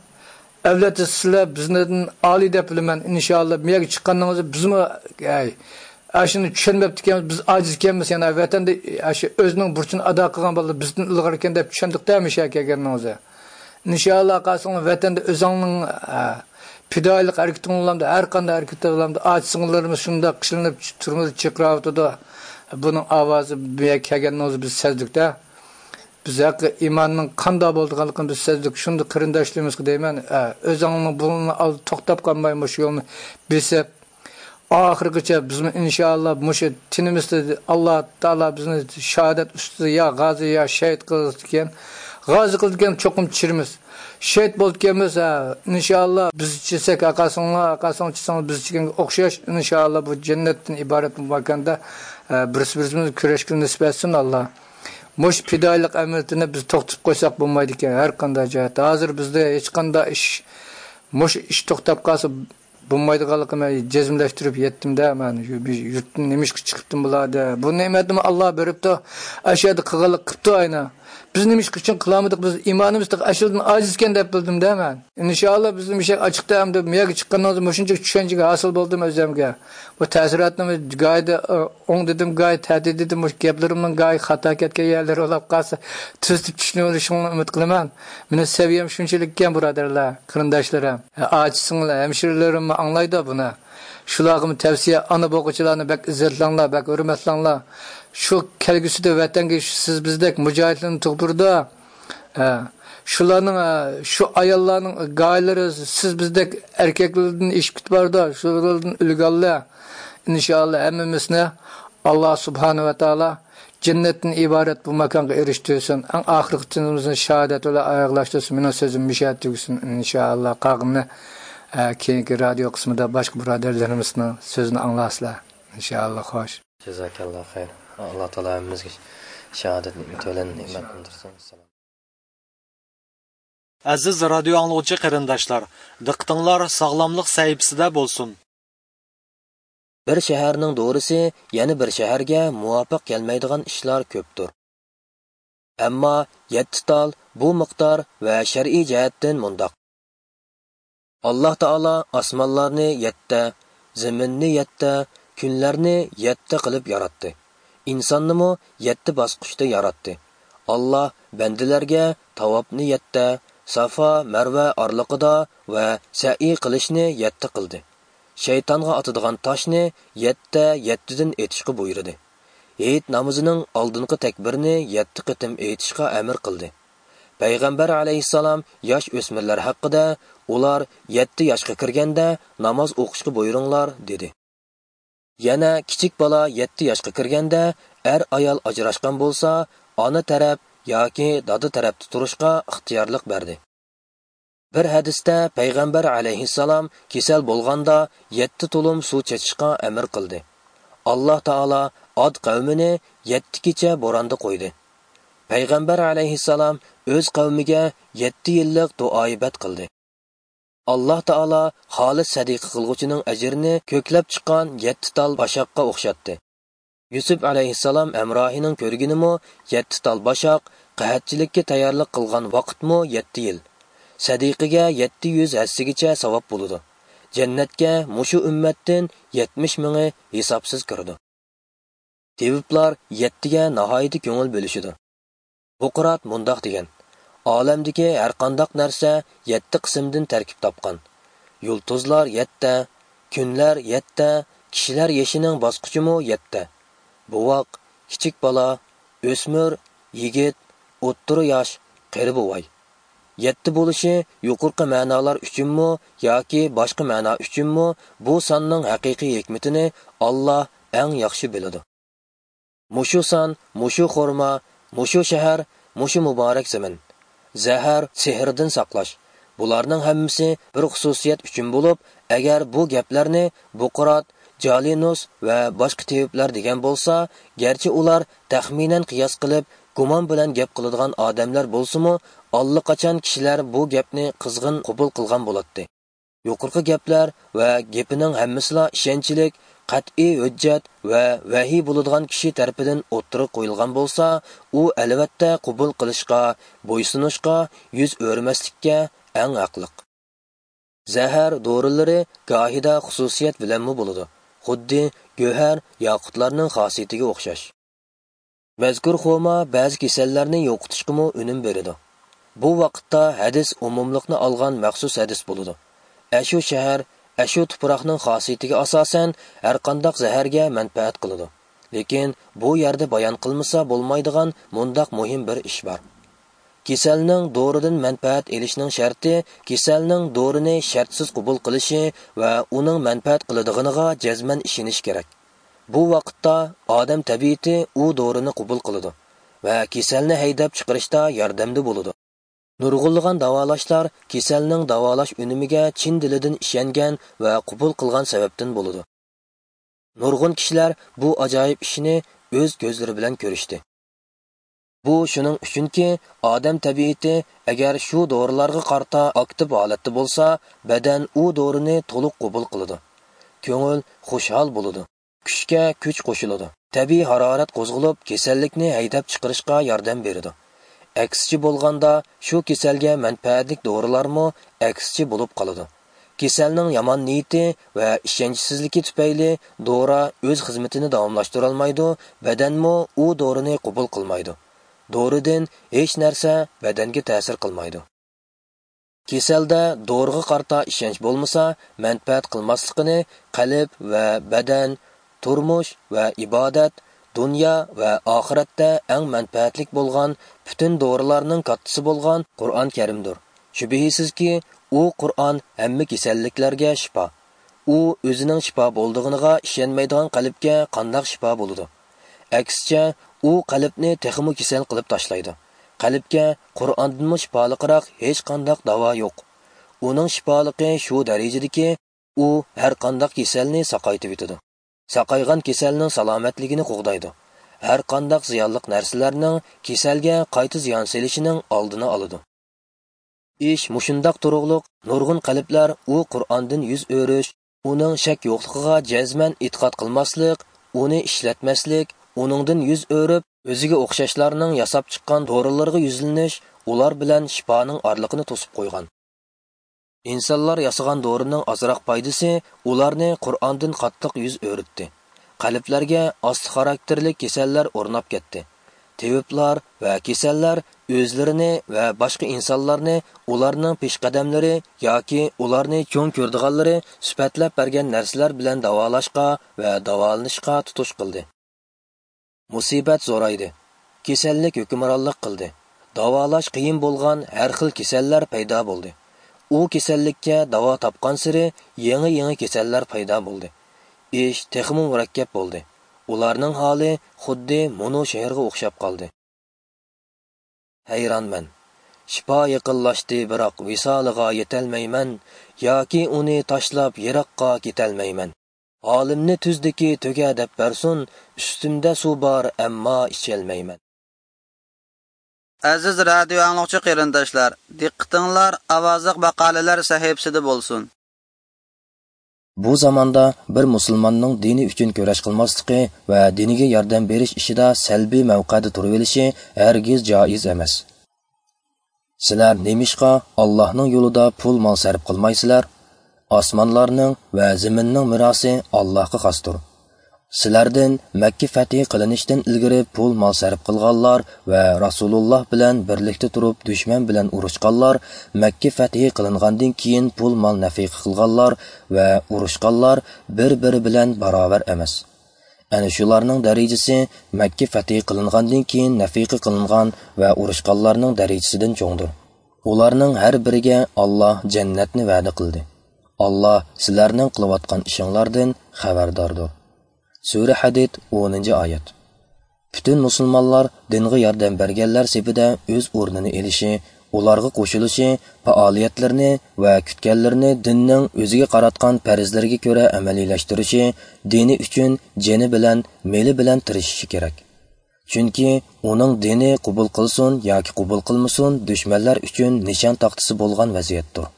ئەۋلەتتە سىلەر بىزدىن ئالىي دەپ بىلىمەن. ئىنشائاللا، بۇ يەرگە چىققانلىقىڭىزدا بىزمۇ، ئەي، ئاشۇنى چۈشەنمەپتىكەنمىز، بىز ئاجىز ئىكەنمىز، يەنە ۋەتەندە ئاشۇ ئۆزىنىڭ بۇرچىنى ئادا قىلغان بالىلار بىزدىن ئىلغار ئىكەن دەپ چۈشەندۇق-دە، مۇشۇ يەرگە كەلگىنىڭىزدە. ئىنشائاللا، قالسىڭلار ۋەتەندە ئۆزۈڭنىڭ، ئە، پىدائىيلىق ھەرىكىتىڭ بولامدۇ، ھەر قانداق ھەرىكەت بولامدۇ، ئاچا-سىڭىللىرىمىز شۇنداق قىينىلىپ تۈرمىدە چىرقىراۋاتىدۇ. بۇنىڭ ئاۋازى بۇ يەرگە كەلگەننىڭىزدە بىز سەزدۇق-دە. بىز ھەققى ئىماننىڭ قانداق بولىدىغانلىقىنى بىز سەزدۇق. شۇنداق قېرىنداشلىرىمىزغا دەيمەن، ئە، ئۆزۈڭنىڭ بۇرنىنى ئالدى توختاپ قالماي مۇشۇ يولنى بېسىپ، ئاخىرغىچە بىزمۇ ئىنشائاللا مۇشۇ تېنىمىزدا ئاللا تائالا بىزنى شاھادەت ئۈستىدە يا غازى يا شېھىت قىلىدىكەن. غازى قىلىدىكەن، چوقۇم چىرىمىز. شېھىت بولىدىكەنمىز، ھە، ئىنشائاللا بىز چىسەك، ئاقاسىڭلار، ئاقاسىڭلار چىسەڭلار بىز چىگەنگە ئوخشاش، ئىنشائاللا بۇ جەننەتتىن ئىبارەت بۇ ماكاندا، ھە، بىرسى بىرسىمىزگە كۈرەشكە نېسىپ ئەتسۇن ئاللا. مۇشۇ پىدائىيلىق ئەمەلىيىتىنى بىز توختىتىپ قويساق بولمايدىكەن، ھەر قانداق جەھەتتە. ھازىر بىزدە ھېچقانداق ئىش، مۇشۇ ئىش توختاپ قالسا بولمايدىغانلىقىنى مەن جەزملەشتۈرۈپ يەتتىم-دە، مەن يۇرتتىن نېمىشقا چىقىپتىم بۇلار دە. بۇ نېمەتنىمۇ ئاللا بېرىپتۇ، ئاشۇ يەردە قىلغانلىق قىپتۇ ئاينا. بىز نېمىشقا ئۈچۈن قىلالمىدۇق، بىز ئىمانىمىز تېخى ئاشۇدىن ئاجىزكەن دەپ بىلدىم-دە مەن. ئىنشائاللا بىزنىڭ مۇشۇ ئاچىقتا ئەمدى بۇ يەرگە چىققىنىڭىزدا مۇشۇنچە چۈشەنچىگە ھاسىل بولدۇم ئۆزۈمگە. بۇ تەسىراتنى گايىدا، ئوڭ دېدىم، گاي تەتۈر دېدىم، مۇشۇ گەپلىرىمنىڭ گاي خاتا كەتكەن يەرلىرى بولۇپ قالسا، تۈزىتىپ چۈشىنىۋېلىشىڭلارنى ئۈمىد قىلىمەن. مېنىڭ سەۋىيەم شۇنچىلىك ئىكەن، بۇرادەرلەر، قېرىنداشلىرىم. ئاچا-سىڭىل ھەمشىرىلىرىممۇ ئاڭلايدۇ بۇنى. شۇلارغىمۇ تەۋسىيە، ئانا بوغۇچىلارنى بەك ئىززەتلەڭلار، بەك ھۆرمەتلەڭلار. شۇ كەلگۈسىدە ۋەتەنگە سىز بىزدەك مۇجاھىدلارنى تۇغدۇرىدۇ. ھە، شۇلارنىڭ، ھە، شۇ ئاياللارنىڭ گايلىرى سىز بىزدەك ئەركەكلەردىن ئېشىپ كېتىپ بارىدۇ، شۇلاردىن ئۈلگە ئاللا. ئىنشائاللا ھەممىمىزنى ئاللا سۇبھانە ۋە تائالا جەننەتتىن ئىبارەت بۇ ماكانغا ئېرىشتۈرسۇن. ئەڭ ئاخىرقى تېنىمىزنى شاھادەت بىلەن ئاياغلاشتۇرسۇن. مېنىڭ سۆزۈم مۇشۇ يەردە تۈگىسۇن، ئىنشائاللا. قالغىنىنى، ھە، كېيىنكى رادىيو قىسمىدا باشقا بۇرادەرلىرىمىزنىڭ سۆزىنى ئاڭلارسىلەر. ئىنشائاللا، خوش. جازاكاللا خەير. ئاللا تائالا ھەممىمىزگە شاھادەت نېمىتى بىلەن نېمەت قىلدۇرسۇن. سالام. ئەزىز رادىيو ئاڭلىغۇچى قېرىنداشلار، دىققىتىڭلار ساغلاملىق سەھىپىسىدە بولسۇن. بىر شەھەرنىڭ دورىسى يەنە بىر شەھەرگە مۇۋاپىق كەلمەيدىغان ئىشلار كۆپتۇر. ئەمما يەتتە تال بۇ مىقدار ۋە شەرئىي جەھەتتىن مۇنداق. ئاللا تائالا ئاسمانلارنى يەتتە، زېمىننى يەتتە، كۈنلەرنى يەتتە قىلىپ ياراتتى. ئىنساننىمۇ يەتتە باسقۇچتا ياراتتى. ئاللا بەندىلەرگە تاۋاپنى يەتتە، سافا، مەرۋە ئارىلىقىدا ۋە سەئيى قىلىشنى يەتتە قىلدى. شەيتانغا ئاتىدىغان تاشنى يەتتە يەتتىدىن ئېتىشقا بۇيرۇدى. ھېيت نامىزىنىڭ ئالدىنقى تەكبىرىنى يەتتە قېتىم ئېيتىشقا ئەمر قىلدى. پەيغەمبەر ئەلەيھىسسالام ياش ئۆسمۈرلەر ھەققىدە، ئۇلار يەتتە ياشقا كىرگەندە ناماز ئوقۇشقا بۇيرۇڭلار، دېدى. يەنە كىچىك بالا يەتتە ياشقا كىرگەندە ئەر-ئايال ئاجراشقان بولسا، ئانا تەرەپ ياكى دادا تەرەپتە تۇرۇشقا ئىختىيارلىق بەردى. بىر ھەدىستە پەيغەمبەر ئەلەيھىسسالام كېسەل بولغاندا يەتتە تۇلۇم سۇ چېچىشقا ئەمر قىلدى. ئاللا تائالا ئاد قەۋمىنى يەتتە كېچە بوراندا قويدى. پەيغەمبەر ئەلەيھىسسالام ئۆز قەۋمىگە يەتتە يىللىق دۇئايىبەت قىلدى. ئاللا تائالا خالىس سەدىقە قىلغۇچىنىڭ ئەجرىنى كۆكلەپ چىققان يەتتە تال باشاققا ئوخشاتتى. يۈسۈپ ئەلەيھىسسالام ھەمراھىنىڭ كۆرگىنىمۇ يەتتە تال باشاق، قەھەتچىلىككە تەييارلىق قىلغان ۋاقىتمۇ يەتتە يىل. سەدىقىگە يەتتە يۈز ھەسسىگىچە ساۋاب بولىدۇ. جەننەتكە مۇشۇ ئۈممەتتىن يەتمىش مىڭى ھېسابسىز كىرىدۇ. تېۋىپلار يەتتىگە ناھايىتى كۆڭۈل بۆلۈشىدۇ. بۇقرات مۇنداق دېگەن: ئالەمدىكى ھەرقانداق نەرسە يەتتە قىسىمدىن تەركىب تاپقان. يۇلتۇزلار يەتتە، كۈنلەر يەتتە، كىشىلەر يېشىنىڭ باسقۇچىمۇ يەتتە. بوۋاق، كىچىك بالا، ئۆسمۈر، يىگىت، ئوتتۇرا ياش، قېرى بوۋاي. يەتتە بولۇشى يۇقىرىقى مەنالار ئۈچۈنمۇ ياكى باشقا مەنا ئۈچۈنمۇ، بۇ ساننىڭ ھەقىقىي ھېكمىتىنى ئاللا ئەڭ ياخشى بىلىدۇ. مۇشۇ سان، مۇشۇ خورما، مۇشۇ شەھەر، مۇشۇ مۇبارەك زېمىن. زەھەر، سېھىردىن ساقلاش. بۇلارنىڭ ھەممىسى بىر خۇسۇسىيەت ئۈچۈن بولۇپ، ئەگەر بۇ گەپلەرنى بۇقرات، جالىنۇس ۋە باشقا تېۋىپلەر دېگەن بولسا، گەرچە ئۇلار تەخمىنەن قىياس قىلىپ، گۇمان بىلەن گەپ قىلىدىغان ئادەملەر بولسىمۇ، ئاللىقاچان كىشىلەر بۇ گەپنى قىزغىن قوبۇل قىلغان بولاتتى. يۇقىرىقى گەپلەر ۋە گېپىنىڭ ھەممىسىلا ئىشەنچلىك، قەتئىي ھۆججەت ۋە ۋەھىي بولىدىغان كىشى تەرىپىدىن ئوتتۇرىغا قويۇلغان بولسا، ئۇ ئەلۋەتتە قوبۇل قىلىشقا، بويسۇنۇشقا يۈز ئۆرۈمەسلىككە ئەڭ ھەقلىق. زەھەر دورىلىرى گاھىدا خۇسۇسىيەت بىلەنمۇ بولىدۇ، خۇددى گۆھەر، ياقۇتلارنىڭ خاسىيىتىگە ئوخشاش. مەزكۇر خورما بەزى كېسەللەرنى يوقىتىشقىمۇ ئۈنۈم بېرىدۇ. بۇ ۋاقىتتا ھەدىس ئومۇملۇقنى ئالغان مەخسۇس ھەدىس بولىدۇ. ئەشۇ شەھەر، ئەشۇ تۇپراقنىڭ خاسىيىتىگە ئاساسەن ھەرقانداق زەھەرگە مەنپەئەت قىلىدۇ. لېكىن بۇ يەردە بايان قىلمىسا بولمايدىغان مۇنداق مۇھىم بىر ئىش بار. كېسەلنىڭ دورىدىن مەنپەئەت ئېلىشنىڭ شەرتى كېسەلنىڭ دورىنى شەرتسىز قوبۇل قىلىشى ۋە ئۇنىڭ مەنپەئەت قىلىدىغىنىغا جەزمەن ئىشىنىش كېرەك. بۇ ۋاقىتتا ئادەم تەبىئىتى ئۇ دورىنى قوبۇل قىلىدۇ ۋە كېسەلنى ھەيدەپ چىقىرىشتا ياردەمدە بولىدۇ. نۇرغۇنلىغان داۋالاشلار كېسەلنىڭ داۋالاش ئۈنۈمىگە چىن دىلىدىن ئىشەنگەن ۋە قوبۇل قىلغان سەۋەبتىن بولىدۇ. نۇرغۇن كىشىلەر بۇ ئاجايىپ ئىشنى ئۆز كۆزلىرى بىلەن كۆرۈشتى. بۇ شۇنىڭ ئۈچۈنكى، ئادەم تەبىئىتى ئەگەر شۇ دورىلارغا قارىتا ئاكتىپ ھالەتتە بولسا، بەدەن ئۇ دورىنى تولۇق قوبۇل قىلىدۇ. كۆڭۈل خۇشھال بولىدۇ. كۈچكە كۈچ قوشۇلىدۇ. تەبىئىي ھارارەت قوزغىلىپ، كېسەللىكنى ھەيدەپ چىقىرىشقا ياردەم بېرىدۇ. ئەكسىچە بولغاندا، شۇ كېسەلگە مەنپەئەتلىك دورىلارمۇ ئەكسىچە بولۇپ قالىدۇ. كېسەلنىڭ يامان نىيىتى ۋە ئىشەنچسىزلىكى تۈپەيلى دورا ئۆز خىزمىتىنى داۋاملاشتۇرالمايدۇ، بەدەنمۇ ئۇ دورىنى قوبۇل قىلمايدۇ. دورىدىن ھېچ نەرسە بەدەنگە تەسىر قىلمايدۇ. كېسەلدە دورىغا قارىتا ئىشەنچ بولمىسا، مەنپەئەت قىلماسلىقىنى قەلب ۋە بەدەن، تۇرمۇش ۋە ئىبادەت، دۇنيا ۋە ئاخىرەتتە ئەڭ مەنپەئەتلىك بولغان پۈتۈن دورىلارنىڭ كاتتىسى بولغان قۇرئان كەرىمدۇر. شۈبھىسىزكى، ئۇ قۇرئان ھەممە كېسەللىكلەرگە شىپا. ئۇ ئۆزىنىڭ شىپا بولىدىغىنىغا ئىشەنمەيدىغان قەلبكە قانداق شىپا بولىدۇ؟ ئەكسىچە، ئۇ قەلبنى تېخىمۇ كېسەل قىلىپ تاشلايدۇ. قەلبكە قۇرئاندىنمۇ شىپالىقراق ھېچقانداق داۋا يوق. ئۇنىڭ شىپالىقى شۇ دەرىجىدىكى، ئۇ ھەرقانداق كېسەلنى ساقايتىۋېتىدۇ. ساقايغان كېسەلنىڭ سالامەتلىكىنى قوغدايدۇ. ھەرقانداق زىيانلىق نەرسىلەرنىڭ كېسەلگە قايتا زىيان سېلىشىنىڭ ئالدىنى ئالىدۇ. ئىش مۇشۇنداق تۇرۇقلۇق، نۇرغۇن قەلبلەر ئۇ قۇرئاندىن يۈز ئۆرۈش، ئۇنىڭ شەك يوقلۇقىغا جەزمەن ئېتىقاد قىلماسلىق، ئۇنى ئىشلەتمەسلىك، ئۇنىڭدىن يۈز ئۆرۈپ، ئۆزىگە ئوخشاشلارنىڭ ياساپ چىققان دورىلىرىغا يۈزلىنىش، ئۇلار بىلەن شىپانىڭ ئارىلىقىنى توسۇپ قويغان. ئىنسانلار ياسىغان دورىنىڭ ئازراق پايدىسى ئۇلارنى قۇرئاندىن قاتتىق يۈز ئۆرۈتتى. قەلبلەرگە ئاستا خاراكتېرلىك كېسەللەر ئورناپ كەتتى. تېۋىپلار ۋە كېسەللەر ئۆزلىرىنى ۋە باشقا ئىنسانلارنى ئۇلارنىڭ پېشقەدەملىرى ياكى ئۇلارنى چوڭ كۆرىدىغانلىرى سۈپەتلەپ بەرگەن نەرسىلەر بىلەن داۋالاشقا ۋە داۋالىنىشقا تۇتۇش قىلدى. مۇسىبەت زورايدى. كېسەللىك ھۆكۈمرانلىق قىلدى. داۋالاش قىيىن بولغان ھەر خىل كېسەللەر پەيدا بولدى. ئۇ كېسەللىككە داۋا تاپقانسېرى يېڭى-يېڭى كېسەللەر پەيدا بولدى. ئىش تېخىمۇ مۇرەككەپ بولدى. ئۇلارنىڭ ھالى خۇددى مۇنۇ شەھەرگە ئوخشاپ قالدى. ھەيرانمەن. شىپا يېقىنلاشتى، بىراق ۋىسالىغا يېتەلمەيمەن، ياكى ئۇنى تاشلاپ يىراققا كېتەلمەيمەن. ھالىمنى تۈزدىكى تۆگە دەپ بەرسۇن، ئۈستۈمدە سۇ بار، ئەمما ئىچەلمەيمەن. ئەزىز رادىيو ئاڭلىغۇچى قېرىنداشلار، دىققىتىڭلار ئاۋازلىق ماقالىلەر سەھىپىسىدە بولسۇن. بۇ زاماندا بىر مۇسۇلماننىڭ دىنى ئۈچۈن كۈرەش قىلماسلىقى ۋە دىنىگە ياردەم بېرىش ئىشىدا سەلبىي مەۋقەدە تۇرۇۋېلىشى ھەرگىز جائىز ئەمەس. سىلەر نېمىشقا ئاللاھنىڭ يولىدا پۇل مال سەرپ قىلمايسىلەر؟ ئاسمانلارنىڭ ۋە زېمىننىڭ مىراسى ئاللاھقا خاستۇر. سىلەردىن مەككە فەتھى قىلىنىشتىن ئىلگىرى پۇل مال سەرپ قىلغانلار ۋە رەسۇلۇللاھ بىلەن بىرلىكتە تۇرۇپ دۈشمەن بىلەن ئۇرۇشقانلار، مەككە فەتھى قىلىنغاندىن كېيىن پۇل مال نەفىقە قىلغانلار ۋە ئۇرۇشقانلار بىر-بىرى بىلەن باراۋەر ئەمەس. ئەنە شۇلارنىڭ دەرىجىسى مەككە فەتھى قىلىنغاندىن كېيىن نەفىقە قىلىنغان ۋە ئۇرۇشقانلارنىڭ دەرىجىسىدىن چوڭدۇر. ئۇلارنىڭ ھەر بىرىگە ئاللاھ جەننەتنى ۋەدە قىلدى. ئاللاھ سىلەرنىڭ قىلىۋاتقان ئىشىڭلاردىن خەۋەرداردۇر. سۈرە ھەدىد، ئونىنچى ئايەت. پۈتۈن مۇسۇلمانلار دىنغا ياردەم بەرگەنلەر سېپىدە ئۆز ئورنىنى ئېلىشى، ئۇلارغا قوشۇلۇشى، پائالىيەتلىرىنى ۋە كۈتكەنلىرىنى دىننىڭ ئۆزىگە قاراتقان پەرزلىرىگە كۆرە ئەمەلىيلەشتۈرۈشى، دىنى ئۈچۈن جېنى بىلەن، مېلى بىلەن تىرىشىشى كېرەك. چۈنكى ئۇنىڭ دىنى قوبۇل قىلسۇن ياكى قوبۇل قىلمىسۇن، دۈشمەنلەر ئۈچۈن نىشان تاختىسى بولغان ۋەزىيەتتۇر.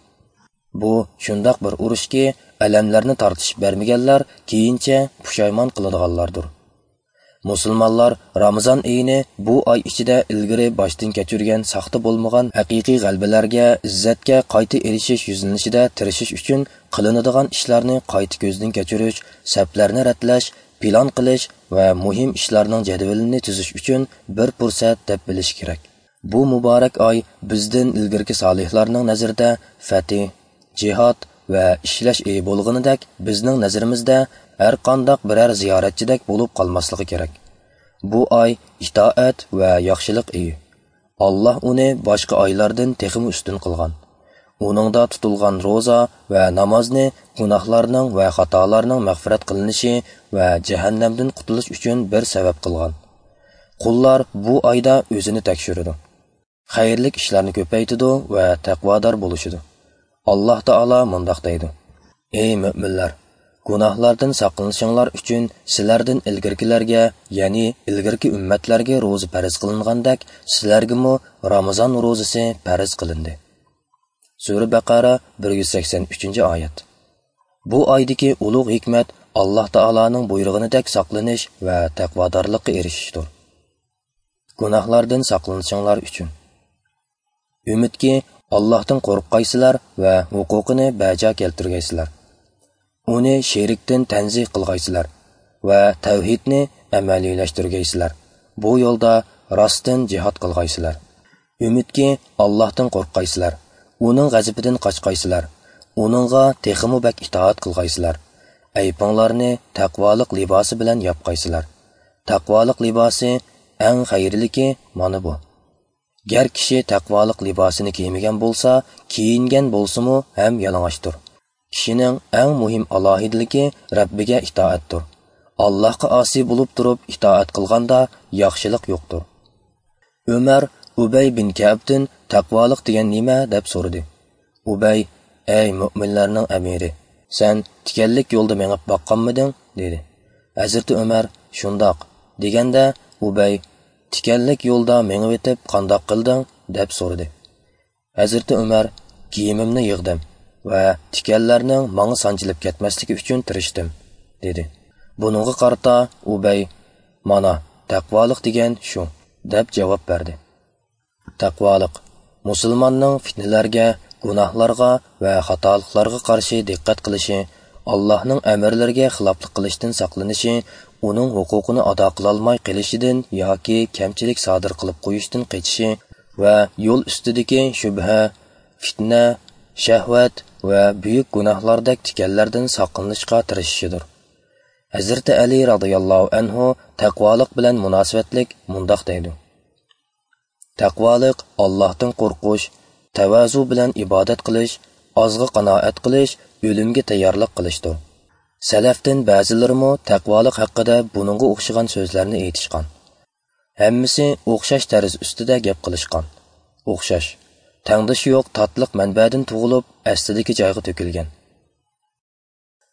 بۇ شۇنداق بىر ئۇرۇشكى، ئەلەملەرنى تارتىشىپ بەرمىگەنلەر كېيىنچە پۇشايمان قىلىدىغانلاردۇر. مۇسۇلمانلار رامىزان ئېيىنى بۇ ئاي ئىچىدە ئىلگىرى باشتىن كەچۈرگەن ساختا بولمىغان ھەقىقىي غەلىبىلەرگە، ئىززەتكە قايتا ئېرىشىش يۈزلىنىشىدە تىرىشىش ئۈچۈن قىلىنىدىغان ئىشلارنى قايتا كۆزدىن كەچۈرۈش، سەپلەرنى رەتلەش، پىلان قىلىش ۋە مۇھىم ئىشلارنىڭ جەدۋىلىنى تۈزۈش ئۈچۈن بىر پۇرسەت دەپ بىلىش كېرەك. بۇ مۇبارەك ئاي بىزدىن ئىلگىرىكى سالىھلارنىڭ نەزىرىدە فەتھى، جىھاد ۋە ئىشلەش ئېيى بولغىنىدەك، بىزنىڭ نەزىرىمىزدە ھەر قانداق بىرەر زىيارەتچىدەك بولۇپ قالماسلىقى كېرەك. بۇ ئاي ئىتائەت ۋە ياخشىلىق ئېيى. ئاللاھ ئۇنى باشقا ئايلاردىن تېخىمۇ ئۈستۈن قىلغان. ئۇنىڭدا تۇتۇلغان روزا ۋە نامازنى گۇناھلارنىڭ ۋە خاتالارنىڭ مەغپىرەت قىلىنىشى ۋە جەھەننەمدىن قۇتۇلۇش ئۈچۈن بىر سەۋەب قىلغان. قۇللار بۇ ئايدا ئۆزىنى تەكشۈرىدۇ، خەيرلىك ئىشلارنى كۆپەيتىدۇ ۋە تەقۋادار بولۇشىدۇ. ئاللاھ تائالا مۇنداق دەيدۇ: ئەي مۆمىنلەر! گۇناھلاردىن ساقلىنىشىڭلار ئۈچۈن سىلەردىن ئىلگىرىكىلەرگە، يەنى ئىلگىرىكى ئۈممەتلەرگە روزا پەرز قىلىنغاندەك، سىلەرگىمۇ رامىزان روزىسى پەرز قىلىندى. سۈرە بەقەرە، بىر يۈز سەكسەن ئۈچىنچى ئايەت. بۇ ئايدىكى ئۇلۇغ ھېكمەت ئاللاھ تائالانىڭ بۇيرۇغىنىدەك ساقلىنىش ۋە تەقۋادارلىققا ئېرىشىشتۇر. گۇناھلاردىن ساقلىنىشىڭلار ئۈچۈن. ئۈمىدكى، ئاللاھتىن قورققايسىلەر ۋە ھوقۇقىنى بەجا كەلتۈرگەيسىلەر. ئۇنى شېرىكتىن تەنزىھ قىلغايسىلەر ۋە تەۋھىدنى ئەمەلىيلەشتۈرگەيسىلەر. بۇ يولدا راستتىن جىھاد قىلغايسىلەر. ئۈمىدكى، ئاللاھتىن قورققايسىلەر، ئۇنىڭ غەزىپىدىن قاچقايسىلەر، ئۇنىڭغا تېخىمۇ بەك ئىتائەت قىلغايسىلەر. ئەيىبىڭلارنى تەقۋالىق لىباسى بىلەن ياپقايسىلەر. تەقۋالىق لىباسى ئەڭ خەيرلىكى مانا بۇ. گەر كىشى تەقۋالىق لىباسىنى كىيمىگەن بولسا، كىيىنگەن بولسىمۇ ھەم يالىڭاچتۇر. كىشىنىڭ ئەڭ مۇھىم ئالاھىدىلىكى رەببىگە ئىتائەتتۇر. ئاللاھقا ئاسىي بولۇپ تۇرۇپ ئىتائەت قىلغاندا ياخشىلىق يوقتۇر. ئۆمەر ئۇبەي بىن كەئبتىن: «تەقۋالىق دېگەن نېمە؟» دەپ سورىدى. ئۇبەي: «ئەي مۆمىنلەرنىڭ ئەمىرى، سەن تىكەنلىك يولدا مېڭىپ باققانمىدىڭ؟» دېدى. ھەزرىتى ئۆمەر: «شۇنداق» دېگەندە، ئۇبەي: «تىكەنلىك يولدا مېڭىۋېتىپ قانداق قىلدىڭ؟» دەپ سورىدى. ھەزرىتى ئۆمەر: «كىيىمىمنى يىغدىم ۋە تىكەنلەرنىڭ ماڭا سانجىلىپ كەتمەسلىكى ئۈچۈن تىرىشتىم» دېدى. بۇنىڭغا قارىتا ئۇبەي: «مانا، تەقۋالىق دېگەن شۇ» دەپ جاۋاب بەردى. تەقۋالىق، مۇسۇلماننىڭ پىتنىلەرگە، گۇناھلارغا ۋە خاتالىقلارغا قارشى دىققەت قىلىشى، ئاللاھنىڭ ئەمىرلىرىگە خىلاپلىق قىلىشتىن ساقلىنىشى، ئۇنىڭ ھوقۇقىنى ئادا قىلالماي قېلىشىدىن ياكى كەمچىلىك سادىر قىلىپ قويۇشتىن قېچىشى ۋە يول ئۈستىدىكى شۈبھە، پىتنە، شەھۋەت ۋە بۈيۈك گۇناھلاردەك تىكەنلەردىن ساقلىنىشقا تىرىشىشىدۇر. ھەزرىتى ئەلى رازىياللاھۇ ئەنھۇ تەقۋالىق بىلەن مۇناسىۋەتلىك مۇنداق دەيدۇ: تەقۋالىق ئاللاھتىن قورقۇش، تەۋازۇ بىلەن ئىبادەت قىلىش، ئازغا قانائەت قىلىش، ئۆلۈمگە تەييارلىق قىلىشتۇر. سەلەفتىن بەزىلىرىمۇ تەقۋالىق ھەققىدە بۇنىڭغا ئوخشىغان سۆزلەرنى ئېيتىشقان. ھەممىسى ئوخشاش تەرز ئۈستىدە گەپ قىلىشقان. ئوخشاش، تەڭدىشى يوق تاتلىق مەنبەدىن تۇغۇلۇپ، ئەسلىدىكى جايغا تۆكۈلگەن.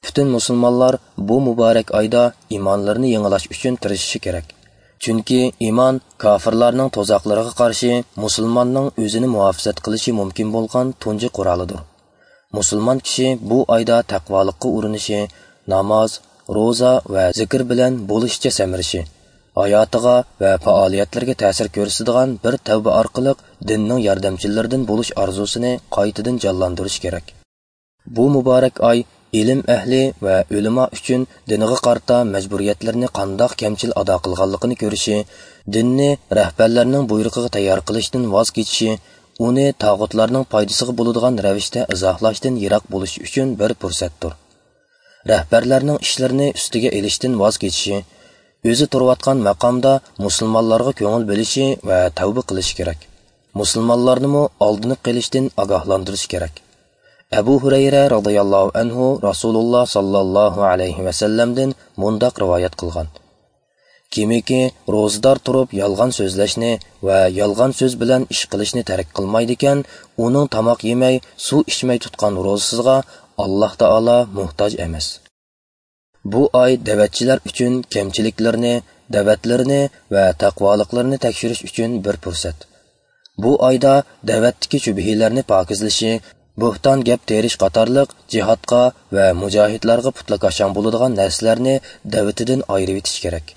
پۈتۈن مۇسۇلمانلار بۇ مۇبارەك ئايدا ئىمانلىرىنى يېڭىلاش ئۈچۈن تىرىشىشى كېرەك. چۈنكى ئىمان كاپىرلارنىڭ تۇزاقلىرىغا قارشى مۇسۇلماننىڭ ئۆزىنى مۇھاپىزەت قىلىشى مۇمكىن بولغان تۇنجى قورالىدۇر. مۇسۇلمان كىشى بۇ ئايدا تەقۋالىققا ئۇرۇنۇشى، ناماز، روزا ۋە زىكىر بىلەن بولۇشىچە سەمرىشى، ھاياتىغا ۋە پائالىيەتلىرىگە تەسىر كۆرسىتىدىغان بىر تەۋبە ئارقىلىق دىننىڭ ياردەمچىلىرىدىن بولۇش ئارزۇسىنى قايتىدىن جانلاندۇرۇشى كېرەك. بۇ مۇبارەك ئاي ئىلىم ئەھلى ۋە ئۆلىما ئۈچۈن دىنىغا قارىتا مەجبۇرىيەتلىرىنى قانداق كەمچىل ئادا قىلغانلىقىنى كۆرۈشى، دىننى رەھبەرلەرنىڭ بۇيرۇقىغا تەييار قىلىشتىن ۋاز كېچىشى، ئۇنى تاغۇتلارنىڭ پايدىسىغا بولىدىغان رەۋىشتە ئىزاھلاشتىن يىراق بولۇش ئۈچۈن بىر پۇرسەتتۇر. رەھبەرلەرنىڭ ئىشلىرىنى ئۈستىگە ئېلىشتىن ۋاز كېچىشى، ئۆزى تۇرۇۋاتقان ماقامدا مۇسۇلمانلارغا كۆڭۈل بۆلۈشى ۋە تەۋبە قىلىشى كېرەك. مۇسۇلمانلارنىمۇ ئالدىنىپ قېلىشتىن ئاگاھلاندۇرۇشى كېرەك. ئەبۇ ھۇرەيرە رازىياللاھۇ ئەنھۇ رەسۇلۇللا ساللاللاھۇ ئەلەيھى ۋەسەللەمدىن مۇنداق رىۋايەت قىلغان: كىمكى روزىدار تۇرۇپ يالغان سۆزلەشنى ۋە يالغان سۆز بىلەن ئىش قىلىشنى تەرك قىلمايدىكەن، ئۇنىڭ تاماق يېمەي، سۇ ئىچمەي تۇتقان روزىسىغا ئاللاھ تائالا موھتاج ئەمەس. بۇ ئاي دەۋەتچىلەر ئۈچۈن كەمچىلىكلىرىنى، دەۋەتلىرىنى ۋە تەقۋالىقلىرىنى تەكشۈرۈش ئۈچۈن بىر پۇرسەت. بۇ ئايدا دەۋەتتىكى شۈبھىلەرنى پاكىزلىشى، بۇھتان گەپ تېرىش قاتارلىق جىھادقا ۋە مۇجاھىدلارغا پۇتلىكاشاڭ بولىدىغان نەرسىلەرنى دەۋىتىدىن ئايرىۋېتىش كېرەك.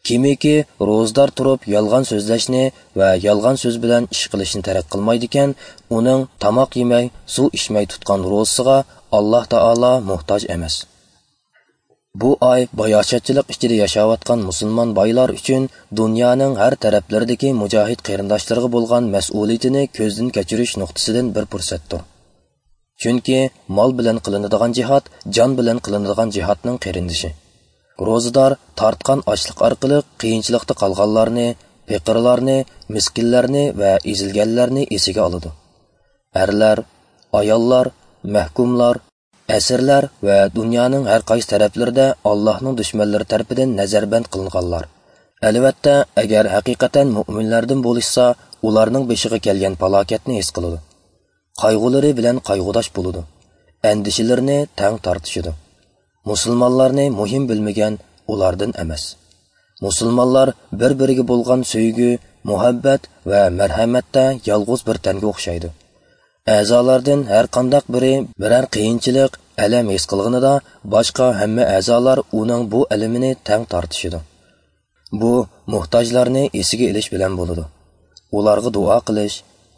كىمكى روزىدار تۇرۇپ يالغان سۆزلەشنى ۋە يالغان سۆز بىلەن ئىش قىلىشنى تەرك قىلمايدىكەن، ئۇنىڭ تاماق يېمەي، سۇ ئىچمەي تۇتقان روزىسىغا ئاللاھ تائالا موھتاج ئەمەس. بۇ ئاي باياشاتچىلىق ئىچىدە ياشاۋاتقان مۇسۇلمان بايلار ئۈچۈن دۇنيانىڭ ھەر تەرەپلىرىدىكى مۇجاھىد قېرىنداشلىرىغا بولغان مەسئۇلىيىتىنى كۆزدىن كەچۈرۈش نۇقتىسىدىن بىر پۇرسەتتۇر. چۈنكى مال بىلەن قىلىنىدىغان جىھاد جان بىلەن قىلىنىدىغان جىھادنىڭ قېرىندىشى. روزىدار تارتقان ئاچلىق ئارقىلىق قىيىنچىلىقتا قالغانلارنى، پېقىرلارنى، مىسكىنلەرنى ۋە ئېزىلگەنلەرنى ئېسىگە ئالىدۇ. ئەرلەر، ئاياللار، مەھكۇملار، ئەسىرلەر ۋە دۇنيانىڭ ھەر قايسى تەرەپلىرىدە ئاللاھنىڭ دۈشمەنلىرى تەرىپىدىن نەزەربەند قىلىنغانلار. ئەلۋەتتە، ئەگەر ھەقىقەتەن مۆمىنلەردىن بولۇشسا، ئۇلارنىڭ بېشىغا كەلگەن پالاكەتنى ھېس قىلىدۇ. قايغۇلىرى بىلەن قايغۇداش بولىدۇ. ئەندىشىلىرىنى تەڭ تارتىشىدۇ. مۇسۇلمانلارنى مۇھىم بىلمىگەن ئۇلاردىن ئەمەس. مۇسۇلمانلار بىر-بىرىگە بولغان سۆيگۈ، مۇھەببەت ۋە مەرھەمەتتە يالغۇز بىر تەنگە ئوخشايدۇ. ئەزالاردىن ھەر قانداق بىرى بىرەر قىيىنچىلىق، ئەلەم ھېس قىلغىنىدا، باشقا ھەممە ئەزالار ئۇنىڭ بۇ ئەلىمىنى تەڭ تارتىشىدۇ. بۇ موھتاجلارنى ئېسىگە ئېلىش بىلەن بولىدۇ. ئۇلارغا دۇئا قىلىش،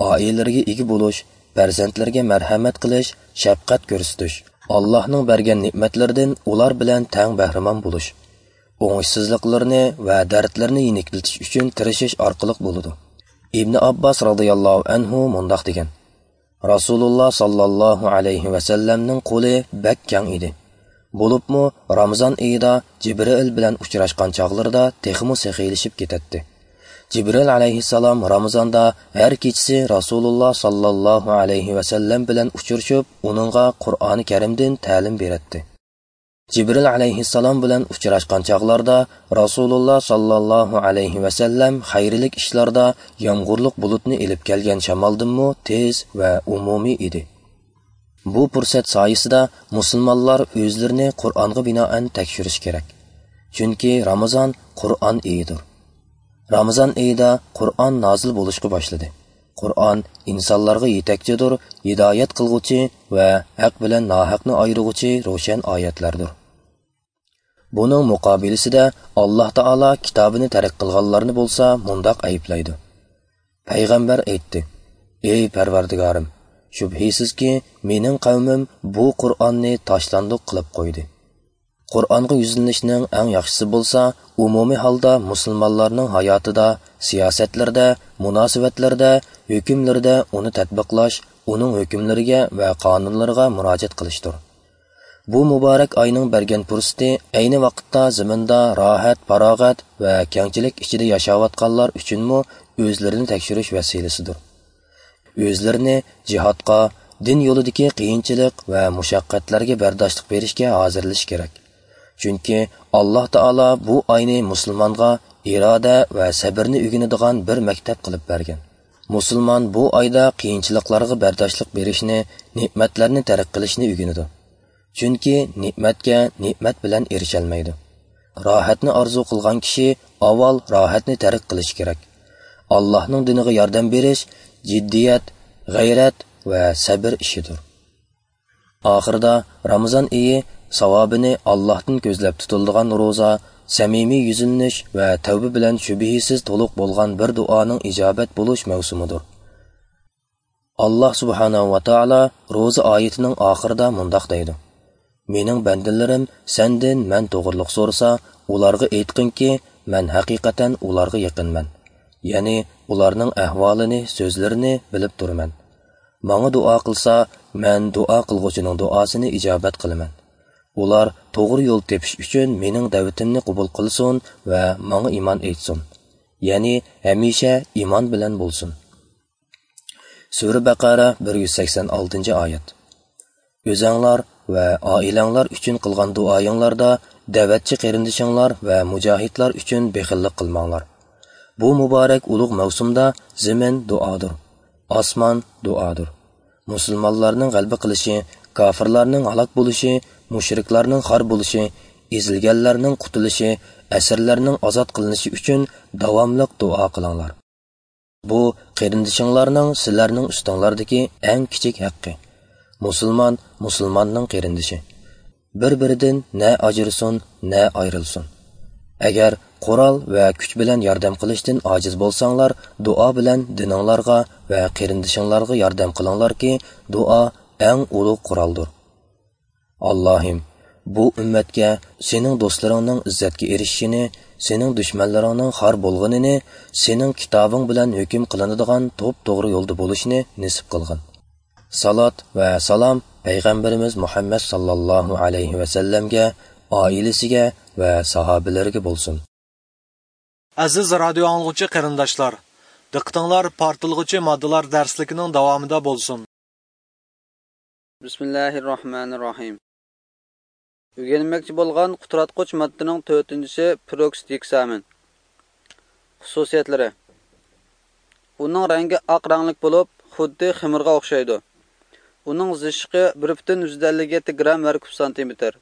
ئائىلىلىرىگە ئىگە بولۇش، پەرزەنتلىرىگە مەرھەمەت قىلىش، شەپقەت كۆرسىتىش، ئاللاھنىڭ بەرگەن نېمەتلىرىدىن ئۇلار بىلەن تەڭ بەھرىمەن بولۇش، ئوڭۇشسىزلىقلىرىنى ۋە دەردلىرىنى يېنىكلىتىش ئۈچۈن تىرىشىش ئارقىلىق بولىدۇ. ئىبنى ئابباس رازىياللاھۇ ئەنھۇ مۇنداق دېگەن: رەسۇلۇللا ساللاللاھۇ ئەلەيھى ۋەسەللەمنىڭ قولى بەك كەڭ ئىدى. بولۇپمۇ رامىزان ئېيىدا جىبرىئىل بىلەن ئۇچراشقان چاغلىرىدا تېخىمۇ سېخىيلىشىپ كېتەتتى. جىبرىئىل ئەلەيھىسسالام رامىزاندا ھەر كېچىسى رەسۇلۇللا ساللاللاھۇ ئەلەيھى ۋەسەللەم بىلەن ئۇچرىشىپ، ئۇنىڭغا قۇرئانى كەرىمدىن تەلىم بېرەتتى. جىبرىئىل ئەلەيھىسسالام بىلەن ئۇچراشقان چاغلاردا رەسۇلۇللا ساللاللاھۇ ئەلەيھى ۋەسەللەم خەيرلىك ئىشلاردا يامغۇرلۇق بۇلۇتنى ئېلىپ كەلگەن شامالدىنمۇ تېز ۋە ئومۇمىي ئىدى. بۇ پۇرسەت سايىسىدا مۇسۇلمانلار ئۆزلىرىنى قۇرئانغا بىنائەن تەكشۈرۈشى كېرەك. چۈنكى رامىزان قۇرئان ئېيىدۇر. رامىزان ئېيىدا قۇرئان نازىل بولۇشقا باشلىدى. قۇرئان ئىنسانلارغا يېتەكچىدۇر، ھىدايەت قىلغۇچى ۋە ھەق بىلەن ناھەقنى ئايرىغۇچى روشەن ئايەتلەردۇر. بۇنىڭ مۇقابىلىسىدە ئاللاھ تائالا كىتابىنى تەرك قىلغانلارنى بولسا مۇنداق ئەيىبلەيدۇ: پەيغەمبەر ئېيتتى: ئەي پەرۋەردىگارىم، شۈبھىسىزكى، مېنىڭ قەۋمىم بۇ قۇرئاننى تاشلاندۇق قىلىپ قويدى. قۇرئانغا يۈزلىنىشنىڭ ئەڭ ياخشىسى بولسا، ئومۇمىي ھالدا مۇسۇلمانلارنىڭ ھاياتىدا، سىياسەتلىرىدە، مۇناسىۋەتلىرىدە، ھۆكۈملىرىدە ئۇنى تەتبىقلاش، ئۇنىڭ ھۆكۈملىرىگە ۋە قانۇنلىرىغا مۇراجىئەت قىلىشتۇر. بۇ مۇبارەك ئاينىڭ بەرگەن پۇرسىتى ئەينى ۋاقىتتا زېمىندا راھەت، پاراغەت ۋە كەڭچىلىك ئىچىدە ياشاۋاتقانلار ئۈچۈنمۇ ئۆزلىرىنى تەكشۈرۈش ۋەسىلىسىدۇر. ئۆزلىرىنى جىھادقا، دىن يولىدىكى قىيىنچىلىق ۋە مۇشەققەتلەرگە بەرداشلىق بېرىشكە ھازىرلىشى كېرەك. چۈنكى ئاللاھ تائالا بۇ ئاينى مۇسۇلمانغا ئىرادە ۋە سەبرنى ئۆگىنىدىغان بىر مەكتەپ قىلىپ بەرگەن. مۇسۇلمان بۇ ئايدا قىيىنچىلىقلارغا بەرداشلىق بېرىشنى، نېمەتلەرنى تەرك قىلىشنى ئۆگىنىدۇ. چۈنكى نېمەتكە نېمەت بىلەن ئېرىشەلمەيدۇ. راھەتنى ئارزۇ قىلغان كىشى ئاۋۋال راھەتنى تەرك قىلىشى كېرەك. ئاللاھنىڭ دىنىغا ياردەم بېرىش جىددىيەت، غەيرەت ۋە سەبر ئىشىدۇر. ئاخىرىدا، رامىزان ئېيى ساۋابىنى ئاللاھتىن كۆزلەپ تۇتۇلىدىغان روزا، سەمىمىي يۈزلىنىش ۋە تەۋبە بىلەن شۈبھىسىز تولۇق بولغان بىر دۇئانىڭ ئىجابەت بولۇش مەۋسۇمىدۇر. ئاللاھ سۇبھانەھۇ ۋە تائالا روزا ئايىتىنىڭ ئاخىرىدا مۇنداق دەيدۇ: «مېنىڭ بەندىلىرىم سەندىن مەن توغرىلىق سورىسا، ئۇلارغا ئېيتقىنكى، مەن ھەقىقەتەن ئۇلارغا يېقىنمەن. يەنى ئۇلارنىڭ ئەھۋالىنى، سۆزلىرىنى بىلىپ تۇرىمەن. ماڭا دۇئا قىلسا، مەن دۇئا قىلغۇچىنىڭ دۇئاسىنى ئىجابەت قىلىمەن. ئۇلار توغرا يول تېپىش ئۈچۈن مېنىڭ دەۋىتىمنى قوبۇل قىلسۇن ۋە ماڭا ئىمان ئېيتسۇن. يەنى ھەمىشە ئىمان بىلەن بولسۇن.» سۈرە بەقەرە، بىر يۈز سەكسەن ئالتىنچى ئايەت. ئۆزەڭلار ۋە ئائىلەڭلار ئۈچۈن قىلغان دۇئايىڭلاردا دەۋەتچى قېرىندىشىڭلار ۋە مۇجاھىدلار ئۈچۈن بېخىللىق قىلماڭلار. بۇ مۇبارەك ئۇلۇغ مەۋسۇمدا زېمىن دۇئادۇر، ئاسمان دۇئادۇر. مۇسۇلمانلارنىڭ غەلىبە قىلىشى، كاپىرلارنىڭ ھالاك بولۇشى، مۇشرىكلارنىڭ خار بولۇشى، ئېزىلگەنلەرنىڭ قۇتۇلۇشى، ئەسىرلەرنىڭ ئازاد قىلىنىشى ئۈچۈن داۋاملىق دۇئا قىلىڭلار. بۇ قېرىندىشىڭلارنىڭ سىلەرنىڭ ئۈستۈڭلاردىكى ئەڭ كىچىك ھەققى. مۇسۇلمان مۇسۇلماننىڭ قېرىندىشى. بىر-بىرىدىن نە ئاجرىسۇن، نە ئايرىلسۇن. ئەگەر قورال ۋە كۈچ بىلەن ياردەم قىلىشتىن ئاجىز بولساڭلار، دۇئا بىلەن دىنىڭلارغا ۋە قېرىندىشىڭلارغا ياردەم قىلىڭلاركى، دۇئا ئەڭ ئۇلۇغ قورالدۇر. ئاللاھىم، بۇ ئۈممەتكە سېنىڭ دوستلىرىڭنىڭ ئىززەتكە ئېرىشىشىنى، سېنىڭ دۈشمەنلىرىڭنىڭ خار بولغىنىنى، سېنىڭ كىتابىڭ بىلەن ھۆكۈم قىلىنىدىغان توپتوغرا يولدا بولۇشنى نېسىپ قىلغىن. سالات ۋە سالام پەيغەمبىرىمىز مۇھەممەد ساللاللاھۇ ئەلەيھى ۋەسەللەمگە، ئائىلىسىگە ۋە ساھابىلىرىگە بولسۇن. ئەزىز رادىيو ئاڭلىغۇچى قېرىنداشلار، دىققىتىڭلار پارتلىغۇچى ماددىلار دەرسلىكىنىڭ داۋامىدا بولسۇن. بىسمىللاھىررەھمانىررەھىم. ئۆگەنمەكچى بولغان قۇتراتقۇچ ماددىنىڭ تۆتىنچىسى پېروكسىد ھېكسامىن. خۇسۇسىيەتلىرى. ئۇنىڭ رەڭگى ئاق رەڭلىك بولۇپ، خۇددى خېمىرغا ئوخشايدۇ. ئۇنىڭ زىچلىقى بىر پۈتۈن يۈزدىن ئەللىك يەتتە گرام ھەر كۇب سانتىمېتىر.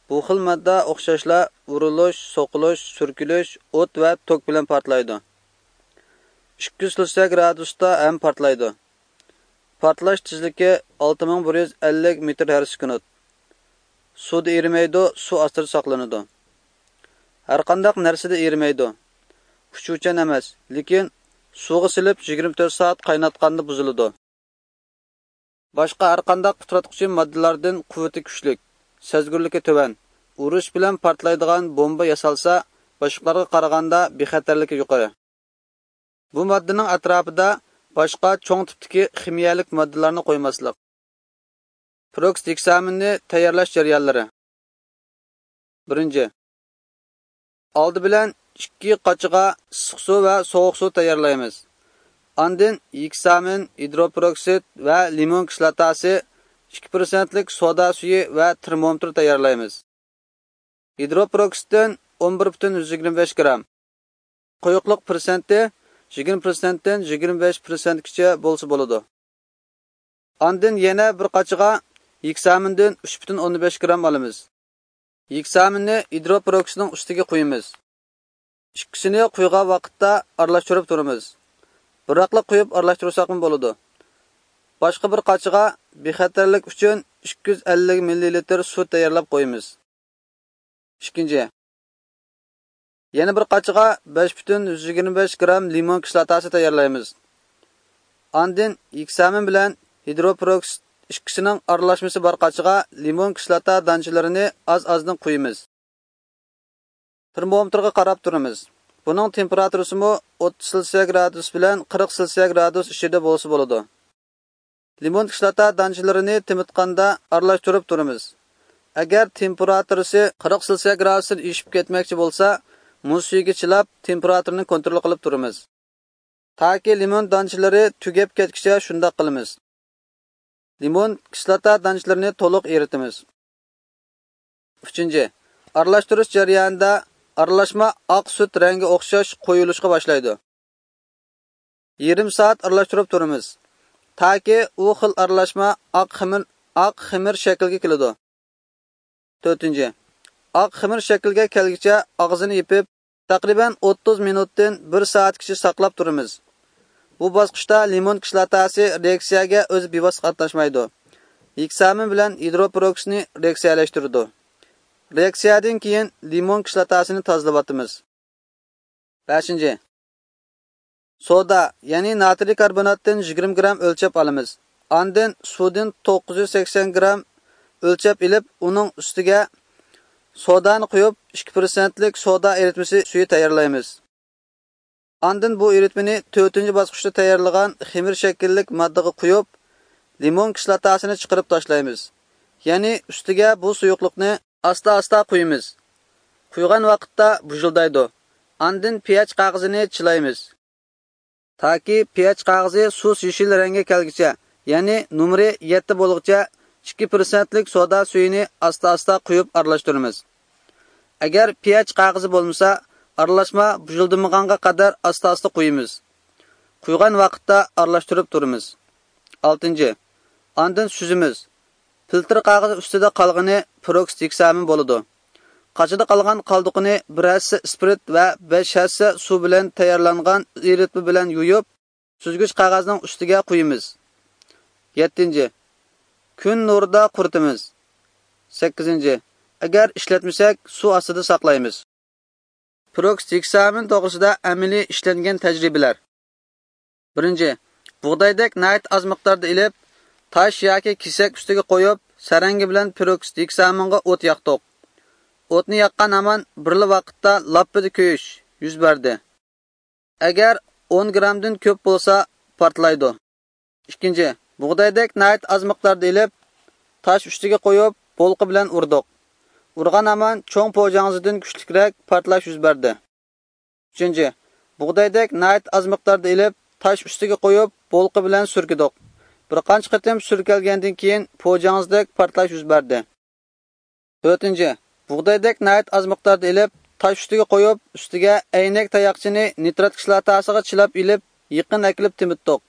بۇ خىل ماددا ئوخشاشلا ئۇرۇلۇش، سوقۇلۇش، سۈركىلىش، ئوت ۋە توك بىلەن پارتلايدۇ. ئىككى يۈز سەكسەن گرادۇستا ھەم پارتلايدۇ. پارتلاش تېزلىكى ئالتە مىڭ بىر يۈز ئەللىك مېتىر ھەر سېكۇنت. سۇدا ئېرىمەيدۇ، سۇ ئاستىدا ساقلىنىدۇ. ھەرقانداق نەرسىدە ئېرىمەيدۇ. ئۇچۇۋچان ئەمەس، لېكىن سۇغا سېلىپ يىگىرمە تۆت سائەت قايناتقاندا بۇزۇلىدۇ. باشقا ھەرقانداق قۇتراتقۇچى ماددىلاردىن قۇۋۋىتى كۈچلۈك، سەزگۈرلۈكى تۆۋەن، ئۇرۇش بىلەن پارتلايدىغان بومبا ياسالسا، باشقىلارغا قارىغاندا بىخەتەرلىكى يۇقىرى. بۇ ماددىنىڭ ئەتراپىدا باشقا چوڭ تىپتىكى خىمىيەلىك ماددىلارنى قويماسلىق. پېروكسىد ھېكسامىننى تەييارلاش جەريانلىرى. بىرىنچى. ئالدى بىلەن ئىككى قاچىغا ئىسسىق سۇ ۋە سوغۇق سۇ تەييارلايمىز. ئاندىن ھېكسامىن، ھىدروپېروكسىد ۋە لىمون كىسلاتاسى، ئىككى پىرسەنتلىك سودا سۈيى ۋە تېرمومېتىر تەييارلايمىز. ھىدروپېروكسىدتىن ئون بىر پۈتۈن يۈز يىگىرمە بەش گرام، قويۇقلۇق پىرسەنتى يىگىرمە پىرسەنتتىن يىگىرمە بەش پىرسەنتكىچە بولسا بولىدۇ. ئاندىن يەنە بىر قاچىغا ھېكسامىندىن ئۈچ پۈتۈن ئوندىن بەش گرام ئالىمىز. ھېكسامىننى ھىدروپېروكسىدنىڭ ئۈستىگە قۇيىمىز. ئىككىسىنى قۇيغان ۋاقىتتا ئارىلاشتۇرۇپ تۇرىمىز. بىراقلا قۇيۇپ ئارىلاشتۇرساقمۇ بولىدۇ. باشقا بىر قاچىغا بىخەتەرلىك ئۈچۈن ئىككى يۈز ئەللىك مىللىلىتىر سۇ تەييارلاپ قويىمىز. ئىككىنچى. يەنە بىر قاچىغا بەش پۈتۈن يۈز يىگىرمە بەش گرام لىمون كىسلاتاسى تەييارلايمىز. ئاندىن ھېكسامىن بىلەن ھىدروپېروكسىد ئىككىسىنىڭ ئارىلاشمىسى بار قاچىغا لىمون كىسلاتا دانچىلىرىنى ئاز-ئازدىن قۇيىمىز. تېرمومېتىرغا قاراپ تۇرىمىز. بۇنىڭ تېمپېراتۇرىسىمۇ ئوتتۇز سېلسىيە گرادۇس بىلەن قىرىق سېلسىيە گرادۇس ئىچىدە بولسا بولىدۇ. لىمون كىسلاتا دانچىلىرىنى تېمىتقاندا ئارىلاشتۇرۇپ تۇرىمىز. ئەگەر تېمپېراتۇرىسى قىرىق سېلسىيە گرادۇستىن ئېشىپ كەتمەكچى بولسا، مۇز سۈيىگە چىلاپ، تېمپېراتۇرىنى كونترول قىلىپ تۇرىمىز. تاكى لىمون دانچىلىرى تۈگەپ كەتكىچە شۇنداق قىلىمىز. لىمون كىسلاتا دانچىلىرىنى تولۇق ئېرىتىمىز. ئۈچىنچى، ئارىلاشتۇرۇش جەريانىدا ئارىلاشما ئاق سۈت رەڭگە ئوخشاش قويۇلۇشقا باشلايدۇ. يېرىم سائەت ئارىلاشتۇرۇپ تۇرىمىز، تاكى ئۇ خىل ئارىلاشما ئاق خېمىر، ئاق خېمىر شەكلىگە كېلىدۇ. تۆتىنچى، ئاق خېمىر شەكلىگە كەلگۈچە ئاغزىنى يېپىپ، تەقرىبەن ئوتتۇز مىنۇتتىن بىر سائەتكىچە ساقلاپ تۇرىمىز. بۇ باسقۇچتا لىمون كىسلاتاسى رېئاكسىيەگە ئۆزى بىۋاسىتە قاتناشمايدۇ. ھېكسامىن بىلەن ھىدروپېروكسنى رېئاكسىيەلەشتۈرىدۇ. رېئاكسىيەدىن كېيىن لىمون كىسلاتاسىنى تازىلىۋاتىمىز. بەشىنچى، سودا، يەنى ناترىي كاربوناتتىن يىگىرمە گرام ئۆلچەپ ئالىمىز. ئاندىن سۇدىن توققۇز يۈز سەكسەن گرام ئۆلچەپ ئېلىپ، ئۇنىڭ ئۈستىگە سودانى قۇيۇپ، ئىككى پىرسەنتلىك سودا ئېرىتمىسى سۈيى تەييارلايمىز. ئاندىن بۇ ئېرىتمىنى تۆتىنچى باسقۇچتا تەييارلىغان خېمىر شەكىللىك ماددىغا قۇيۇپ، لىمون كىسلاتاسىنى چىقىرىپ تاشلايمىز. يەنى ئۈستىگە بۇ سۇيۇقلۇقنى ئاستا-ئاستا قۇيىمىز. قۇيغان ۋاقىتتا بۇژۇلدايدۇ. ئاندىن پىياج قەغىزىنى چىلايمىز. تاكى پىياج قەغىزى سۇس يېشىل رەڭگە كەلگۈچە، يەنى نومۇرى يەتتە بولغۇچە ئىككى پىرسەنتلىك سودا سۈيىنى ئاستا-ئاستا قۇيۇپ ئارىلاشتۇرىمىز. ئەگەر پىياج قەغىزى بولمىسا، ئارىلاشما بۇژۇلدىمىغانغا قەدەر ئاستا-ئاستا قۇيىمىز. قۇيغان ۋاقىتتا ئارىلاشتۇرۇپ تۇرىمىز. ئالتىنچى، ئاندىن سۈزىمىز. فىلتىر قەغىزى ئۈستىدە قالغىنى پېروكسىد ھېكسامىن بولىدۇ. قاچىدا قالغان قالدۇقىنى بىر ھەسسە ئىسپىرت ۋە بەش ھەسسە سۇ بىلەن تەييارلانغان ئېرىتمە بىلەن يۇيۇپ، سۈزگۈچ قەغەزنىڭ ئۈستىگە قۇيىمىز. يەتتىنچى، كۈن نۇرىدا قۇرۇتىمىز. سەككىزىنچى، ئەگەر ئىشلەتمىسەك، سۇ ئاستىدا ساقلايمىز. پېروكسىد ھېكسامىن توغرىسىدا ئەمەلىي ئىشلەنگەن تەجرىبىلەر. بىرىنچى، بۇغدايدەك ناھايىتى ئاز مىقداردا ئېلىپ، تاش ياكى كېسەك ئۈستىگە قويۇپ، سەرەڭگە بىلەن پېروكسىد ھېكسامىنغا ئوت ياقتۇق. ئوتنى ياققان ھامان بىرلا ۋاقىتتا لاپپىدە كۆيۈش يۈز بەردى. ئەگەر ئون گرامدىن كۆپ بولسا، پارتلايدۇ. ئىككىنچى، بۇغدايدەك ناھايىتى ئاز مىقداردا ئېلىپ، تاش ئۈستىگە قويۇپ، بولقا بىلەن ئۇردۇق. ئۇرغان ھامان چوڭ پوجاڭزىدىن كۈچلۈكرەك پارتلاش يۈز بەردى. ئۈچىنچى، بۇغدايدەك ناھايىتى ئاز مىقداردا ئېلىپ، تاش ئۈستىگە قويۇپ، بولقا بىلەن سۈركىدۇق. بىر قانچە قېتىم سۈركەلگەندىن كېيىن، پوجاڭزىدەك پارتلاش يۈز بەردى. تۆتىنچى، بۇغدايدەك ناھايىتى ئاز مىقداردا ئېلىپ، تاش ئۈستىگە قويۇپ، ئۈستىگە ئەينەك تاياقچىنى نىترات كىسلاتاسىغا چىلاپ ئېلىپ، يېقىن ئەكېلىپ تېمىتتۇق.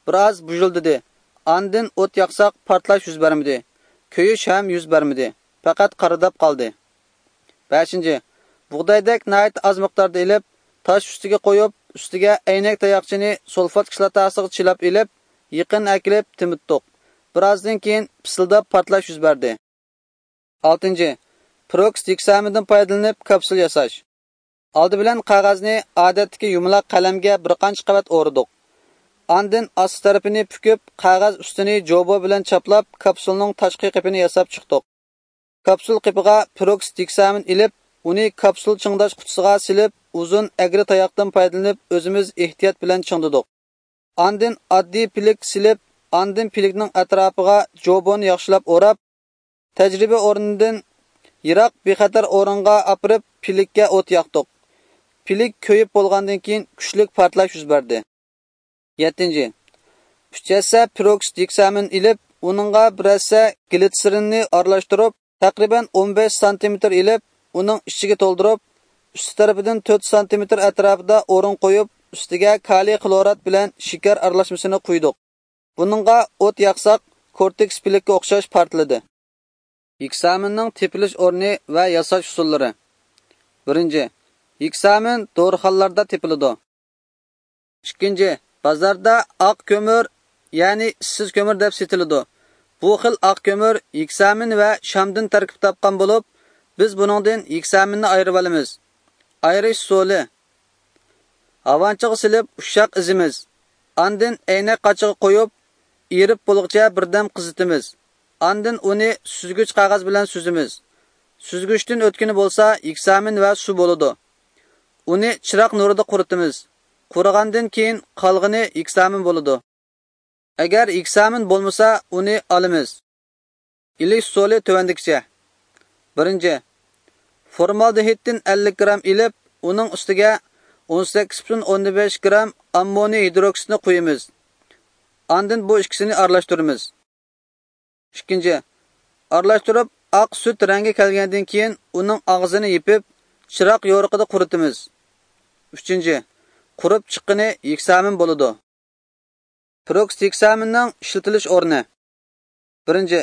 بىر ئاز بۇژۇلدىدى. ئاندىن ئوت ياقساق، پارتلاش يۈز بەرمىدى. كۆيۈش ھەم يۈز بەرمىدى. پەقەت قارىداپ قالدى. بەشىنچى، بۇغدايدەك ناھايىتى ئاز مىقداردا ئېلىپ، تاش ئۈستىگە قويۇپ، ئۈستىگە ئەينەك تاياقچىنى سۇلفات كىسلاتاسىغا چىلاپ ئېلىپ، يېقىن ئەكېلىپ تېمىتتۇق. بىر ئازدىن كېيىن پىسىلداپ پارتلاش يۈز بەردى. ئالتىنچى، پېروكسىد ھېكسامىندىن پايدىلىنىپ كاپسۇل ياساش. ئالدى بىلەن قەغەزنى ئادەتتىكى يۇمىلاق قەلەمگە بىر قانچە قەۋەت ئورىدۇق. ئاندىن ئاستى تەرىپىنى پۈكۈپ، قەغەز ئۈستىنى جوبو بىلەن چاپلاپ، كاپسۇلنىڭ تاشقى قېپىنى ياساپ چىقتۇق. كاپسۇل قېپىغا پېروكسىد ھېكسامىن ئېلىپ، ئۇنى كاپسۇل چىڭداش قۇتىسىغا سېلىپ، ئۇزۇن ئەگرى تاياقتىن پايدىلىنىپ، ئۆزىمىز ئېھتىيات بىلەن چىڭدىدۇق. ئاندىن ئاددىي پىلىك سېلىپ، ئاندىن پىلىكنىڭ ئەتراپىغا جوبونى ياخشىلاپ ئوراپ، تەجرىبە ئورنىدىن يىراق بىخەتەر ئورۇنغا ئاپىرىپ، پىلىككە ئوت ياقتۇق. پىلىك كۆيۈپ بولغاندىن كېيىن، كۈچلۈك پارتلاش يۈز بەردى. يەتتىنچى، ئۈچ ھەسسە پېروكسىد ھېكسامىن ئېلىپ، ئۇنىڭغا بىر ھەسسە گلىتسېرىننى ئارىلاشتۇرۇپ، تەقرىبەن ئون بەش سانتىمېتىر ئېلىپ، ئۇنىڭ ئىچىگە تولدۇرۇپ، ئۈستى تەرىپىدىن تۆت سانتىمېتىر ئەتراپىدا ئورۇن قويۇپ، ئۈستىگە كالىي خلورات بىلەن شېكەر ئارىلاشمىسىنى قۇيدۇق. بۇنىڭغا ئوت ياقساق، كورتېكس پىلىككە ئوخشاش پارتلىدى. ھېكسامىننىڭ تېپىلىش ئورنى ۋە ياساش ئۇسۇللىرى. بىرىنچى، ھېكسامىن دورىخانىلاردا تېپىلىدۇ. ئىككىنچى، بازاردا ئاق كۆمۈر، يەنى ئىسسىز كۆمۈر دەپ سېتىلىدۇ. بۇ خىل ئاق كۆمۈر ھېكسامىن ۋە شامدىن تەركىب تاپقان بولۇپ، بىز بۇنىڭدىن ھېكسامىننى ئايرىۋالىمىز. ئايرىش ئۇسۇلى. ھاۋانچىغا سېلىپ ئۇششاق ئېزىمىز. ئاندىن ئەينەك قاچىغا قويۇپ، ئېرىپ بولغۇچە بىردەم قىزىتىمىز. ئاندىن ئۇنى سۈزگۈچ قەغەز بىلەن سۈزىمىز. سۈزگۈچتىن ئۆتكىنى بولسا يېكسامىن ۋە سۇ بولىدۇ. ئۇنى چىراغ نۇرىدا قۇرۇتىمىز. قۇرۇغاندىن كېيىن قالغىنى يېكسامىن بولىدۇ. ئەگەر يېكسامىن بولمىسا، ئۇنى ئالىمىز. ئېلىش ئۇسۇلى تۆۋەندىكىچە. بىرىنچى، فورمالدېھىدتىن ئەللىك گرام ئېلىپ، ئۇنىڭ ئۈستىگە ئون سەككىز پۈتۈن ئوندىن بەش گرام ئاممونىي ھىدروكسىدنى قۇيىمىز. ئاندىن بۇ ئىككىسىنى ئارىلاشتۇرىمىز. ئىككىنچى، ئارىلاشتۇرۇپ، ئاق سۈت رەڭگى كەلگەندىن كېيىن ئۇنىڭ ئاغزىنى يېپىپ، چىراغ يورۇقىدا قۇرۇتىمىز. ئۈچىنچى، قۇرۇپ چىققىنى يېكسامىن بولىدۇ. پېروكسىد يېكسامىننىڭ ئىشلىتىلىش ئورنى. بىرىنچى،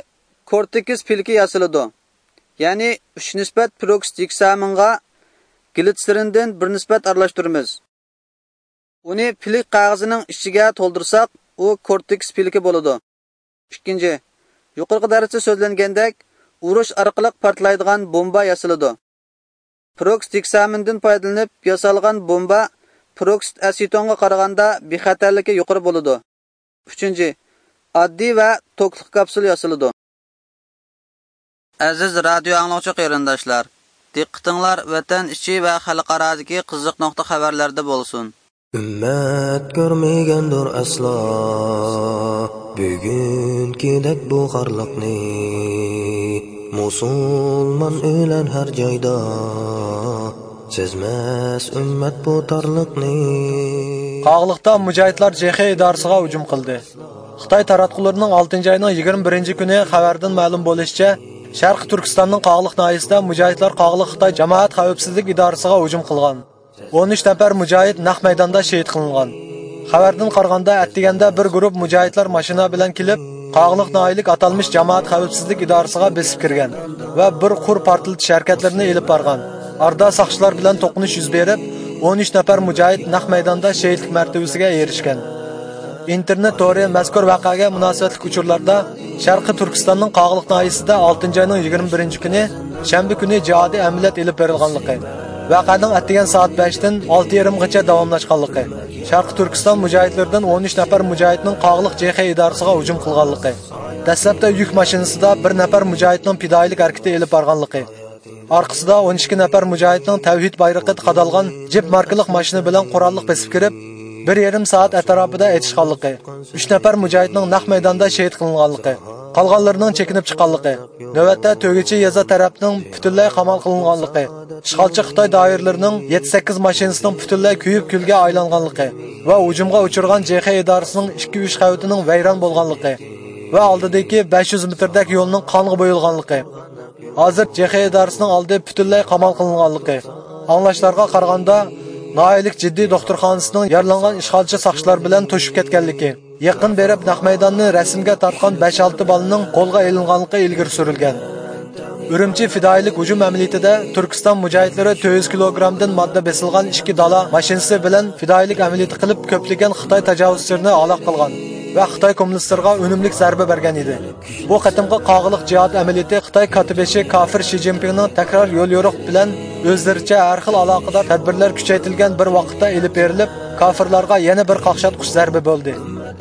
كورتىكس پىلىكى ياسىلىدۇ. يەنى ئۈچ نىسبەت پېروكسىد يېكسامىنغا گلىتسېرىندىن بىر نىسبەت ئارىلاشتۇرىمىز. ئۇنى پىلىك قەغىزىنىڭ ئىچىگە تولدۇرساق، ئۇ كورتىكس پىلىكى بولىدۇ. ئىككىنچى، يۇقىرىقى دەرستە سۆزلەنگەندەك، ئۇرۇش ئارقىلىق پارتلايدىغان بومبا ياسىلىدۇ. پېروكسىد يېكسامىندىن پايدىلىنىپ ياسالغان بومبا پېروكسىد ئەسېتونغا قارىغاندا بىخەتەرلىكى يۇقىرى بولىدۇ. ئۈچىنچى، ئاددىي ۋە توكلۇق كاپسۇل ياسىلىدۇ. ئەزىز رادىيو ئاڭلىغۇچى قېرىنداشلار، دىققىتىڭلار ۋەتەن ئىچى ۋە خەلقئارادىكى قىزىق نۇقتا خەۋەرلەردە بولسۇن. ئۈممەت كۆرمىگەندۇر ئەسلا بۈگۈنكىدەك بۇ خارلىقنى. مۇسۇلمان ئۆلەر ھەر جايدا، سەزمەس ئۈممەت بۇ تارلىقنى. قاغىلىقتا مۇجاھىدلار جېخې ئىدارىسىغا ھۇجۇم قىلدى. خىتاي تاراتقۇلىرىنىڭ ئالتىنچى ئاينىڭ يىگىرمە بىرىنچى كۈنى خەۋەردىن مەلۇم بولۇشىچە، شەرقىي تۈركىستاننىڭ قاغىلىق ناھىيەسىدە مۇجاھىدلار قاغىلىق خىتاي جامائەت خەۋپسىزلىك ئىدارىسىغا ھۇجۇم قىلغان. ئون ئۈچ نەپەر مۇجاھىد نەق مەيداندا شېھىت قىلىنغان. خەۋەردىن قارىغاندا، ئەتىگەندە بىر گۇرۇپ مۇجاھىدلار ماشىنا بىلەن كېلىپ، قاغىلىق ناھىيەلىك ئاتالمىش جامائەت خەۋپسىزلىك ئىدارىسىغا بېسىپ كىرگەن ۋە بىر قۇر پارتلىتىش ھەرىكەتلىرىنى ئېلىپ بارغان. ئارىدا ساقچىلار بىلەن توقۇنۇش يۈز بېرىپ، ئون ئۈچ نەپەر مۇجاھىد نەق مەيداندا شېھىتلىك مەرتىۋىسىگە ئېرىشكەن. ئىنتېرنېت تورى مەزكۇر ۋەقەگە مۇناسىۋەتلىك ئۇچۇرلاردا، شەرقىي تۈركىستاننىڭ قاغىلىق ناھىيەسىدە ئالتىنچى ئاينىڭ يىگىرمە بىرىنچى كۈنى، شەنبە كۈنى جىھادىي ئەمەلىيات ئېلىپ بېرىلغانلىقى، ۋەقەنىڭ ئەتىگەن سائەت بەشتىن ئالتە يېرىمغىچە داۋاملاشقانلىقى، شەرقىي تۈركىستان مۇجاھىدلىرىدىن ئون ئۈچ نەپەر مۇجاھىدنىڭ قاغىلىق جېخې ئىدارىسىغا ھۇجۇم قىلغانلىقى، دەسلەپتە يۈك ماشىنىسىدا بىر نەپەر مۇجاھىدنىڭ پىدائىيلىك ھەرىكىتى ئېلىپ بارغانلىقى، ئارقىسىدا ئون ئىككى نەپەر مۇجاھىدنىڭ تەۋھىد بايرىقى قادالغان جىپ ماركىلىق ماشىنا بىلەن قوراللىق بېسىپ كىرىپ، بىر يېرىم سائەت ئەتراپىدا ئېتىشقانلىقى، ئۈچ نەپەر مۇجاھىدنىڭ نەق مەيداندا شېھىت قىلىنغانلىقى، قالغانلىرىنىڭ چېكىنىپ چىققانلىقى، نۆۋەتتە تۆگىچى يېزا تەرەپنىڭ پۈتۈنلەي قامال قىلىنغانلىقى، ئىشغالچى خىتاي دائىرىلىرىنىڭ يەتتە سەككىز ماشىنىسىنىڭ پۈتۈنلەي كۆيۈپ كۈلگە ئايلانغانلىقى ۋە ھۇجۇمغا ئۇچرىغان جېخې ئىدارىسىنىڭ ئىككى ئۈچ قەۋىتىنىڭ ۋەيران بولغانلىقى ۋە ئالدىدىكى بەش يۈز مېتىردەك يولنىڭ قانغا بويىلغانلىقى، ھازىر جېخې ئىدارىسىنىڭ ئالدى پۈتۈنلەي قامال قىلىنغانلىقى. ئاڭلاشلارغا قارىغاندا، ناھىيەلىك جىددىي دوختۇرخانىسىنىڭ يارىلانغان ئىشغالچى ساقچىلار بىلەن توشۇپ كەتكەنلىكى، يېقىن بېرىپ نەق مەيداننى رەسىمگە تارتقان بەش-ئالتە بالىنىڭ قولغا ئېلىنغانلىقى ئىلگىرى سۈرۈلگەن. ئۈرۈمچى پىدائىيلىك ھۇجۇم ئەمەلىيىتىدە تۈركىستان مۇجاھىدلىرى تۆت يۈز كىلوگرامدىن ماددا بېسىلغان ئىككى دالا ماشىنىسى بىلەن پىدائىيلىك ئەمەلىيىتى قىلىپ، كۆپلىگەن خىتاي تاجاۋۇزچىلىرىنى ھالاك قىلغان ۋە خىتاي كوممۇنىستلىرىغا ئۈنۈملۈك زەربە بەرگەن ئىدى. بۇ قېتىمقى قاغىلىق جىھاد ئەمەلىيىتى خىتاي كاتتىبېشى كافىر شى جىنپىڭنىڭ تەكرار يوليورۇق بىلەن ئۆزلىرىچە ھەر خىل ئالاقىدار تەدبىرلەر كۈچەيتىلگەن بىر ۋاقىتتا ئېلىپ بېرىلىپ، كافىرلارغا يەنە بىر قاقشاتقۇچ زەربە بولدى.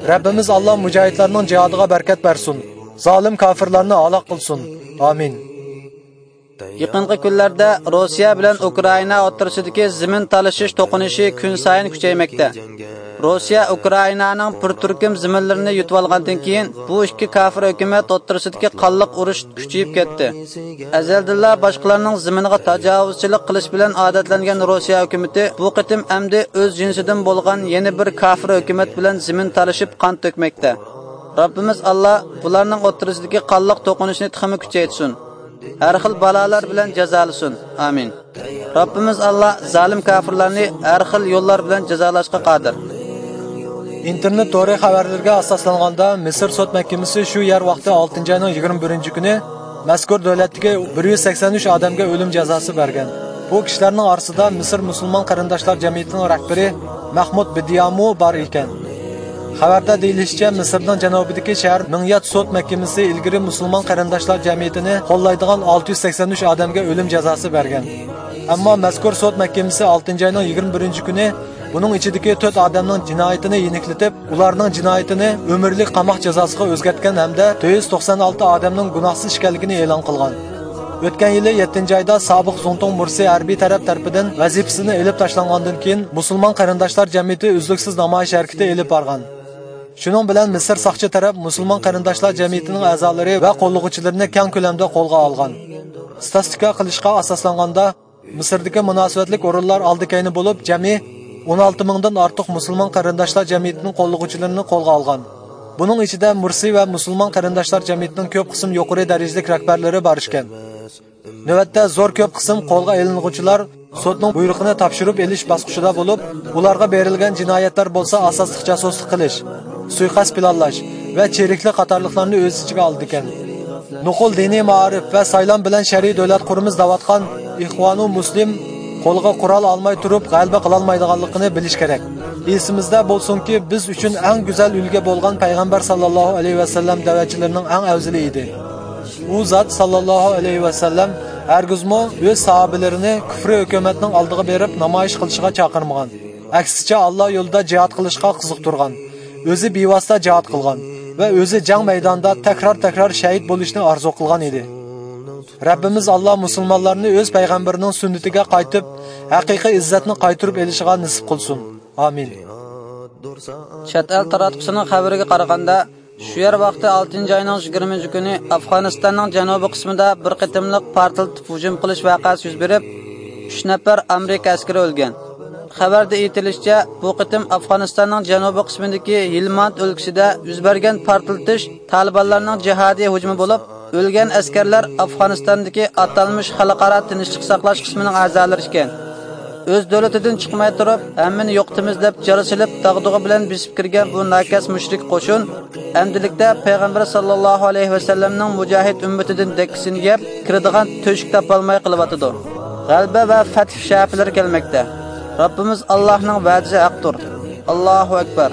رەببىمىز ئاللا مۇجاھىدلارنىڭ جىھادىغا بەرىكەت بەرسۇن، زالىم كافىرلارنى ھالاك قىلسۇن. ئامىن. يېقىنقى كۈنلەردە روسىيە بىلەن ئۇكرائىنا ئوتتۇرىسىدىكى زېمىن تالىشىش توقۇنۇشى كۈنسايىن كۈچەيمەكتە. روسىيە ئۇكرائىنانىڭ بىر تۈركۈم زېمىنلىرىنى يۇتۇۋالغاندىن كېيىن، بۇ ئىككى كافىر ھۆكۈمەت ئوتتۇرىسىدىكى قانلىق ئۇرۇش كۈچىيىپ كەتتى. ئەزەلدىنلا باشقىلارنىڭ زېمىنىغا تاجاۋۇزچىلىق قىلىش بىلەن ئادەتلەنگەن روسىيە ھۆكۈمىتى بۇ قېتىم ئەمدى ئۆز جىنسىدىن بولغان يەنە بىر كافىر ھۆكۈمەت بىلەن زېمىن تالىشىپ قان تۆكمەكتە. رەببىمىز ئاللا بۇلارنىڭ ئوتتۇرىسىدىكى قانلىق توقۇنۇشنى تېخىمۇ كۈچەيتسۇن. ھەر خىل بالالار بىلەن جازالىسۇن. ئامىن. رەببىمىز ئاللا زالىم كاپىرلارنى ھەر خىل يوللار بىلەن جازالاشقا قادىر. ئىنتېرنېت تورى خەۋەرلىرىگە ئاساسلانغاندا، مىسىر سوت مەھكىمىسى شۇ يەر ۋاقتى ئالتىنچى ئاينىڭ يىگىرمە بىرىنچى كۈنى مەزكۇر دۆلەتتىكى بىر يۈز سەكسەن ئۈچ ئادەمگە ئۆلۈم جازاسى بەرگەن. بۇ كىشىلەرنىڭ ئارىسىدا مىسىر مۇسۇلمان قېرىنداشلار جەمئىيىتىنىڭ رەھبىرى مەھمۇد بىدىيامۇ بار ئىكەن. خەۋەردە دېيىلىشىچە، مىسىرنىڭ جەنۇبىدىكى شەھەر مىڭيات سوت مەھكىمىسى ئىلگىرى مۇسۇلمان قېرىنداشلار جەمئىيىتىنى قوللايدىغان ئالتە يۈز سەكسەن ئۈچ ئادەمگە ئۆلۈم جازاسى بەرگەن. ئەمما مەزكۇر سوت مەھكىمىسى ئالتىنچى ئاينىڭ يىگىرمە بىرىنچى كۈنى بۇنىڭ ئىچىدىكى تۆت ئادەمنىڭ جىنايىتىنى يېنىكلىتىپ، ئۇلارنىڭ جىنايىتىنى ئۆمۈرلۈك قاماق جازاسىغا ئۆزگەرتكەن ھەمدە تۆت يۈز توقسان ئالتە ئادەمنىڭ گۇناھسىز ئىكەنلىكىنى ئېلان قىلغان. ئۆتكەن يىلى يەتتىنچى ئايدا سابىق زۇڭتۇڭ مۇرسى ھەربىي تەرەپ تەرىپىدىن ۋەزىپىسىدىن ئېلىپ تاشلانغاندىن كېيىن، مۇسۇلمان قېرىنداشلار جەمئىيىتى ئۈزلۈكسىز نامايىش ھەرىكىتى ئېلىپ بارغان. شۇنىڭ بىلەن مىسىر ساقچى تەرەپ مۇسۇلمان قېرىنداشلار جەمئىيىتىنىڭ ئەزالىرى ۋە قوللىغۇچىلىرىنى كەڭ كۆلەمدە قولغا ئالغان. ستاتىستىكا قىلىشقا ئاساسلانغاندا، مىسىردىكى مۇناسىۋەتلىك ئورۇنلار ئالدى-كەينى بولۇپ، جەمئىي ئون ئالتە مىڭدىن ئارتۇق مۇسۇلمان قېرىنداشلار جەمئىيىتىنىڭ قوللىغۇچىلىرىنى قولغا ئالغان. بۇنىڭ ئىچىدە مۇرسى ۋە مۇسۇلمان قېرىنداشلار جەمئىيىتىنىڭ كۆپ قىسىم يۇقىرى دەرىجىلىك رەھبەرلىرى بار ئىكەن. نۆۋەتتە زور كۆپ قىسىم قولغا ئېلىنغۇچىلار سوتنىڭ بۇيرۇقىنى تاپشۇرۇپ ئېلىش باسقۇچىدا بولۇپ، ئۇلارغا بېرىلگەن جىنايەتلەر بولسا ئاساسلىق جاسۇسلۇق قىلىش، سۇيىقەست پىلانلاش ۋە چىرىكلىك قاتارلىقلارنى ئۆز ئىچىگە ئالىدىكەن. نوقۇل دىنىي مائارىپ ۋە سايلام بىلەن شەرئىي دۆلەت قۇرىمىز دەۋاتقان ئىخۋانۇ مۇسلىم قولىغا قورال ئالماي تۇرۇپ غەلىبە قىلالمايدىغانلىقىنى بىلىش كېرەك. ئېسىمىزدە بولسۇنكى، بىز ئۈچۈن ئەڭ گۈزەل ئۈلگە بولغان پەيغەمبەر ساللاللاھۇ ئەلەيھى ۋەسەللەم دەۋەتچىلىرىنىڭ ئەڭ ئەۋزىلى ئىدى. ئۇ زات ساللاللاھۇ ئەلەيھى ۋەسەللەم ھەرگىزمۇ ئۆز ساھابىلىرىنى كۇفرىي ھۆكۈمەتنىڭ ئالدىغا بېرىپ نامايىش قىلىشىغا چاقىرمىغان. ئەكسىچە، ئاللا يولىدا جىھاد قىلىشقا قىزىقتۇرغان، ئۆزى بىۋاسىتە جىھاد قىلغان ۋە ئۆزى جەڭ مەيدانىدا تەكرار-تەكرار شەھىت بولۇشنى ئارزۇ قىلغان ئىدى. رەببىمىز ئاللا مۇسۇلمانلارنى ئۆز پەيغەمبىرىنىڭ سۈننىتىگە قايتىپ، ھەقىقىي ئىززەتنى قايتۇرۇپ ئېلىشىغا نېسىپ قىلسۇن. ئامىن. چەت ئەل تاراتقۇسىنىڭ خەۋىرىگە قارىغاندا، شۇ يەر ۋاقتى ئالتىنچى ئاينىڭ يىگىرمىنچى كۈنى ئافغانىستاننىڭ جەنۇبىي قىسمىدا بىر قېتىملىق پارتلىتىپ ھۇجۇم قىلىش ۋەقەسى يۈز بېرىپ، ئۈچ نەپەر ئامېرىكا ئەسكىرى ئۆلگەن. خەۋەردە ئېيتىلىشىچە، بۇ قېتىم ئافغانىستاننىڭ جەنۇبىي قىسمىدىكى ھىلماند ئۆلكىسىدە يۈز بەرگەن پارتلىتىش تالىبانلارنىڭ جىھادىي ھۇجۇمى بولۇپ، ئۆلگەن ئەسكەرلەر ئافغانىستاندىكى ئاتالمىش خەلقئارا تىنچلىق ساقلاش قىسمىنىڭ ئەزالىرى ئىكەن. ئۆز دۆلىتىدىن چىقماي تۇرۇپ، ھەممىنى يوقىتىمىز دەپ جار سېلىپ، داغدۇغا بىلەن بېسىپ كىرگەن بۇ ناكەس مۇشرىك قوشۇن ئەمدىلىكتە پەيغەمبەر ساللاللاھۇ ئەلەيھى ۋەسەللەمنىڭ مۇجاھىد ئۈممىتىدىن دەككىسىنى يەپ، كىرىدىغان تۆشۈك تاپالماي قېلىۋاتىدۇ. غەلىبە ۋە فەتھ شەپىلىرى كەلمەكتە. رەببىمىز ئاللاھنىڭ ۋەدىسى ھەقتۇر. ئاللاھۇ ئەكبەر.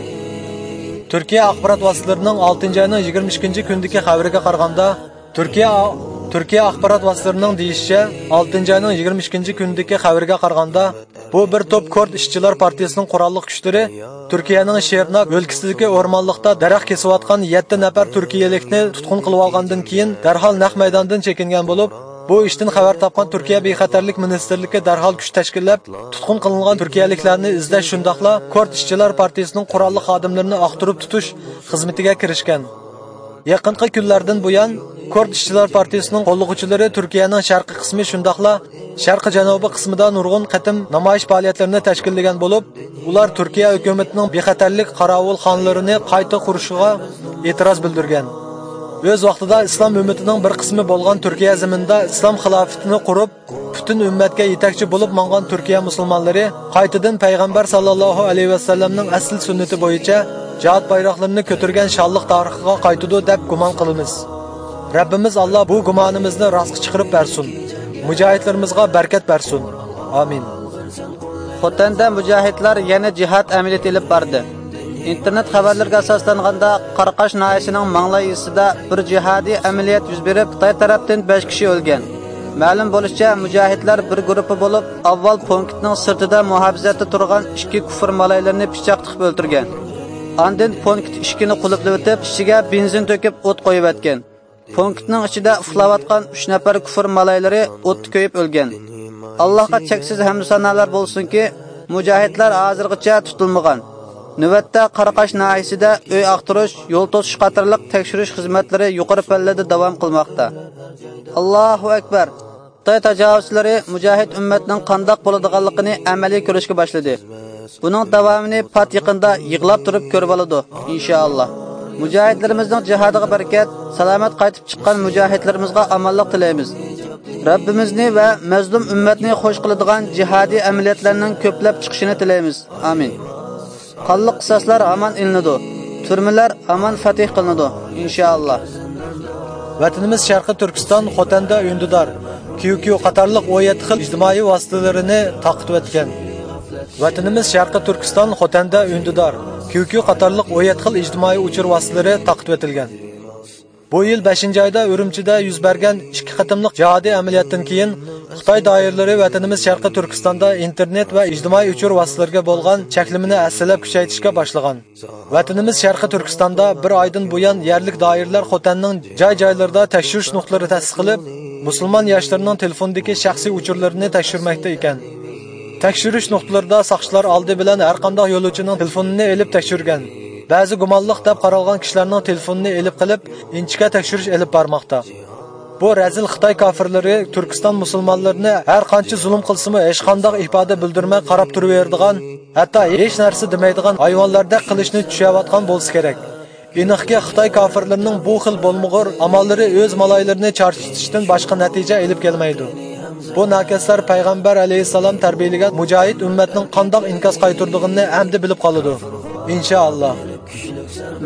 تۈركىيە ئاخبارات ۋاسىتىلىرىنىڭ ئالتىنچى ئاينىڭ يىگىرمە ئىككىنچى كۈنىدىكى خەۋىرىگە قارىغاندا، تۈركىيە، تۈركىيە ئاخبارات ۋاسىتىلىرىنىڭ دېيىشىچە، ئالتىنچى ئاينىڭ يىگىرمە ئىككىنچى كۈنىدىكى خەۋىرىگە قارىغاندا، بۇ بىر توپ كۇرد ئىشچىلار پارتىيىسىنىڭ قوراللىق كۈچلىرى تۈركىيەنىڭ شىرناك ئۆلكىسىدىكى ئورمانلىقتا دەرەخ كېسىۋاتقان يەتتە نەپەر تۈركىيەلىكنى تۇتقۇن قىلىۋالغاندىن كېيىن، دەرھال نەق مەيداندىن چېكىنگەن بولۇپ، بۇ ئىشتىن خەۋەر تاپقان تۈركىيە بىخەتەرلىك مىنىستىرلىكى دەرھال كۈچ تەشكىللەپ، تۇتقۇن قىلىنغان تۈركىيەلىكلەرنى ئىزدەش، شۇنداقلا كۇرد ئىشچىلار پارتىيىسىنىڭ قوراللىق خادىملىرىنى ئاختۇرۇپ تۇتۇش خىزمىتىگە كىرىشكەن. يېقىنقى كۈنلەردىن بۇيان، كۇرد ئىشچىلار پارتىيىسىنىڭ قوللىغۇچىلىرى تۈركىيەنىڭ شەرقىي قىسمى، شۇنداقلا شەرقىي جەنۇبىي قىسمىدا نۇرغۇن قېتىم نامايىش پائالىيەتلىرىنى تەشكىللىگەن بولۇپ، ئۇلار تۈركىيە ھۆكۈمىتىنىڭ بىخەتەرلىك قاراۋۇلخانىلىرىنى قايتا قۇرۇشىغا ئېتىراز بىلدۈرگەن. ئۆز ۋاقتىدا ئىسلام ئۈممىتىنىڭ بىر قىسمى بولغان تۈركىيە زېمىنىدا ئىسلام خىلاپىتىنى قۇرۇپ، پۈتۈن ئۈممەتكە يېتەكچى بولۇپ ماڭغان تۈركىيە مۇسۇلمانلىرى قايتىدىن پەيغەمبەر ساللاللاھۇ ئەلەيھى ۋەسەللەمنىڭ ئەسلى سۈننىتى بويىچە جىھاد بايراقلىرىنى كۆتۈرگەن شانلىق تارىخىغا قايتىدۇ دەپ گۇمان قىلىمىز. رەببىمىز ئاللا بۇ گۇمانىمىزنى راستقا چىقىرىپ بەرسۇن. مۇجاھىدلىرىمىزغا بەرىكەت بەرسۇن. ئامىن. خوتەندە مۇجاھىدلار يەنە جىھاد ئەمەلىيىتى ئېلىپ باردى. ئىنتېرنېت خەۋەرلىرىگە ئاساسلانغاندا، قاراقاش ناھىيەسىنىڭ ماڭلاي يېزىسىدا بىر جىھادىي ئەمەلىيەت يۈز بېرىپ، خىتاي تەرەپتىن بەش كىشى ئۆلگەن. مەلۇم بولۇشىچە، مۇجاھىدلار بىر گۇرۇپپا بولۇپ، ئاۋۋال پونكىتنىڭ سىرتىدا مۇھاپىزەتتە تۇرغان ئىككى كۇفر مالايلىرىنى پىچاق تىقىپ ئۆلتۈرگەن. ئاندىن پونكىت ئىشىكىنى قۇلۇپلىۋېتىپ، ئىچىگە بېنزىن تۆكۈپ ئوت قويۇۋەتكەن. پونكىتنىڭ ئىچىدە ئۇخلاۋاتقان ئۈچ نەپەر كۇفر مالايلىرى ئوتتا كۆيۈپ ئۆلگەن. ئاللاھقا چەكسىز ھەمدۇ سانالار بولسۇنكى، مۇجاھىدلار ھازىرغىچە تۇتۇلمىغان. نۆۋەتتە قاراقاش ناھىيەسىدە ئۆي ئاختۇرۇش، يول توسۇش قاتارلىق تەكشۈرۈش خىزمەتلىرى يۇقىرى پەللىدە داۋام قىلماقتا. ئاللاھۇ ئەكبەر! خىتاي تاجاۋۇزچىلىرى مۇجاھىد ئۈممەتنىڭ قانداق بولىدىغانلىقىنى ئەمەلىي كۆرۈشكە باشلىدى. بۇنىڭ داۋامىنى پات يېقىندا يىغلاپ تۇرۇپ كۆرۈۋالىدۇ، ئىنشائاللا. مۇجاھىدلىرىمىزنىڭ جىھادىغا بەرىكەت، سالامەت قايتىپ چىققان مۇجاھىدلىرىمىزغا ئامانلىق تىلەيمىز. رەببىمىزنى ۋە مەزلۇم ئۈممەتنى خوش قىلىدىغان جىھادىي ئەمەلىيەتلەرنىڭ كۆپلەپ چىقىشىنى تىلەيمىز. ئامىن. قانلىق قىساسلار ھامان ئېلىنىدۇ. تۈرمىلەر ھامان فەتھ قىلىنىدۇ، ئىنشائاللا. ۋەتىنىمىز شەرقىي تۈركىستان، خوتەندە ئۈندىدار، كيۇ كيۇ قاتارلىق ئون يەتتە خىل ئىجتىمائىي ۋاسىتىلىرىنى تارقىتىۋەتكەن. ۋەتىنىمىز شەرقىي تۈركىستان، خوتەندە ئۈندىدار، كيۇ كيۇ قاتارلىق ئون يەتتە خىل ئىجتىمائىي ئۇچۇر ۋاسىتىلىرى تارقىتىۋېتىلگەن. بۇ يىل بەشىنچى ئايدا ئۈرۈمچىدە يۈز بەرگەن ئىككى قېتىملىق جىھادىي ئەمەلىياتتىن كېيىن، خىتاي دائىرىلىرى ۋەتىنىمىز شەرقىي تۈركىستاندا ئىنتېرنېت ۋە ئىجتىمائىي ئۇچۇر ۋاسىتىلىرىگە بولغان چەكلىمىنى ھەسسىلەپ كۈچەيتىشكە باشلىغان. ۋەتىنىمىز شەرقىي تۈركىستاندا بىر ئايدىن بۇيان يەرلىك دائىرىلەر خوتەننىڭ جاي-جايلىرىدا تەكشۈرۈش نۇقتىلىرى تەسىس قىلىپ، مۇسۇلمان ياشلىرىنىڭ تېلېفوندىكى شەخسىي ئۇچۇرلىرىنى تەكشۈرمەكتە ئىكەن. تەكشۈرۈش نۇقتىلىرىدا ساقچىلار ئالدى بىلەن ھەرقانداق يولۇچىنىڭ تېلېفونىنى ئېلىپ تەكشۈرگەن. بەزى گۇمانلىق دەپ قارالغان كىشىلەرنىڭ تېلېفونىنى ئېلىپ قېلىپ، ئىنچىكە تەكشۈرۈش ئېلىپ بارماقتا. بۇ رەزىل خىتاي كاپىرلىرى تۈركىستان مۇسۇلمانلىرىنى ھەر قانچە زۇلۇم قىلسىمۇ، ھېچقانداق ئىپادە بىلدۈرمەي قاراپ تۇرۇۋېرىدىغان، ھەتتا ھېچ نەرسە دېمەيدىغان ھايۋانلاردەك قىلىشنى چۈشەۋاتقان بولسا كېرەك. ئېنىقكى، خىتاي كاپىرلىرىنىڭ بۇ خىل بولمىغۇر ئاماللىرى ئۆز مالايلىرىنى چارچىتىشتىن باشقا نەتىجە ئېلىپ كەلمەيدۇ. بۇ ناكەسلەر پەيغەمبەر ئەلەيھىسسالام تەربىيەلىگەن مۇجاھىد ئۈممەتنىڭ قانداق ئىنكاس قايتۇرىدىغىنىنى ئەمدى بىلىپ قالىدۇ، ئىنشائاللا.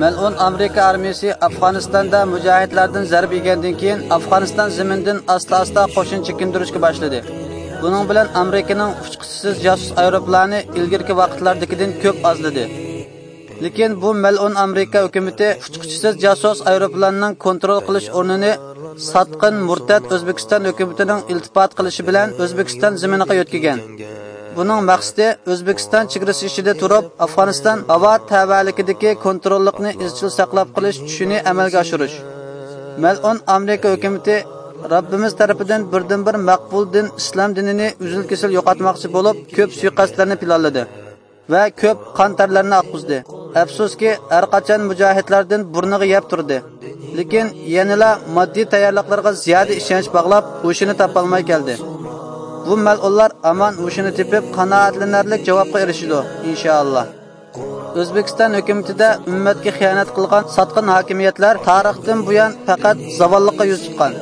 مەلئۇن ئامېرىكا ئارمىيىسى ئافغانىستاندا مۇجاھىدلاردىن زەربە يېگەندىن كېيىن، ئافغانىستان زېمىنىدىن ئاستا-ئاستا قوشۇن چېكىندۈرۈشكە باشلىدى. بۇنىڭ بىلەن ئامېرىكىنىڭ ئۇچقۇچىسىز جاسۇس ئايروپىلانى ئىلگىرىكى ۋاقىتلاردىكىدىن كۆپ ئازلىدى. لېكىن بۇ مەلئۇن ئامېرىكا ھۆكۈمىتى ئۇچقۇچىسىز جاسۇس ئايروپىلاننىڭ كونترول قىلىش ئورنىنى ساتقىن، مۇرتەت ئۆزبېكىستان ھۆكۈمىتىنىڭ ئىلتىپات قىلىشى بىلەن ئۆزبېكىستان زېمىنىغا يۆتكىگەن. بۇنىڭ مەقسىتى ئۆزبېكىستان چېگرىسى ئىچىدە تۇرۇپ، ئافغانىستان ھاۋا تەۋەلىكىدىكى كونتروللۇقنى ئىزچىل ساقلاپ قېلىش چۈشىنى ئەمەلگە ئاشۇرۇش. مەلئۇن ئامېرىكا ھۆكۈمىتى رەببىمىز تەرىپىدىن بىردىنبىر مەقبۇل دىن ئىسلام دىنىنى ئۈزۈل-كېسىل يوقاتماقچى بولۇپ، كۆپ سۇيىقەستلەرنى پىلانلىدى ۋە كۆپ قان تەرلەرنى ئاققۇزدى. ئەپسۇسكى، ھەرقاچان مۇجاھىدلاردىن بۇرنىغا يەپ تۇردى. لېكىن يەنىلا ماددىي تەييارلىقلىرىغا زىيادە ئىشەنچ باغلاپ، ھوشىنى تاپالماي كەلدى. بۇ مەلئۇنلار ھامان ھوشىنى تېپىپ، قانائەتلىنەرلىك جاۋابقا ئېرىشىدۇ، ئىنشائاللا. ئۆزبېكىستان ھۆكۈمىتىدە ئۈممەتكە خىيانەت قىلغان ساتقىن ھاكىمىيەتلەر تارىختىن بۇيان پەقەت زاۋاللىققا يۈز تۇتقان.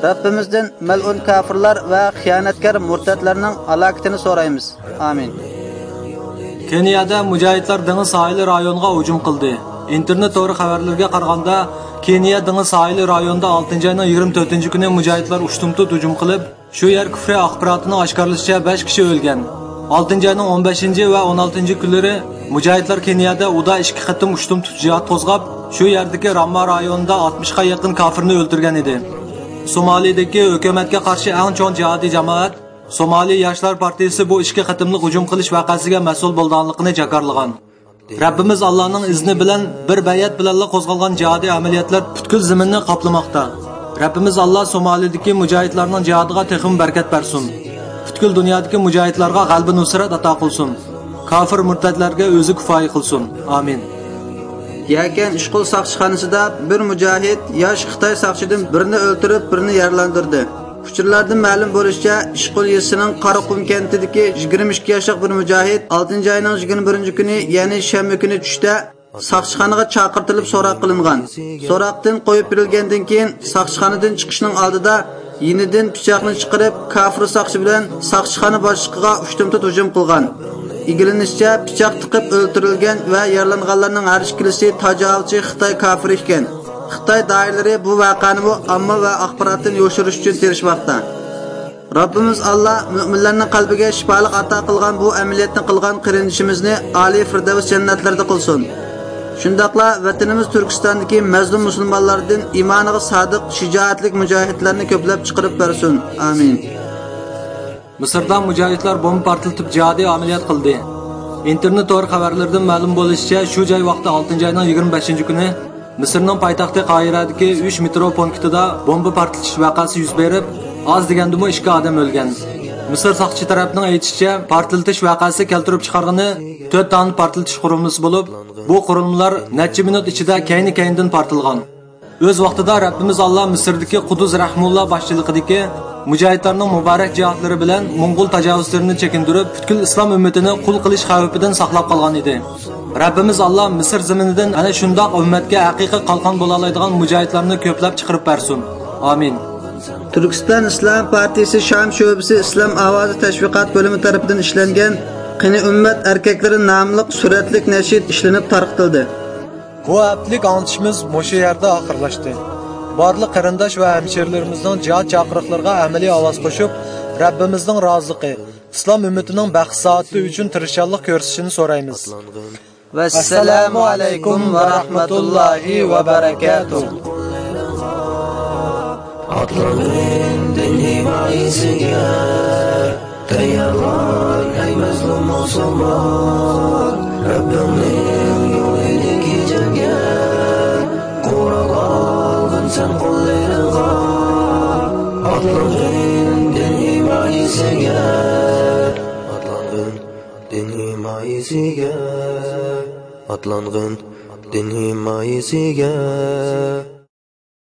رەببىمىزدىن مەلئۇن كاپىرلار ۋە خىيانەتكار مۇرتەتلەرنىڭ ھالاكىتىنى سورايمىز. ئامىن. كېنىيەدە مۇجاھىدلار دېڭىز ساھىلى رايونىغا ھۇجۇم قىلدى. ئىنتېرنېت تورى خەۋەرلىرىگە قارىغاندا، كېنىيە دېڭىز ساھىلى رايونىدا ئالتىنچى ئاينىڭ يىگىرمە تۆتىنچى كۈنى مۇجاھىدلار ئۇشتۇمتۇت ھۇجۇم قىلىپ، شۇ يەر كۇفرى ئاخباراتىنىڭ ئاشكارىلىشىچە، بەش كىشى ئۆلگەن. ئالتىنچى ئاينىڭ ئون بەشىنچى ۋە ئون ئالتىنچى كۈنلىرى مۇجاھىدلار كېنىيەدە ئۇدا ئىككى قېتىم ئۇشتۇمتۇت جىھاد قوزغاپ، شۇ يەردىكى رامما رايونىدا ئاتمىشقا يېقىن كاپىرنى ئۆلتۈرگەن ئىدى. سومالىدىكى ھۆكۈمەتكە قارشى ئەڭ چوڭ جىھادىي جامائەت سومالى ياشلار پارتىيىسى بۇ ئىككى قېتىملىق ھۇجۇم قىلىش ۋەقەسىگە مەسئۇل بولىدىغانلىقىنى جاكارلىغان. رەببىمىز ئاللانىڭ ئىزنى بىلەن بىر بەيئەت بىلەنلا قوزغالغان جىھادىي ئەمەلىيەتلەر پۈتكۈل زېمىننى قاپلىماقتا. رەببىمىز ئاللا سومالىدىكى مۇجاھىدلارنىڭ جىھادىغا تېخىمۇ بەرىكەت بەرسۇن. پۈتكۈل دۇنيادىكى مۇجاھىدلارغا غەلىبە نۇسرەت ئاتا قىلسۇن. كاپىر مۇرتەتلەرگە ئۆزى كۇپايە قىلسۇن. ئامىن. يەكەن ئىشقۇل ساقچىخانىسىدا بىر مۇجاھىد ياش خىتاي ساقچىدىن بىرنى ئۆلتۈرۈپ، بىرنى يارىلاندۇردى. ئۇچۇرلاردىن مەلۇم بولۇشىچە، ئىشقۇل يېزىسىنىڭ قاراقۇم كەنتىدىكى يىگىرمە ئىككى ياشلىق بىر مۇجاھىد ئالتىنچى ئاينىڭ يىگىرمە بىرىنچى كۈنى، يەنى شەنبە كۈنى چۈشتە ساقچىخانىغا چاقىرتىلىپ سوراق قىلىنغان. سوراقتىن قويۇپ بېرىلگەندىن كېيىن، ساقچىخانىدىن چىقىشنىڭ ئالدىدا يېنىدىن پىچاقنى چىقىرىپ، كافىر ساقچى بىلەن ساقچىخانا باشلىقىغا ئۇشتۇمتۇت ھۇجۇم قىلغان. ئىگىلىنىشىچە، پىچاق تىقىپ ئۆلتۈرۈلگەن ۋە يارىلانغانلارنىڭ ھەر ئىككىلىسى تاجاۋۇزچى خىتاي كافىرى ئىكەن. خىتاي دائىرىلىرى بۇ ۋەقەنىمۇ ئامما ۋە ئاخباراتتىن يوشۇرۇش ئۈچۈن تىرىشماقتا. رەببىمىز ئاللا مۆمىنلەرنىڭ قەلبىگە شىپالىق ئاتا قىلغان بۇ ئەمەلىيەتنى قىلغان قېرىندىشىمىزنى ئالىي فىردەۋس جەننەتلىرىدە قىلسۇن. شۇنداقلا ۋەتىنىمىز تۈركىستاندىكى مەزلۇم مۇسۇلمانلاردىن ئىمانىغا سادىق، شىجائەتلىك مۇجاھىدلارنى كۆپلەپ چىقىرىپ بەرسۇن. ئامىن. مىسىردا مۇجاھىدلار بومبا پارتلىتىپ جىھادىي ئەمەلىيات قىلدى. ئىنتېرنېت تور خەۋەرلىرىدىن مەلۇم بولۇشىچە، شۇ جاي ۋاقتى ئالتىنچى ئاينىڭ يىگىرمە بەشىنچى كۈنى مىسىرنىڭ پايتەختى قاھىرەدىكى ئۈچ مېترو پونكىتىدا بومبا پارتلىتىش ۋەقەسى يۈز بېرىپ، ئاز دېگەندىمۇ ئىككى ئادەم ئۆلگەن. مىسىر ساقچى تەرەپنىڭ ئېيتىشىچە، پارتلىتىش ۋەقەسى كەلتۈرۈپ چىقارغىنى تۆت دانە پارتلىتىش قۇرۇلمىسى بولۇپ، بۇ قۇرۇلمىلار نەچچە مىنۇت ئىچىدە كەينى-كەينىدىن پارتلىغان. ئۆز ۋاقتىدا رەببىمىز ئاللا مىسىردىكى قۇدۇس رەھمۇللا باشچىلىقىدىكى مۇجاھىدلارنىڭ مۇبارەك جىھادلىرى بىلەن موڭغۇل تاجاۋۇزچىلىرىنى چېكىندۈرۈپ، پۈتكۈل ئىسلام ئۈممىتىنى قۇل قىلىش خەۋپىدىن ساقلاپ قالغان ئىدى. رەببىمىز ئاللا مىسىر زېمىنىدىن ئەنە شۇنداق ئۈممەتكە ھەقىقىي قالقان بولالايدىغان مۇجاھىدلارنى كۆپلەپ چىقىرىپ بەرسۇن. ئامىن. تۈركىستان ئىسلام پارتىيىسى شام شۆبىسى ئىسلام ئاۋازى تەشۋىقات بۆلۈمى تەرىپىدىن ئىشلەنگەن قېنى ئۈممەت ئەركەكلىرى ناملىق سۈرەتلىك نەشىد ئىشلىنىپ تارقىتىلدى. بۇ ھەپتىلىك ئاڭلىتىشىمىز مۇشۇ يەردە ئاخىرلاشتى. بارلىق قېرىنداش ۋە ھەمشىرىلىرىمىزنىڭ جىھاد چاقىرىقلىرىغا ئەمەلىي ئاۋاز قوشۇپ، رەببىمىزنىڭ رازىلىقى، ئىسلام ئۈممىتىنىڭ بەخت سائادىتى ئۈچۈن تىرىشچانلىق كۆرسىتىشىنى سورايمىز. ۋەسسالامۇ ئەلەيكۇم ۋە رەھمەتۇللاھى ۋە بەرەكاتۇھ. ئاتلانغىن دىن ھىمايىسىگە، تەييارلان ئەي مەزلۇم مۇسۇلمان. رەببىڭنىڭ يولىدىكى جەڭگە، قورال ئالغىن سەن قوللىرىڭغا. ئاتلانغىن دىن ھىمايىسىگە، ئاتلانغىن دىن ھىمايىسىگە، ئاتلانغىن دىن ھىمايىسىگە.